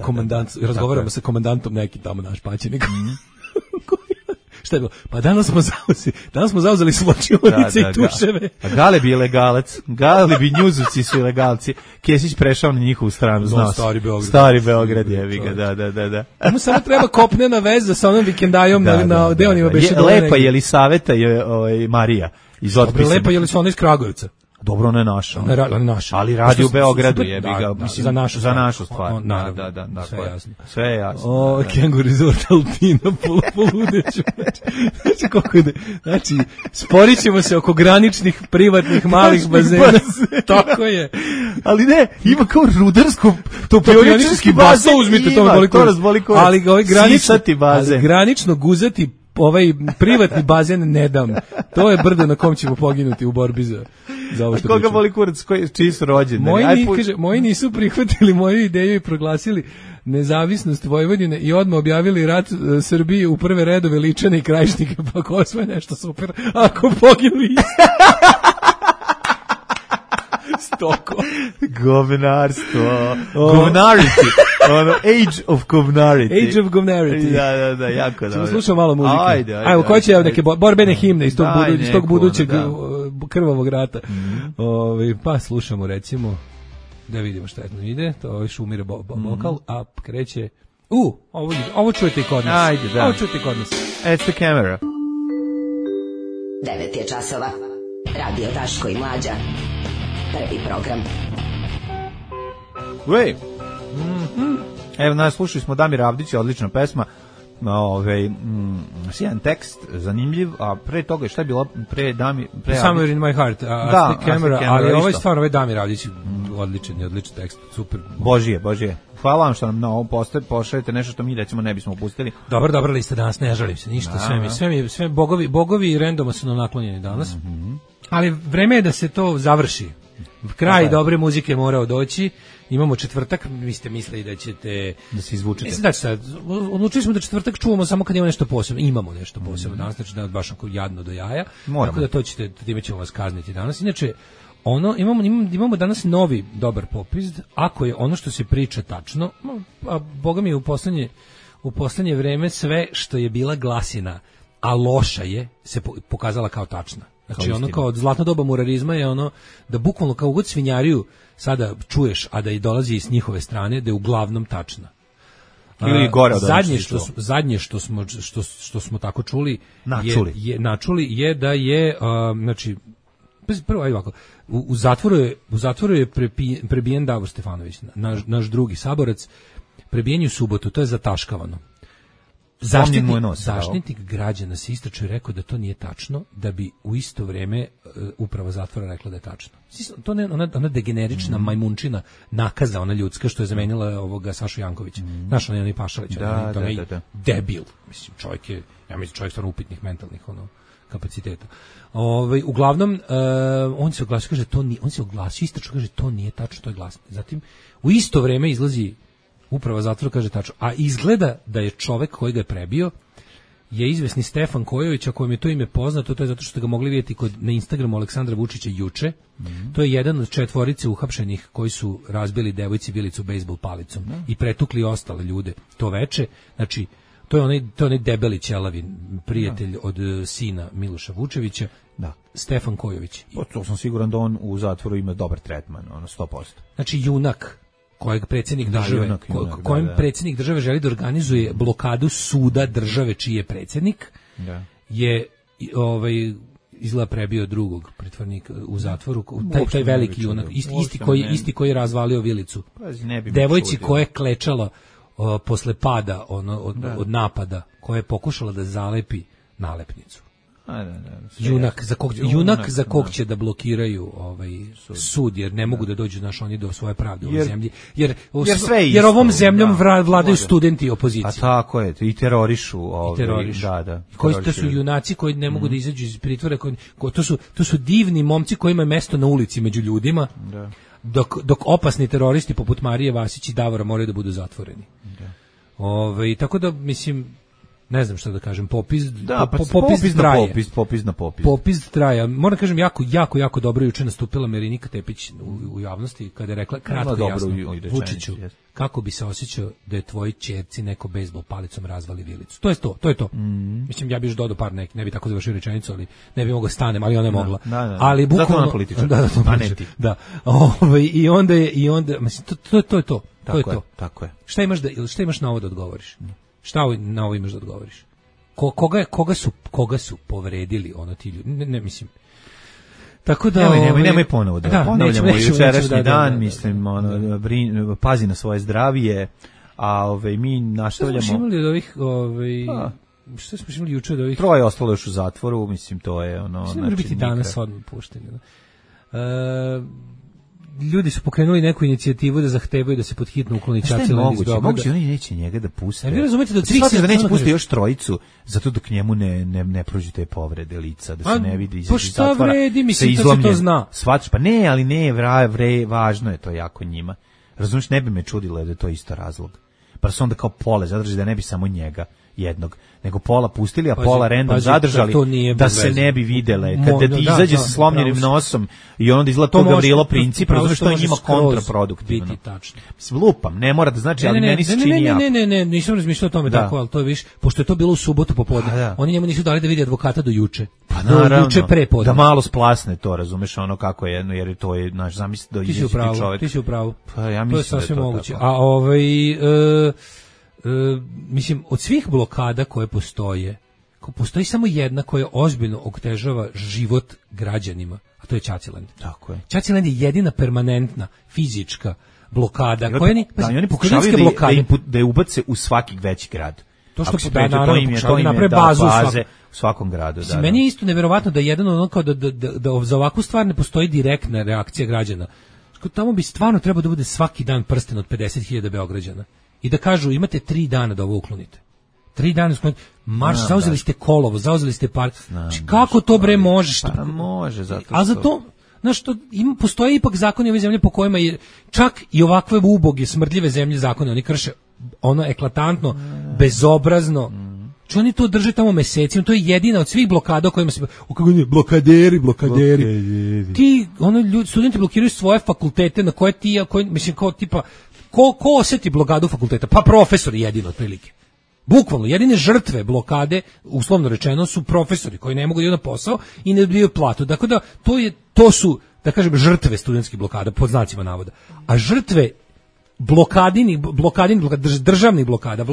Komandant, razgovaramo sa komandantom neki tamo naš paćenik. Šta je bilo? Pa danas smo zauzeli svlačionice i tuševe. A Galeb je ilegalac. Galeb i Njuzovci su ilegalci. Kesić prešao na njihovu stranu. Stari Beograd je, da. Mu samo treba kopnena veza sa onom vikendajom na deonima beše dole. Lepa je li Saveta je Marija iz Otpisa. Lepa je li su ona iz Kragujevca? Dobro, ona je naša. Ali radi u Beogradu, jebi ga. Za našu stvar. Da. Sve je jasno. Kengur Resort Altina, poludeću. Znači, kako ide. Znači, sporit ćemo se oko graničnih, privatnih, malih bazena. Tako je. Ali ne, ima kao rudarsko, topioničarski bazen. Uzmite to razboli kurac. Ali granično guzati privatni bazen ne dam. To je brdo na kom ćemo poginuti u borbi za ovo što koga boli kurac, čiji su rođeni? Moji nisu prihvatili moju ideju i proglasili nezavisnost Vojvodine i odmah objavili rat Srbiji u prve redove Ličane i Krajišnike, pa ko sve nešto super, ako poginu isto. Stoko. Govnarstvo. Govnarity. Age of govnarity. Age of govnarity. Da, jako dobro. Čemo slušao malo muzike. Ajde. Ko će neke borbene himne iz tog budućeg krvavog rata. Pa slušamo recimo, da vidimo šta je ide. To je Šumire vokal, a kreće... Ovo čujete i kod nas. Ajde, da. Ovo čujete i kod nas. It's the camera. 9 je časova. Radio Daško i Mlađa. Prvi program. Evo nas, slušali smo Damira Avdića, odlična pesma, sjajan tekst, zanimljiv, a pre toga šta je bilo Somewhere in my heart, camera, ali ovo je stvarno, ovaj Damir Avdić, odličan tekst, super. Božije. Hvala vam što nam na ovom pošaljete nešto što mi recimo ne bismo pustili. Dobra lista danas, ne žalim se ništa, sve bogovi i randoma su nam naklonjeni danas, ali vreme je da se to završi. Kraj dobre muzike morao doći. Imamo četvrtak, vi ste mislili da ćete da se izvučete. Znači, odlučili smo da četvrtak čuvamo samo kad ima nešto posebno. Imamo nešto posebno danas, znači da baš onako jadno do jaja. Tako da to ćete, time ćemo vas kazniti danas. Inače, imamo danas novi dobar popis, ako je ono što se priča tačno, a boga mi u poslednje vreme sve što je bila glasina, a loša je, se pokazala kao tačna. Znači ono kao od zlatno doba murarizma je ono da bukvalno kao god svinjariju sada čuješ, a da i dolazi s njihove strane, da je uglavnom tačna. Ili gore od zadnje što smo tako čuli je da je znači prvo ajde ovako, u zatvoru je prebijen Davor Stefanović, naš drugi saborac, prebijen je u subotu, to je zataškavano. Zaštitnik građana se istračio i rekao da to nije tačno, da bi u isto vreme uprava zatvora rekla da je tačno. To ne ona degenerična majmunčina nakaza, ona ljudska što je zamenila ovoga Sašu Jankovića. Znaš, onaj Pašalić, onaj debil. Mislim, čovjek stvarno upitnih mentalnih kapaciteta. Uglavnom, on se oglasio, kaže istračno, kaže to nije tačno, to je glasno. Zatim, u isto vreme izlazi uprava zatvora, kaže tačno. A izgleda da je čovek koji ga je prebio je izvesni Stefan Kojović, a kojem je to ime poznato, to je zato što ste ga mogli vidjeti na Instagramu Aleksandra Vučića juče. To je jedan od 4 uhapšenih koji su razbili devojci Bilicu bejsbol palicom i pretukli ostale ljude to veče. Znači, to je onaj debeli ćelavin prijatelj od sina Miloša Vučevića, Stefan Kojović. To sam siguran da on u zatvoru ima dobar tretman, 100%. Znači, junak kojeg predsjednik države, kojem predsjednik države želi da organizuje blokadu suda države čiji je predsjednik, je izgleda prebio drugog pritvornika u zatvoru, taj veliki junak, isti koji je razvalio vilicu. Devojci koja je klečala posle pada od napada, koja je pokušala da zalepi nalepnicu. Junak za kog će da blokiraju sud, jer ne mogu da dođu oni do svoje pravde u ovoj zemlji, jer ovom zemljom vladaju studenti i opozicija. A tako je, i terorišu. Koji to su junaci koji ne mogu da izađu iz pritvora, to su divni momci koji imaju mesto na ulici među ljudima, dok opasni teroristi poput Marije Vasić i Davora moraju da budu zatvoreni. Tako da, mislim, ne znam šta da kažem, popis traje. Popis traje. Moram kažem, jako dobro juče nastupila Marinika Tepić u javnosti, kada je rekla kratko i jasno, Vučiću, kako bi se osjećao da je tvoj ćerci neko bejsbol palicom razvali vilicu. To je to. Mislim, ja bih još dodao par neki, ne bi tako završio rečenicu, ali ne bi mogla stanem, ali ona je mogla. Ali bukvalno, zato ona političar. I onda, mislim, to je to. Tako je. Šta imaš na ovo da odgovoriš? Šta na ovo imaš da odgovoriš? Koga su povredili ti ljudi? Ne mislim. Tako da nemoj ponovo da ponavljamo jučerašnji dan, mislim, pazi na svoje zdravlje, a mi nastavljamo. Šta smo imali od ovih šta smo imali juče od ovih? 3 ostalo još u zatvoru, mislim, to je znači, mora biti danas odmah pušteni. Ljudi su pokrenuli neku inicijativu da zahtevaju da se pod hitno ukloni Ćaćiland iz Beograda. Moguće, oni neće njega da puste. Vi razumete da da neće pustiti još 3 zato dok njemu ne prođu te povrede lica, da se ne vidi iz zatvora. Pa šta vredi, mislim da se to zna. Shvataš, pa ne, ali ne, važno je to jako njima. Razumiješ, ne bi me čudilo da je to isto razlog. Pa su onda kao pole zadrži da ne bi samo njega jednog, nego pola pustili, a pola random zadržali da se ne bi videle. Kada ti izađe sa slomljenim nosom i onda izgleda to Gavrilo Princip, razumiješ, to je njima kontraproduktivno. Lupam, ne mora da znači, ali meni se čini jako. Ne, nisam razmišljao o tome tako, ali to je više, pošto je to bilo u subotu popodne, oni njemu nisu dali da vidi advokata do juče. Pa naravno, da malo splasne to, razumeš, ono kako je jedno, jer to je, naš zamisli da izađe čovjek. Ti si u pravu, pa ja mislim da je to tako. A mislim, od svih blokada koje postoji samo jedna koja ozbiljno otežava život građanima, a to je Ćaćiland. Tako je. Ćaćiland je jedina permanentna fizička blokada. Oni pokušavaju da je ubace u svaki veći grad. To što pokušavaju naprave bazu u svakom gradu. Meni je isto neverovatno da jedan kao da za ovakvu stvar ne postoji direktna reakcija građana. Tamo bi stvarno trebao da bude svaki dan prsten od 50.000 Beograđana. I da kažu, imate 3 dana da ovo uklonite. 3 dana uklonite. Marš, zauzeli ste Kolovo, zauzeli ste park. Kako to bre možeš? Pa može, zato a za to, znaš, postoje ipak zakoni ove zemlje po kojima je čak i ovakve uboge, smrdljive zemlje zakone, oni krše ono eklatantno, bezobrazno. Či oni to drže tamo mesecima, to je jedina od svih blokada o kojima se blokaderi. Ti ljudi, studenti blokiraju svoje fakultete na koje ti, mislim kao tipa ko oseti blokadu fakulteta? Pa profesori jedino otprilike. Bukvalno jedine žrtve blokade, uslovno rečeno, su profesori koji ne mogu da idu na posao i ne dobijaju platu. Dakle da to su, da kažem, žrtve studentskih blokada pod znacima navoda. A žrtve državnih blokada,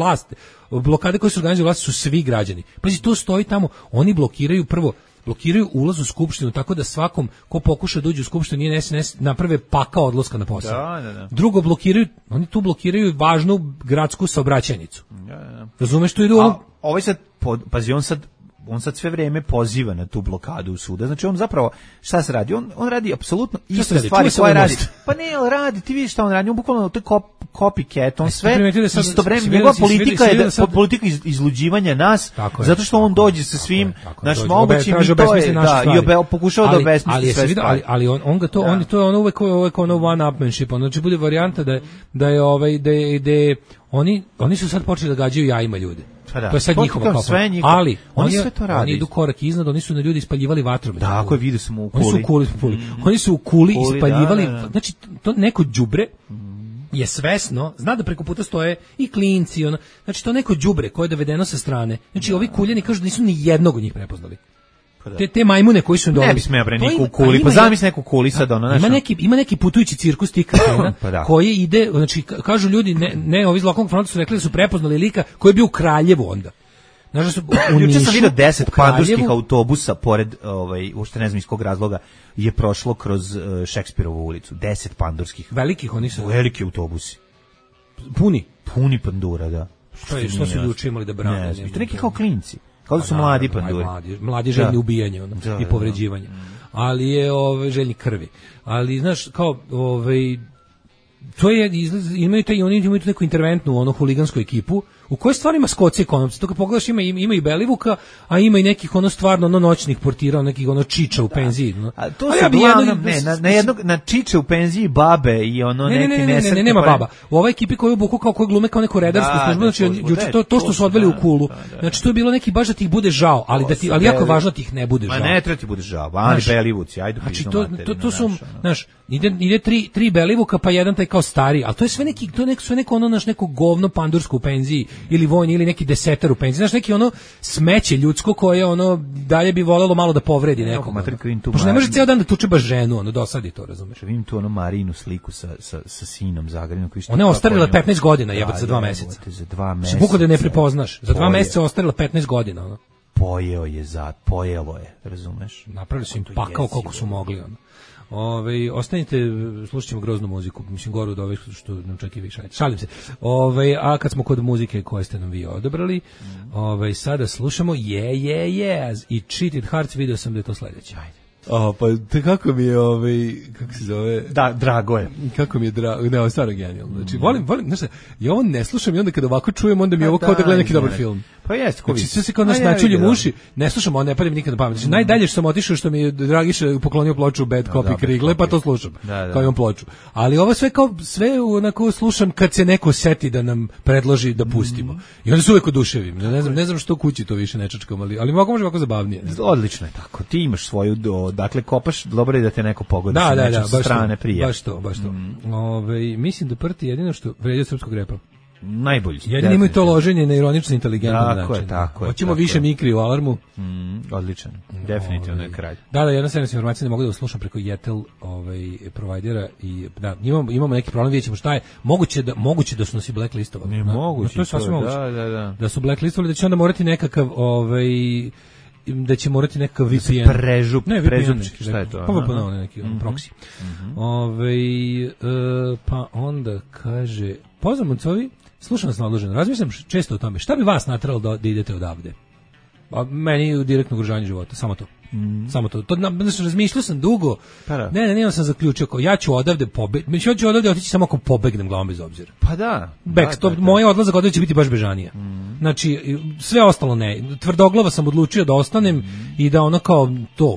blokade koje su organizuju vlasti su svi građani. Pazi, to stoji tamo, oni blokiraju ulaz u skupštinu tako da svakom ko pokuša da uđe u skupštinu nije SNS naprave pakao odlaska na posao. Da. Drugo, oni tu blokiraju važnu gradsku saobraćajnicu. Da. Razumeš, tu idu ovaj sad, pazi, on sad sve vreme poziva na tu blokadu suda. Znači on zapravo, šta se radi? On radi apsolutno iste stvari koje radi. Pa ne, on radi, ti vidiš šta on radi, on bukvalno to je copycat, on sve istovremeno, njegova politika je politika izluđivanja nas, zato što on dođe sa svim našim mogućim i to je, i pokušava da obesmisli sve stvari. Ali on ga to, to je ono uvek ono one-upmanship, znači bude varijanta da je oni su sad počeli da gađaju jajima ljude. To je sad njihova kao. Ali oni idu korak iznad, oni su na ljudi ispaljivali vatrom. Tako je, vidio sam u Kuli. Oni su u Kuli ispaljivali, znači to neko đubre je svesno, zna da preko puta stoje i klinci, znači to neko đubre koje je dovedeno sa strane. Znači ovi Kuljani kažu da nisu ni jednog od njih prepoznali. Te majmune koji su dole. Ne bi smeo bre niku u Kuli, pa zamisli neku Kuli sad ima neki putujući cirkus tih kretena koji ide, znači kažu ljudi ne ovi iz lokalnog fronta su rekli da su prepoznali lika koji je bio u Kraljevu onda. Znaš da su juče sam vidio 10 pandurskih autobusa pored uopšte ne znam iz kog razloga je prošlo kroz Šekspirovu ulicu. 10 pandurskih. Velikih oni su. Veliki autobusi. Puni pandura, da. Što su juče imali da brane? To neki kao klinci. Kao da su mladi panduri. Mladi željni ubijanja i povređivanja. Ali je željni krvi. Ali, znaš, kao, to je, imaju tu neku interventnu, huligansku ekipu, u kojoj stvari ima skoci ekonomci. To kad pogledaš ima i Belivuka, a ima i nekih stvarno noćnih portira, nekih čiča u penziji. A to se na čiče u penziji babe i neki nesretni. Ne, nema baba. U ovoj ekipi koju obuku koji glume kao neku redarsku službu, znači to što su odveli u Kulu. Znači to je bilo neki baš da ti ih bude žao, ali jako je važno da ti ih ne bude žao. Ma ne treba ti bude žao, ali Belivuci, ajde. Znači to su, znaš, ide tri Belivuka pa jedan taj kao stari, ali to je sve neko govno pandursko u penziji ili vojni ili neki desetar u penziji, znaš, neki smeće ljudsko koje dalje bi volelo malo da povredi nekom. Pošto ne može cijel dan da tuče baš ženu, dosadi to, razumeš. Vidim tu Marinu sliku sa sinom Zagrebinom. Ona je ostarila 15 godina, jebote, za 2 meseca. Za 2 meseca. Bukvalno da ne prepoznaš. Za 2 meseca ostarila 15 godina. Pojelo je, razumeš. Napravili su im pakao koliko su mogli, ostanite, slušat ćemo groznu muziku, mislim goru od ove što nam čak i više, šalim se. A kad smo kod muzike koje ste nam vi odabrali, sada slušamo Yes i Cheated Hearts, video sam da je to sledeće. Ajde. Pa te kako mi je kako se zove? Da, drago je. Kako mi je drago, ne, ovo je stvarno genijalno. Znači, volim, znaš šta, ja ovo ne slušam i onda kada ovako čujem, onda mi je ovo kao da gledam neki dobar film. Pa jeste, znači, sve se kao nas načuljem uši, ne slušam, on ne pada mi nikad na pamet. Znači, najdalje što sam otišao što mi je Dragiša poklonio ploču Bad Copy Krigle, pa to slušam, kao imam ploču. Ali ovo sve onako slušam kad se neko seti da nam predloži da pustimo. I onda se uvek oduševim. Ne znam što u kući to više ne čačkam, ali može ovako zabavnije. Odlično je tako. Ti imaš svoju, dakle, kopaš, dobro je da te neko pogodi sa strane prije. Baš to. Mislim da prti jedino što vređa srpskog repa. Najbolji. Jedino imaju to loženje na ironično inteligentan način. Tako je. Hoćemo više mikri u alarmu. Odličan. Definitivno je kralj. Da, jedna servis informacija ne mogu da uslušam preko Jetel provajdera i da, imamo neki problem, vidjet ćemo šta je. Moguće da su nas i blacklistovali. Ne moguće. To je sasvim moguće. Da su blacklistovali, da će onda morati nekakav da će morati nekakav VPN. Prežupčik, šta je to? Pa neki proxy. Pa onda kaže, pozdrav Moncovi, slušam vas naloženo, razmišljam često o tome, šta bi vas nateralo da idete odavde? Pa meni direktno ugrožavanje života, samo to. Samo to. Razmišljao sam dugo. Ne, sam zaključio kao ja ću odavde pobegnem. Ja ću odavde otići samo ako pobegnem glavom bez obzira. Pa da. Moj odlazak odavde će biti baš bežanija. Znači, sve ostalo ne. Tvrdoglava sam odlučio da ostanem i da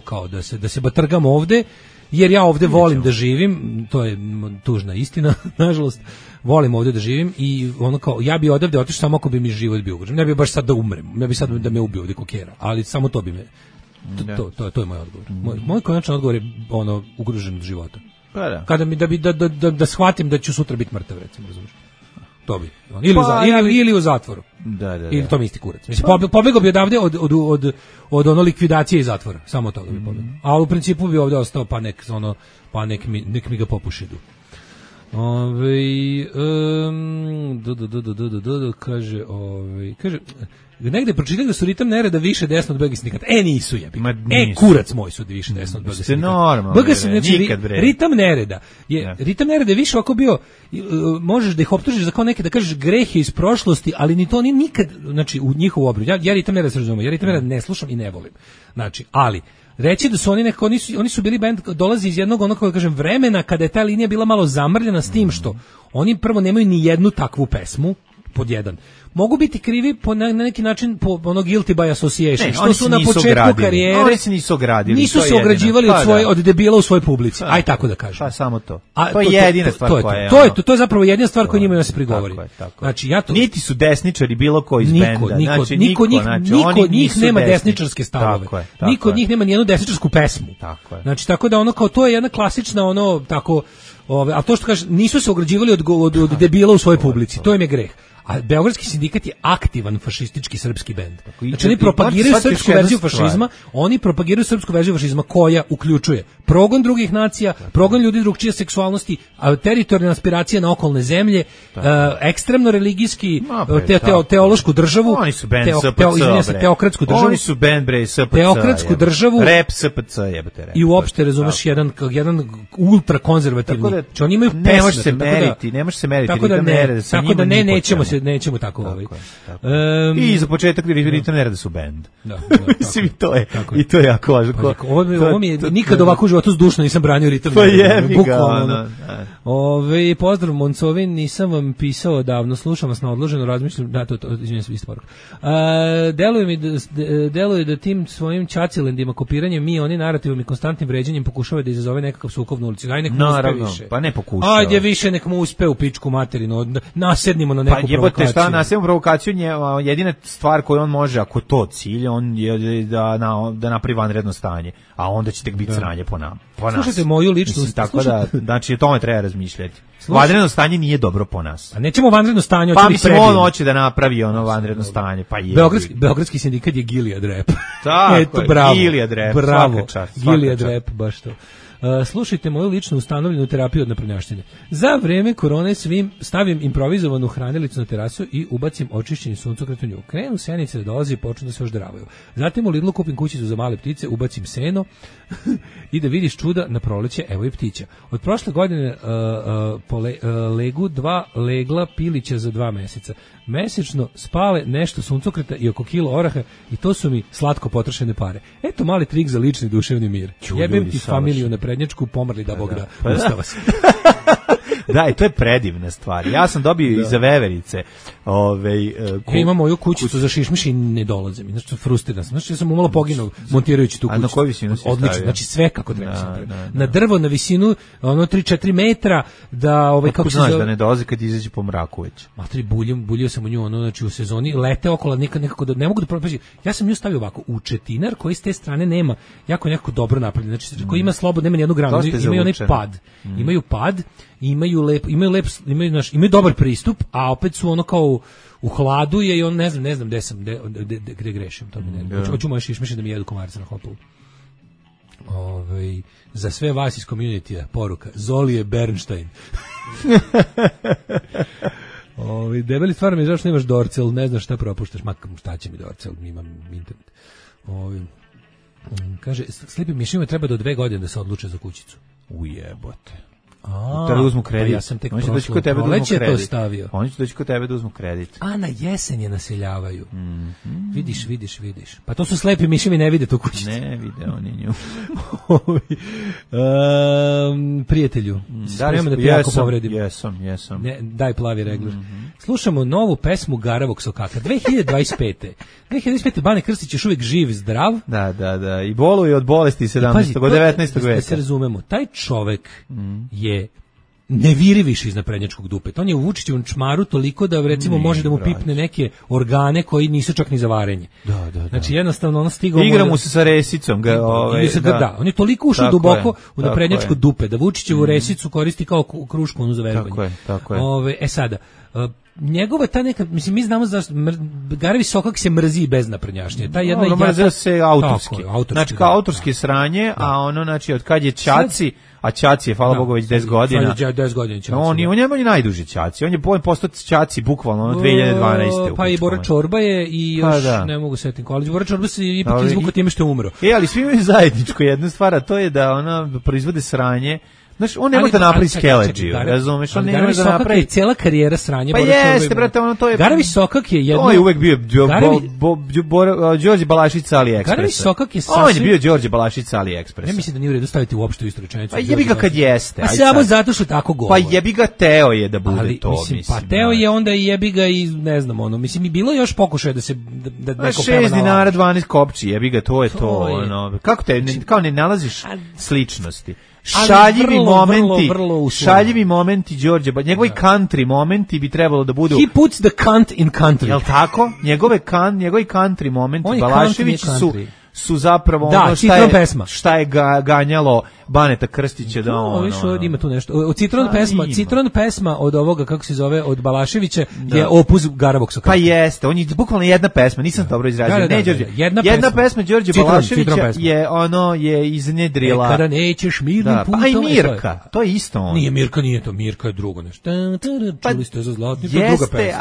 kao da se batrgam ovde jer ja ovde volim da živim, to je tužna istina, nažalost, volim ovde da živim i ono kao, ja bi odavde otišao samo ako bi mi život bio ugrožen. Ne bi baš sad da umrem, ne bi sad da me ubio ovde kokera, ali samo to bi me, to je moj odgovor. Moj konačan odgovor je ono, ugrožen od života. Pa da. Kada mi, da shvatim da ću sutra biti mrtav, recimo, razumiješ? To bi. Ili u zatvoru. Da. Ili to mi isti kurac. Mislim, pobegao bi odavde od ono likvidacije i zatvora. Samo toga bi pobegao. A u principu bi ovde ostao pa nek mi ga popušidu. Kaže negde pročitali da su ritam nereda više desno od BG sindikata. Nisu jebi. Kurac moj su više desno od BG sindikata. BG znači ritam nereda. Ritam nereda je više ovako bio, možeš da ih optužiš za kao neke, da kažeš grehe iz prošlosti, ali ni to ni nikad, znači u njihovu obranu. Ja ritam nereda se razumem, ja ritam nereda ne slušam i ne volim. Znači, ali reći da su oni nekako, oni su bili bend, dolazi iz jednog onog, kažem, vremena kada je ta linija bila malo zamrljena s tim što oni prvo nemaju ni jednu takvu pesmu, pod jedan. Mogu biti krivi na neki način po ono guilty by association, što su na početku karijere. Oni se nisu ogradili. Nisu se ograđivali od debila u svojoj publici. Aj tako da kažem. Pa samo to. To je jedina stvar koja je. To je zapravo jedina stvar koja njima se prigovori. Znači niti su desničari bilo koji iz benda. Niko od njih nema desničarske stavove. Niko od njih nema ni jednu desničarsku pesmu. Znači tako da ono kao to je jedna klasična ono tako, a to što kaže nisu se ograđivali od debila u svojoj publici. To im je greh. A Beogradski sindikat je aktivan fašistički srpski bend. Znači oni propagiraju srpsku verziju fašizma, oni propagiraju srpsku verziju fašizma koja uključuje progon drugih nacija, progon ljudi drugčije seksualnosti, teritorijalne aspiracije na okolne zemlje, ekstremno religijski, teološku državu, oni su bend SPC, teokratsku državu. Oni su bend bre SPC. Teokratsku državu. Rep SPC jebote rep. I uopšte razumeš jedan ultra konzervativni. Znači oni imaju pesme, ne može se meriti. Tako da nećemo tako I za početak ritam nereda su bend. Mislim i to je jako važno. Ovo mi je nikad ovako u životu zdušno nisam branio ritam nereda. Bukvalno. Pozdrav Moncovin, nisam vam pisao davno, slušam vas na odloženo, razmišljam, izvinjam se, isto poruka. Deluje da tim svojim čacilendima, kopiranjem oni narativom i konstantnim vređanjem pokušava da izazove nekakav sukob na ulici. Aj nek mu uspe više. Pa ne pokušava. Ajde više nek mu uspe u pičku materinu, nasednimo na neku provokaciju. Šta nasedimo provokaciju, jedina stvar koju on može, ako to cilj, on je da napravi vanredno stanje, a onda će tek biti sranje po nama. Slušajte moju ličnost. Tako da, znači o tome treba razmišljati. Vanredno stanje nije dobro po nas. A nećemo vanredno stanje, pa mislim on hoće da napravi ono vanredno stanje, pa je. Beogradski sindikat je Gilead Rap. Tako, Gilead Rap. Bravo, Gilead Rap, baš to. Slušajte moju lično ustanovljenu terapiju od naprnjaštine. Za vreme korone stavim improvizovanu hranilicu na terasu i ubacim očišćeni suncokret u nju. Krenu senice da dolazi i počnu da se ožderavaju. Zatim u Lidlu kupim kućicu za male ptice, ubacim seno i da vidiš čuda na proleće, evo i ptića. Od prošle godine legu 2 legla pilića za 2 meseca. Mesečno spale nešto suncokreta i oko kilo oraha i to su mi slatko potrošene pare. Eto mali trik za lični duševni mir. Jebem ti familiju na prednjačku, pomrli da Bog da ustava se. Da, i to je predivna stvar. Ja sam dobio i za veverice. Imam moju kućicu za šišmiš i ne dolaze mi. Znači, frustriran sam. Znači, ja sam umalo poginuo montirajući tu kućicu. A na koju visinu si stavio? Odlično, znači sve kako treba sam pravio. Na drvo, na visinu, 3-4 metra, da... kako znaš da ne dolaze kad izađe po mraku već? Matri, buljio sam u nju, znači u sezoni, lete okolo, nekako da, ne mogu da propađi. Ja sam nju stavio ovako, u četinar koji s te strane nema, jako nekako dobro napravljen, znači koji ima slobodno, nema nijednu granu, imaju onaj pad. Imaju pad, imaju dobar pristup, a opet su ono kao u hladu je i on ne znam gde grešim, to mi ne. Hoću moje šišmiše da mi jedu komarca na hopu. Za sve vas iz community-a poruka, Zoli je Bernstein. Debeli stvarno mi je zašto nemaš Dorcel, ne znaš šta propuštaš, šta će mi Dorcel, imam internet. Kaže, slipi mišljima treba do 2 godine da se odluče za kućicu. Ujebote. Treba da uzmu kredit. Ja sam tek proleće to stavio. Oni će doći kod tebe da uzmu kredit. A na jesen je naseljavaju. Vidiš. Pa to su slepi miši, mi ne vide tu kućicu. Ne vide oni nju. Prijatelju, spremam da te jako povredim. Jesam. Daj plavi regler. Slušamo novu pesmu Garavog sokaka. 2025. Bane Krstić još uvijek živ, zdrav. Da. I boluje od bolesti 17. od 19. veka. Da se razumemo, taj čovek je ne viri više iz naprednjačkog dupeta. On je u Vučićevom čmaru toliko da recimo može da mu pipne neke organe koji nisu čak ni za varenje. Da. Znači jednostavno ono stigao... Igra mu se sa resicom. Da, on je toliko ušao duboko u naprednjačko dupe da Vučićevu resicu koristi kao krušku onu za verovanje. Tako je. Sada, njegova ta neka, mislim, mi znamo zašto Garevi Sokak se mrzi bez naprednjašnje. Ta jedna mrzi se autorski. Znači kao autorski sranje, a ono, znači, od kad je Ćaci, a Ćaci je, hvala Bogu, već 10 godina. 10 godina Ćaci. On je najduži Ćaci. On je postao Ćaci bukvalno 2012. Pa i Bora Čorba je i još, ne mogu setim ko, ali Bora Čorba se ipak izvukao time što je umro. Ali svi imaju zajedničko jednu stvar, a to je da ona proizvode sranje. Znaš, on ne može da napravi skeleđiju, razumeš? On ne može da napravi... Cijela karijera sranje. Pa jeste, brate, ono to je... Garevi Sokak je jedno... On je uvek bio Đorđe Balašić AliExpress. Garevi Sokak je sasvim... On je bio Đorđe Balašić AliExpress. Ja mislim da nije u redu staviti uopšte u istu rečenicu. Pa jebi ga kad jeste. Pa samo zato što tako govori. Pa jebi ga Teo je da bude to, mislim. Pa Teo je onda i jebi ga i ne znam ono. Mislim, i bilo još pokušaja da se... da neko peva na 6 dinara, 12 kopči, jebi ga, to je to. Kako te, kao ne nalaziš sličnosti? Šaljivi momenti Đorđe, njegovi country momenti bi trebalo da budu... He puts the cunt in country. Jel tako? Njegovi country momenti, Balašević su zapravo ono šta je ganjalo Baneta Krstića da ima tu nešto. Citron pesma od ovoga, kako se zove, od Balaševića je opus Garavog Sokaka. Pa jeste, on je bukvalno jedna pesma, nisam dobro izrazio. Ne, Đorđe. Jedna pesma Đorđe Balaševića je iznedrila. Kada nećeš mirnim putom. Pa i Mirka, to je isto on. Nije Mirka, nije to, Mirka je drugo nešto. Čuli ste za zlatni, to je druga pesma. Jeste,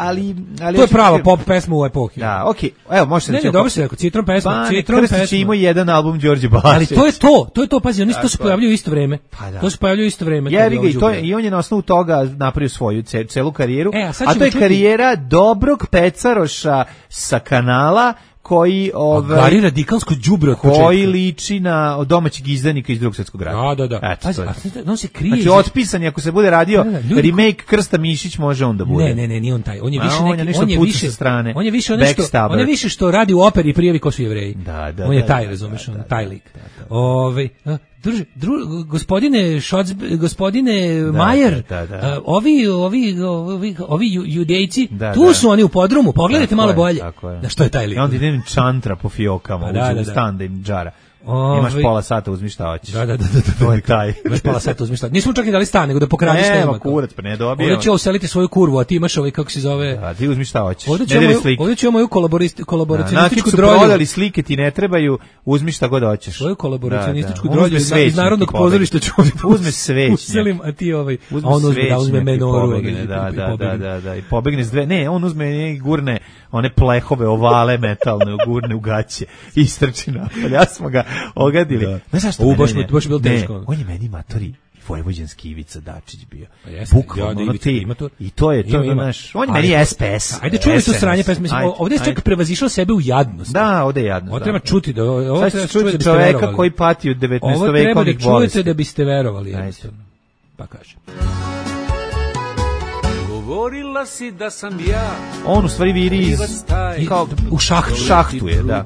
ali to je prava pop pesma u epohi. Da, okej. Evo, možete reći. Ne, dobro se rekao, Citron pesma. Krstić ima jedan album Đorđe Balašević. Ali to je to, pazi, oni to se pojavljuju isto vreme. To se pojavljuje isto vreme. I on je na osnovu toga napravio svoju celu karijeru, a to je karijera dobrog pecaroša sa kanala koji Gari radikalsko đubre od početka. Koji liči na domaćeg izdanika iz Drugog svjetskog rata. Da. On se krije. Znači otpisan ako se bude radio remake Krsta Mišić može on da bude. Ne, nije on taj. On je više on je više što radi u operi i prijavi ko su Jevreji. On je taj, razumeš, taj lik. Gospodine Majer, ovi judejci, tu su oni u podrumu, pogledajte malo bolje. Da, što je taj lik? I onda idem čantra po fiokama, uđe u stan da im džara. Imaš pola sata, uzmi šta hoćeš. Da. To je taj. Imaš pola sata, uzmi šta. Nismo čak ni dali stan, nego da pokradeš šta ima. Nema kurac, pa ne dobijemo. Ovdje će useliti svoju kurvu, a ti imaš ovaj, kako se zove... Da, ti uzmi šta hoćeš. Ovdje će moju kolaboracionističku drolju. Nakon su prodali slike, ti ne trebaju, uzmi šta god hoćeš. Svoju kolaboracionističku drolju iz Narodnog pozorišta ću ovdje uzme svećnjak. Uselim, a ti ovaj... A on uzme menoru. Da. I pobegne s dve... Ne, on uzme i gurne one plehove, ovale metalne, gurne u gaće i istrči napolje. Ja smo ga ogadili. Ne znaš što baš je bilo teško. On je meni matori vojvođanski Ivica Dačić bio. Bukvalno i to je naš. On je meni SPS. Ajde čujemo tu sranje pesme. Ovdje je čak prevazišao sebe u jadnost. Da, ovdje je jadnost. Ovo treba čuti da ovo treba čuti čoveka koji pati od 19. vekovnih bolesti. Ovo treba da čujete da biste verovali. Pa kažem. Govorila si da sam ja. On u stvari viri iz kao u šahtu je, da.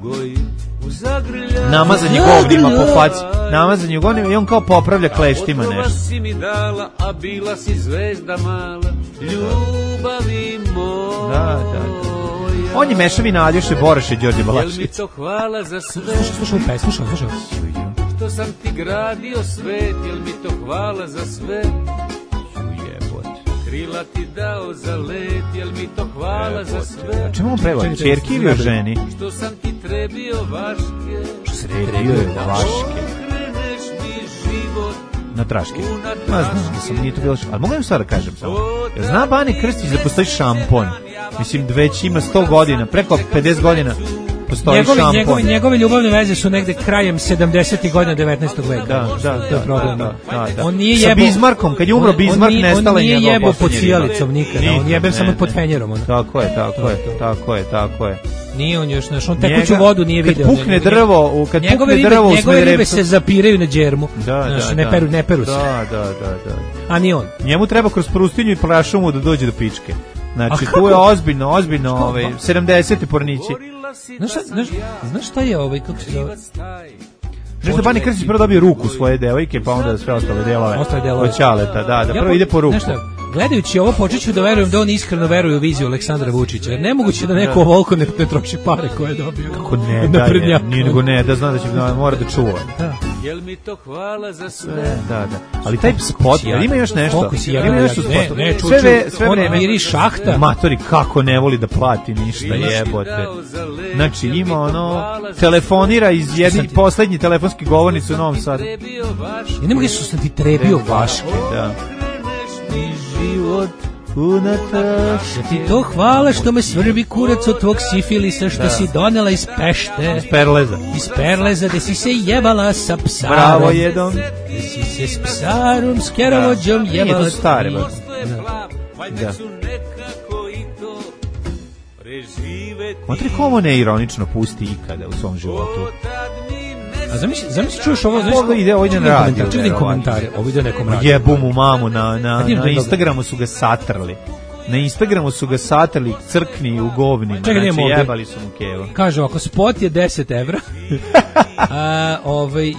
Namazan je govnima po faci. Namazan je govnima i on kao popravlja kleštima nešto. Si mi dala, a bila si zvezda mala. Ljubavi moja. Da. On je mešavina Aljoše Boraše, Đorđe Balašević. Jel mi to hvala za sve? Slušaj. Što sam ti gradio svet, jel mi to hvala za sve? Krila ti dao za let, jel mi to hvala za sve? A čemu on peva? Čerki ili o ženi? Što sam ti trebio vaške? Što se trebio vaške? Okreneš mi život na traške. Znam, nije to bilo ali mogu vam sad da kažem samo. Zna Bane Krstić da postoji šampon? Mislim, već ima 100 godina, preko 50 godina. Njegove ljubavne veze su negde krajem 70. godina 19. veka. Da. On nije sa Bizmarkom, kad je umro Bizmark, nestala je njegova. On nije jebo pod cijalicom nikada, on jebe samo pod fenjerom. Tako je. Nije on još, on tekuću vodu nije video. Kad pukne drvo u Smederevcu. Njegove ribe se zapiraju na džermu. Ne peru se. Da. A ni on. Njemu treba kroz Prustinju i Prašumu da dođe do pičke. Znači, tu je ozbiljno, 70. pornići. Znaš šta je kako se zove? Nešto Bani Krstić prvo dobio ruku svoje devojke, pa onda sve ostale delove od Ćaleta, da, prvo ide po ruku. Gledajući ovo, počeću da verujem da on iskreno veruje u viziju Aleksandra Vučića, jer nemoguće da neko ovoliko ne troši pare koje je dobio. Kako ne daje, nije nego ne, da zna da će mora da čuva. Da. Jel mi to hvala za sve? Da. Ali taj spot, ima još nešto? Ima nešto u spotu. Ne, sve vreme. Miri šahta. Matori, kako ne voli da plati ništa, jebote. Znači, ima telefonira iz poslednji telefonski govornic u Novom Sadu. I ne mogu su sam ti trebio Vaške. Da. Život unatoč. Ja ti to hvala što me svrbi kurac od tvog sifilisa što si donela iz Pešte. Iz Perleza, gde si se jebala sa psarom. Bravo jedom. Gde si se s psarom, s kerovođom jebala. Nije to stare, ba. Da. Matri, komu ne ironično pusti ikada u svom životu? A zamisli čuješ ovo, ovo ide na radio. Čekaj komentare, ovo ide nekom radio. Jebu mu mamu, na Instagramu su ga satrli. Na Instagramu su ga satrli, crkni u govnima. Znači, jebali su mu kevo. Kaže, ako spot je 10 evra,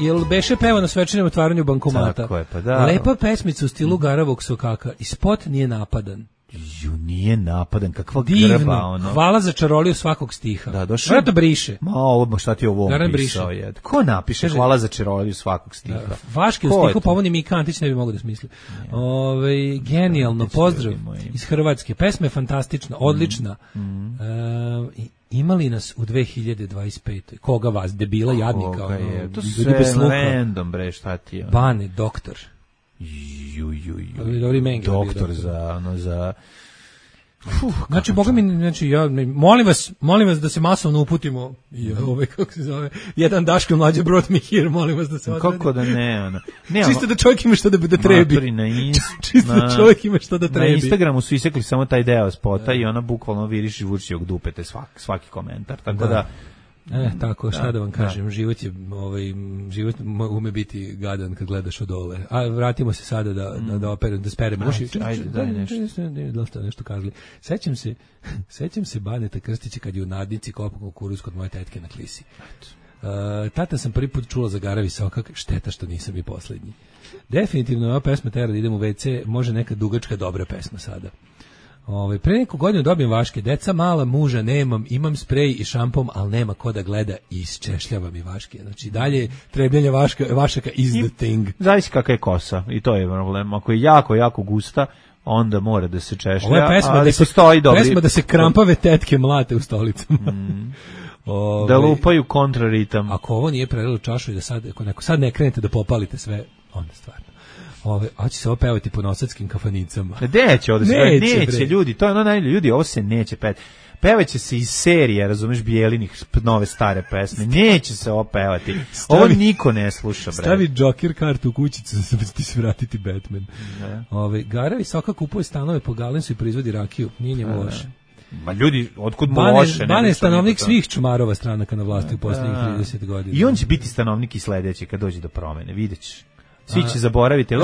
jel beše peva na svečanom otvaranju bankomata? Tako je, pa da. Lepa pesmica u stilu Garavog sokaka. I spot nije napadan. Nije napadan, kakva divno, grba, ono. Hvala za čaroliju svakog stiha. Da, došao. Vjerojatno briše. Ma, šta ti ovo pisao je? Ko napiše hvala za čaroliju svakog stiha? Da, Vaški u stihu, pa ovo ni Mika Antić ne bi mogo da smisli. Genijalno, pozdrav iz Hrvatske. Pesma je fantastična, odlična. Imali nas u 2025. Koga vas, debila, jadnika? To sve random, bre, šta ti je? Bane, doktor. Doktor za znači, boga mi, znači, ja, molim vas da se masovno uputimo kako se zove, jedan Daško mlađe brought me here, molim vas da se odredi. Kako da ne, čisto da čovjek ima što da trebi. Čisto da čovjek ima što da trebi. Na Instagramu su isekli samo taj deo spota i ona bukvalno viriši Vučićevog dupete svaki komentar, tako da tako, šta da vam kažem, život život ume biti gadan kad gledaš od dole. A vratimo se sada da speremo uši. Ajde, daj nešto kazali. Sećam se Baneta Krstića kad je u nadnici kopao kukuruz kod moje tetke na Klisi. Tata sam prvi put čula za Garavi sokak, šteta što nisam i poslednji. Definitivno ova pesma tera da idem u WC, može neka dugačka dobra pesma sada. Pre neku godinu dobijem Vaške, deca mala, muža nemam, imam sprej i šampon, ali nema ko da gleda i isčešljava mi Vaške. Znači dalje trebljanje Vašaka is the thing. Zavisi kakva je kosa i to je problem. Ako je jako, jako gusta, onda mora da se češlja. Ovo je pesma da se krampave tetke mlate u stolicama. Da lupaju kontraritam. Ako ovo nije prelilo čašu i da sad ne krenete da popalite sve, onda stvarno. Hoće se ovo pevati po nosadskim kafanicama. Neće ljudi, to je ono najbolje, ljudi, ovo se neće pevati. Pevaće se iz serije, razumeš, Bijelinih nove stare pesme. Neće se ovo pevati. Ovo niko ne sluša, bre. Stavi Joker kartu u kućicu da ti se vratiti Batman. Garavi Soka kupuje stanove po Galensu i proizvodi rakiju. Nije njemu loše. Ma ljudi, otkud mu loše? Bane je stanovnik svih čumarova stranaka na vlasti u posljednjih 30 godina. I on će biti stanovnik i sledeći kad dođe do promene, vidjet ćeš. Svi će zaboraviti.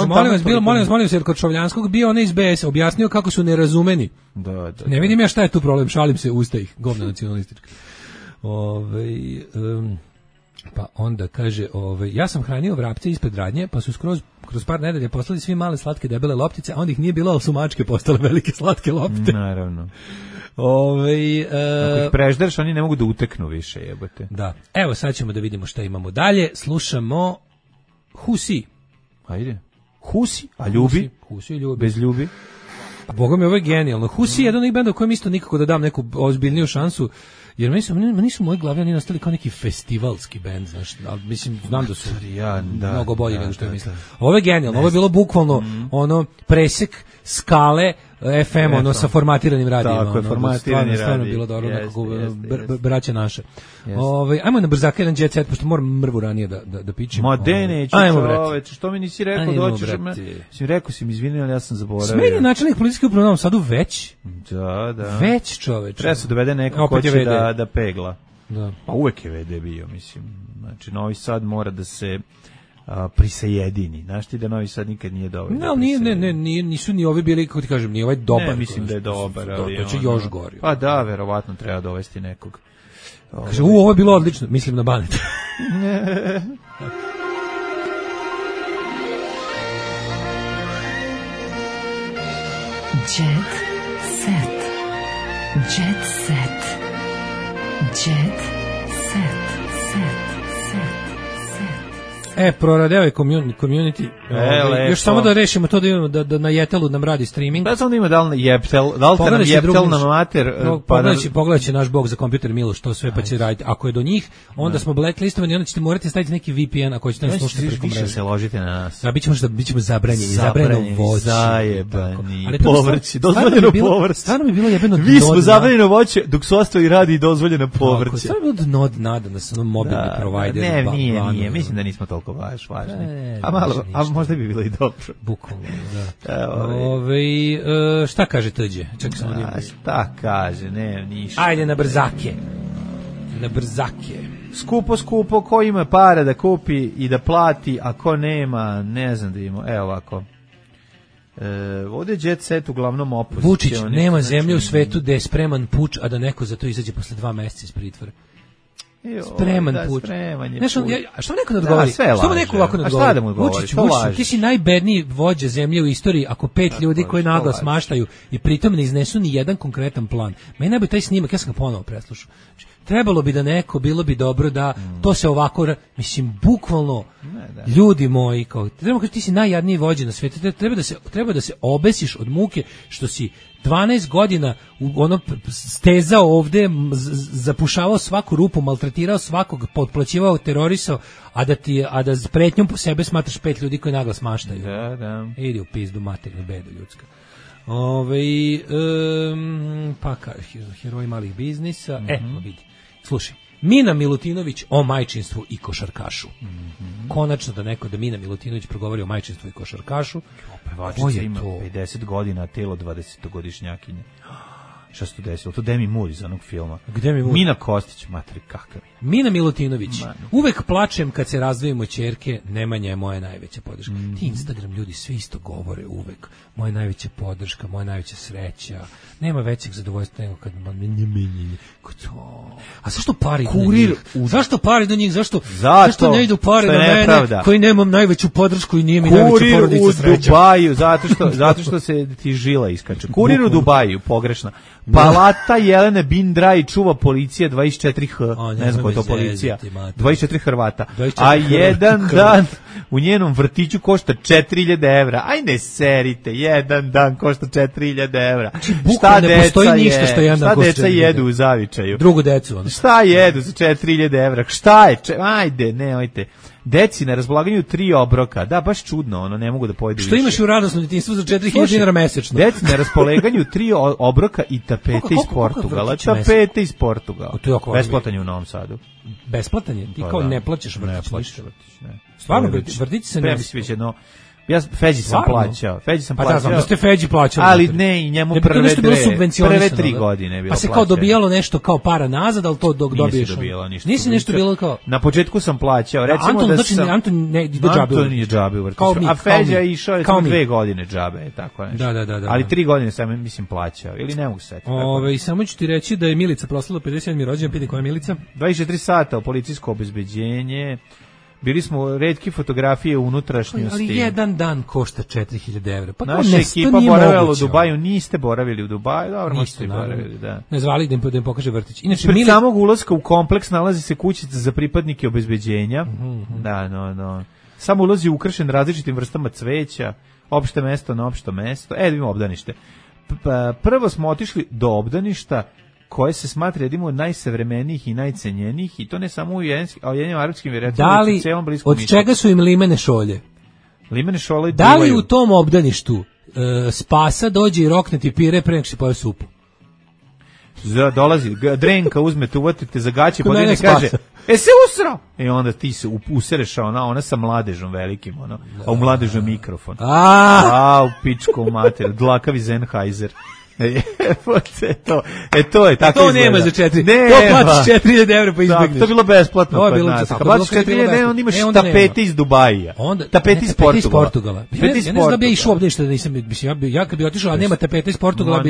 Molim vas, jer kod Šovljanskog bio onaj iz BS objasnio kako su nerazumeni. Ne vidim ja šta je tu problem, šalim se, usta ih, govna nacionalistička. Pa onda kaže, ja sam hranio vrapce ispred radnje, pa su kroz par nedelja poslali svi male slatke debele loptice, a onda ih nije bilo, ali su mačke postale velike slatke lopte. Naravno. Ako ih prežderaš, oni ne mogu da uteknu više, jebote. Da. Evo, sad ćemo da vidimo šta imamo dalje. Slušamo Husi. Ajde. Husi, a ljubi? Husi ljubi. Bez ljubi? A boga mi, ovo je genijalno. Husi je jedan od benda u kojem isto nikako da dam neku ozbiljniju šansu, jer meni su moji glavi oni nastali kao neki festivalski bend, znaš, ali mislim, znam da su mnogo bolji nego što je mislim. Ovo je genijalno, ovo je bilo bukvalno presek skale FM, sa formatiranim radijima. Tako je, formatirani stvarno bilo dobro, braća naša. Ajmo na brzaka jedan jet set, pošto moram mrvu ranije da pičim. Ma neću, čoveče, što mi nisi rekao da hoćeš? Rekao si mi, izvini, ali ja sam zaboravio. Smeni načelnik policijske uprave u Novom Sadu već? Da. Već, čoveče. Treba se dovede neko ko će da pegla. Da. Pa uvek je VD bio, mislim. Znači, Novi Sad mora da se prisajedini. Znaš ti da Novi Sad nikad nije dovoljno. No, nisu ni ovi bili, kako ti kažem, ni ovaj dobar. Ne, mislim da je dobar, ali to će još gori. Pa da, verovatno treba dovesti nekog. Kaže, ovo je bilo odlično, mislim na Baneta. Jet set. Jet set. Jet set. Proradeo je community. Još samo da rešimo to da imamo da na Jetelu nam radi streaming. Da samo ima da li Jeptel, da li te nam Jeptel na mater. Pogledat će naš bog za kompjuter Miloš, to sve pa će raditi. Ako je do njih, onda smo blacklistovani, onda ćete morati staviti neki VPN ako ćete nas slušati preko mreže. Se ložite na nas. Da, bićemo zabranjeni voće. Zajebani. Povrće, dozvoljeno povrće. Stvarno mi je bilo jebeno. Mi smo zabranjeno voće, dok su ostali radi i dozvoljeno povrće. Stvarno je bilo nada na onom mobilni provider. Nije, mislim da nismo toliko važni. A možda bi bilo i dobro. Bukvalno, da. Šta kaže Tđe? Čekaj samo da imam. Šta kaže? Ne, ništa. Ajde na brzake. Skupo, ko ima para da kupi i da plati, a ko nema, ne znam da ima. Evo ovako. Ovdje je Jet Set uglavnom opozicioni. Vučić, nema zemlje u svetu gde je spreman puč, a da neko za to izađe posle 2 meseca iz pritvora. Spreman puč. Što neko ne odgovori? Što mu neko ovako ne odgovori? Vučić, ti si najbedniji vođa zemlje u istoriji ako 5 ljudi koji naglas maštaju i pritom ne iznesu ni jedan konkretan plan. Meni najbolje taj snimak, ja sam ga ponovo preslušao. Trebalo bi da neko, bilo bi dobro da to se ovako, mislim, bukvalno, ljudi moji, treba ti si najjadniji vođa na svijetu, treba da se obesiš od muke što si 12 godina stezao ovde, zapušavao svaku rupu, maltretirao svakog, potplaćivao, terorisao, a da s pretnjom po sebe smatraš 5 ljudi koji naglas maštaju. Da. Idi u pizdu, maternu bedu ljudska. Pa heroji malih biznisa. Vidi. Slušaj, Mina Milutinović o majčinstvu i košarkašu. Konačno da Mina Milutinović progovori o majčinstvu i košarkašu. Pevačica ima 50 godina, telo 20-godišnjakinje. Šta se to desilo? To Demi Moore iz onog filma. Mina Kostić, materi kakav je. Mina Milutinović. Uvek plačem kad se razdvojimo ćerke, Nemanja je moja najveća podrška. Ti Instagram ljudi svi isto govore uvek. Moja najveća podrška, moja najveća sreća. Nema većeg zadovoljstva nego kad a zašto pari do njih? Zašto pari do njih? Zašto ne idu pari na mene koji nemam najveću podršku i nije mi najveća porodica sreća? Kurir u Dubaju, zato što se ti žila iskače. Kurir u Dubaju, pogrešno. Palata Jelene Bindraj čuva policija 24H, ne znam ko je to policija, 24 Hrvata, a jedan dan u njenom vrtiću košta 4.000 evra. Aj ne serite, jedan dan košta 4.000 evra. Šta deca jedu u zavičaju? Drugu decu. Šta jedu za 4.000 evra? Šta je? Ajde, nemojte. Deci na raspolaganju 3 obroka. Da, baš čudno, ne mogu da pojedu više. Što imaš u radosnom djetinjstvu za 4.000 dinara mesečno? Deci na raspolaganju 3 obroka i tapete iz Portugala. Tapete iz Portugala. Besplatan je u Novom Sadu. Besplatan je? Ti kao ne plaćaš vrtić? Stvarno, vrtić se ne... Ja Feđi sam plaćao. Pa da, znam da ste Feđi plaćali. Ali ne, i njemu prve 3 godine je bilo plaćano. Pa se kao dobijalo nešto kao para nazad, ali to dok dobiješ. Nisi nešto bilo kao... Na početku sam plaćao. Recimo da sam... Anton ne ide džabe. Anton nije džabe u vrtiću. A Feđa je išao 2 godine džabe. Tako je. Da. Ali 3 godine sam, mislim, plaćao. Ili ne mogu setiti. Samo ću ti reći da je Milica proslavila 57. rođendan. Pidi koja je Milica? 24 sata u policijsko obezbeđenje. Bili smo retki fotografije u unutrašnjosti. Ali jedan dan košta 4.000 evra. Pa naša ekipa boravila u Dubaju, niste boravili u Dubaju, dobro, možete boravili, da. Ne zvali da im pokaže vrtić. Inače, pred samog ulaska u kompleks nalazi se kućica za pripadnike obezbeđenja. Da. Samo ulaz je ukrašen različitim vrstama cveća, opšte mesto na opšto mesto. Vidimo obdanište. Prvo smo otišli do obdaništa koje se smatra jednim od najsavremenijih i najcenjenijih, i to ne samo u Ujedinjenim Arapskim Emiratima, već u celom Bliskom Istoku. Od čega su im limene šolje? Limene šolje da li u tom obdaništu spasa dođe i rokne ti pire pre nego što pojeo supu? Dolazi, drenka uzmete, uvatite za gaće, podine kaže, se usrao! I onda ti se usereš, ona sa mladežom velikim, a u mladežom mikrofon. U pičku mater, dlakavi Sennheiser. To je tako. To nema za 4. To platiš 4.000 evra pa izbegneš. To je bilo besplatno to je kod bilo, nas. tako, Kad platiš 4.000 evra, onda imaš tapete iz Dubaija. Tapete iz Portugala. Ja ne znam da bi ja išao obdaništa da nisam, mislim, ja kad bi otišao, a nema tapete iz Portugala,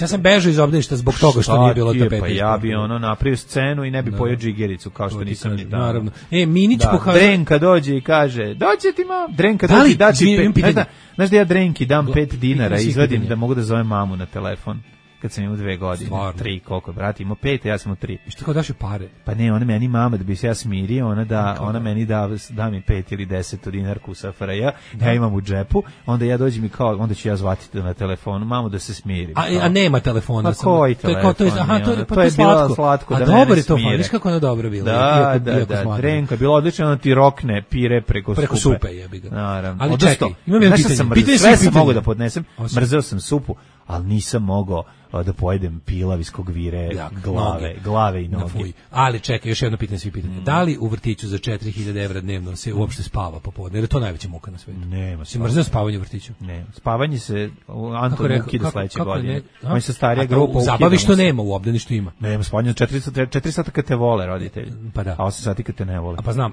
ja sam bežao iz obdaništa zbog toga što nije bilo tapete. Pa ja bi napravio scenu i ne bi pojeo džigericu, kao što nisam ni tamo. Naravno. Minić pokazuje. Drenka dođe i kaže, dođe ti mam. Drenka dođe i daći 5. Znaš da ja Drenki dam 5 dinara i izvadim da mogu da zovem mamu na telefon. Kad sam imao 2 godine, 3, koliko, brat, imao 5, a ja sam imao 3. I što kao daš joj pare? Pa ne, ona meni mama, da bi se ja smirio, ona meni da mi 5 ili 10 dinarku sa FRJ, ja imam u džepu, onda ja dođem i kao, onda ću ja zvati na telefonu, mamu da se smirim. A nema telefona? Pa koji telefon? To je bilo slatko. A dobro je to, viš kako ono dobro bilo. Da, Drenka, bilo odlično, ona ti rokne pire preko supe, jebi ga. Naravno. Ali čekaj, imam jedno pitanje. Sve sam mogao da podnesem, mrzeo sam supu, ali nisam mogao da pojedem pilav iz kog vire glave i noge. Ali čekaj, još jedno pitanje, svi pitanje. Da li u vrtiću za 4.000 evra dnevno se uopšte spava popodne? Jer je to najveća muka na svetu. Nema. Si mrzeo spavanje u vrtiću? Ne. Spavanje se Anton ukida sledeće godine. On se starija grupa ukida. Zabavi što nema, u obdaništu ima. Nema, spavanje 4 sata kad te vole roditelji. Pa da. A 8 sati kad te ne vole. A pa znam,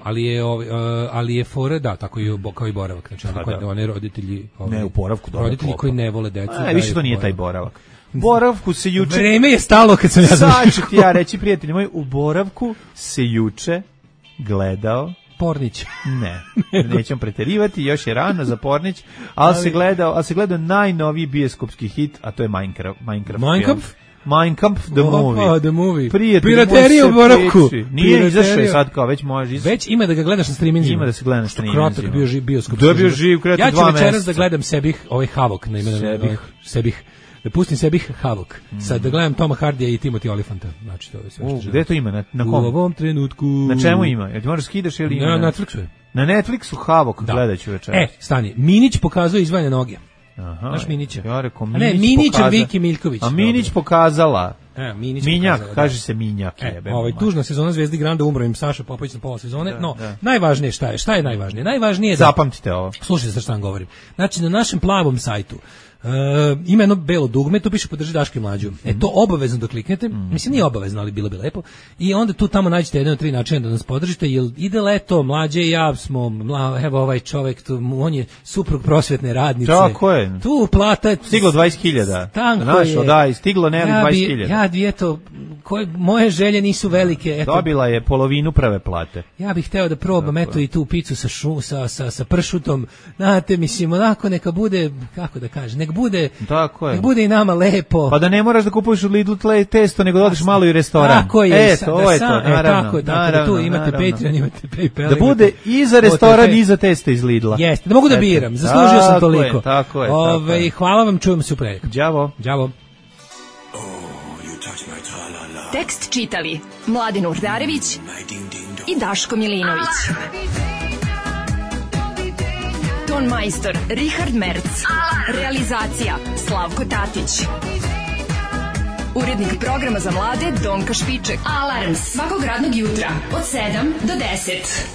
ali je fora, da, tako i kao i boravak. Znači, one roditelji... Ne, u boravku dobro. Roditelji koji ne vole decu. Više to nije taj boravak. Boravku se juče... Vreme je stalo kad sam ja došao. Sad ću ti ja reći, prijatelji moji, u boravku se juče gledao... Pornić. Ne, nećemo preterivati, još je rano za Pornić, ali se gledao najnoviji bioskopski hit, a to je Minecraft film. Minecraft the movie. Piraterija u boravku. Nije izašao sad kao, već može izašao. Već ima da ga gledaš na streaminzima. Ima da se gleda na streaminzima. Krotak bio bioskop. Da bio živ, krenuo 2 meseca. Ja ću večeras da gledam sebih, ovaj Havok na imenu. Sebih. Da pustim sebi Havok. Sad da gledam Toma Hardija i Timothy Olyphanta. Znači to je sve što želim. Gde to ima? Na kom? U ovom trenutku. Na čemu ima? Jel ti možeš skidaš ili ima? Na Netflixu je. Na Netflixu Havok gledaću večeras. Stani. Minić pokazuje izvajanje noge. Aha. Znaš Minića? Ja rekao Minić. Ne, Minić je Viki Miljković. A Minić pokazala. Minjak, kaže se Minjak. Tužna sezona Zvezdi Granda, umro im Saša Popović na pola sezone, no najvažnije šta je najvažnije? Najvažnije je da... Zapamtite ovo. Slušajte šta vam govorim. Znači, na našem plavom sajtu ima jedno belo dugme, tu piše podrži Daška i Mlađu. To obavezno da kliknete, mislim nije obavezno, ali bilo bi lepo. I onda tu tamo nađete jedan od 3 načina da nas podržite, jer ide leto, Mlađe i ja smo, evo ovaj čovjek, on je suprug prosvetne radnice. Tako je. Tu plata je... Stiglo 20.000. Tanko je. Stiglo ne 20.000. Moje želje nisu velike. Dobila je polovinu prve plate. Ja bih hteo da probam, i tu picu sa pršutom. Znate, mislim, onako neka bude, kako da kažem, nek bude i nama lepo. Pa da ne moraš da kupuješ u Lidlu testo, nego da odeš malo i restoran. Tako je. To je to, naravno. Da tu imate Patreon, imate PayPal. Da bude i za restoran i za testo iz Lidla. Jeste, da mogu da biram, zaslužio sam toliko. Tako je. Hvala vam, čujemo se u prejak. Đavo. Tekst čitali Mladin Urdarević i Daško Milinović. Ton majstor Richard Merc. Realizacija Slavko Tatić. Urednik programa za mlade Donka Špiček. Alarms svakog radnog jutra od 7 do 10.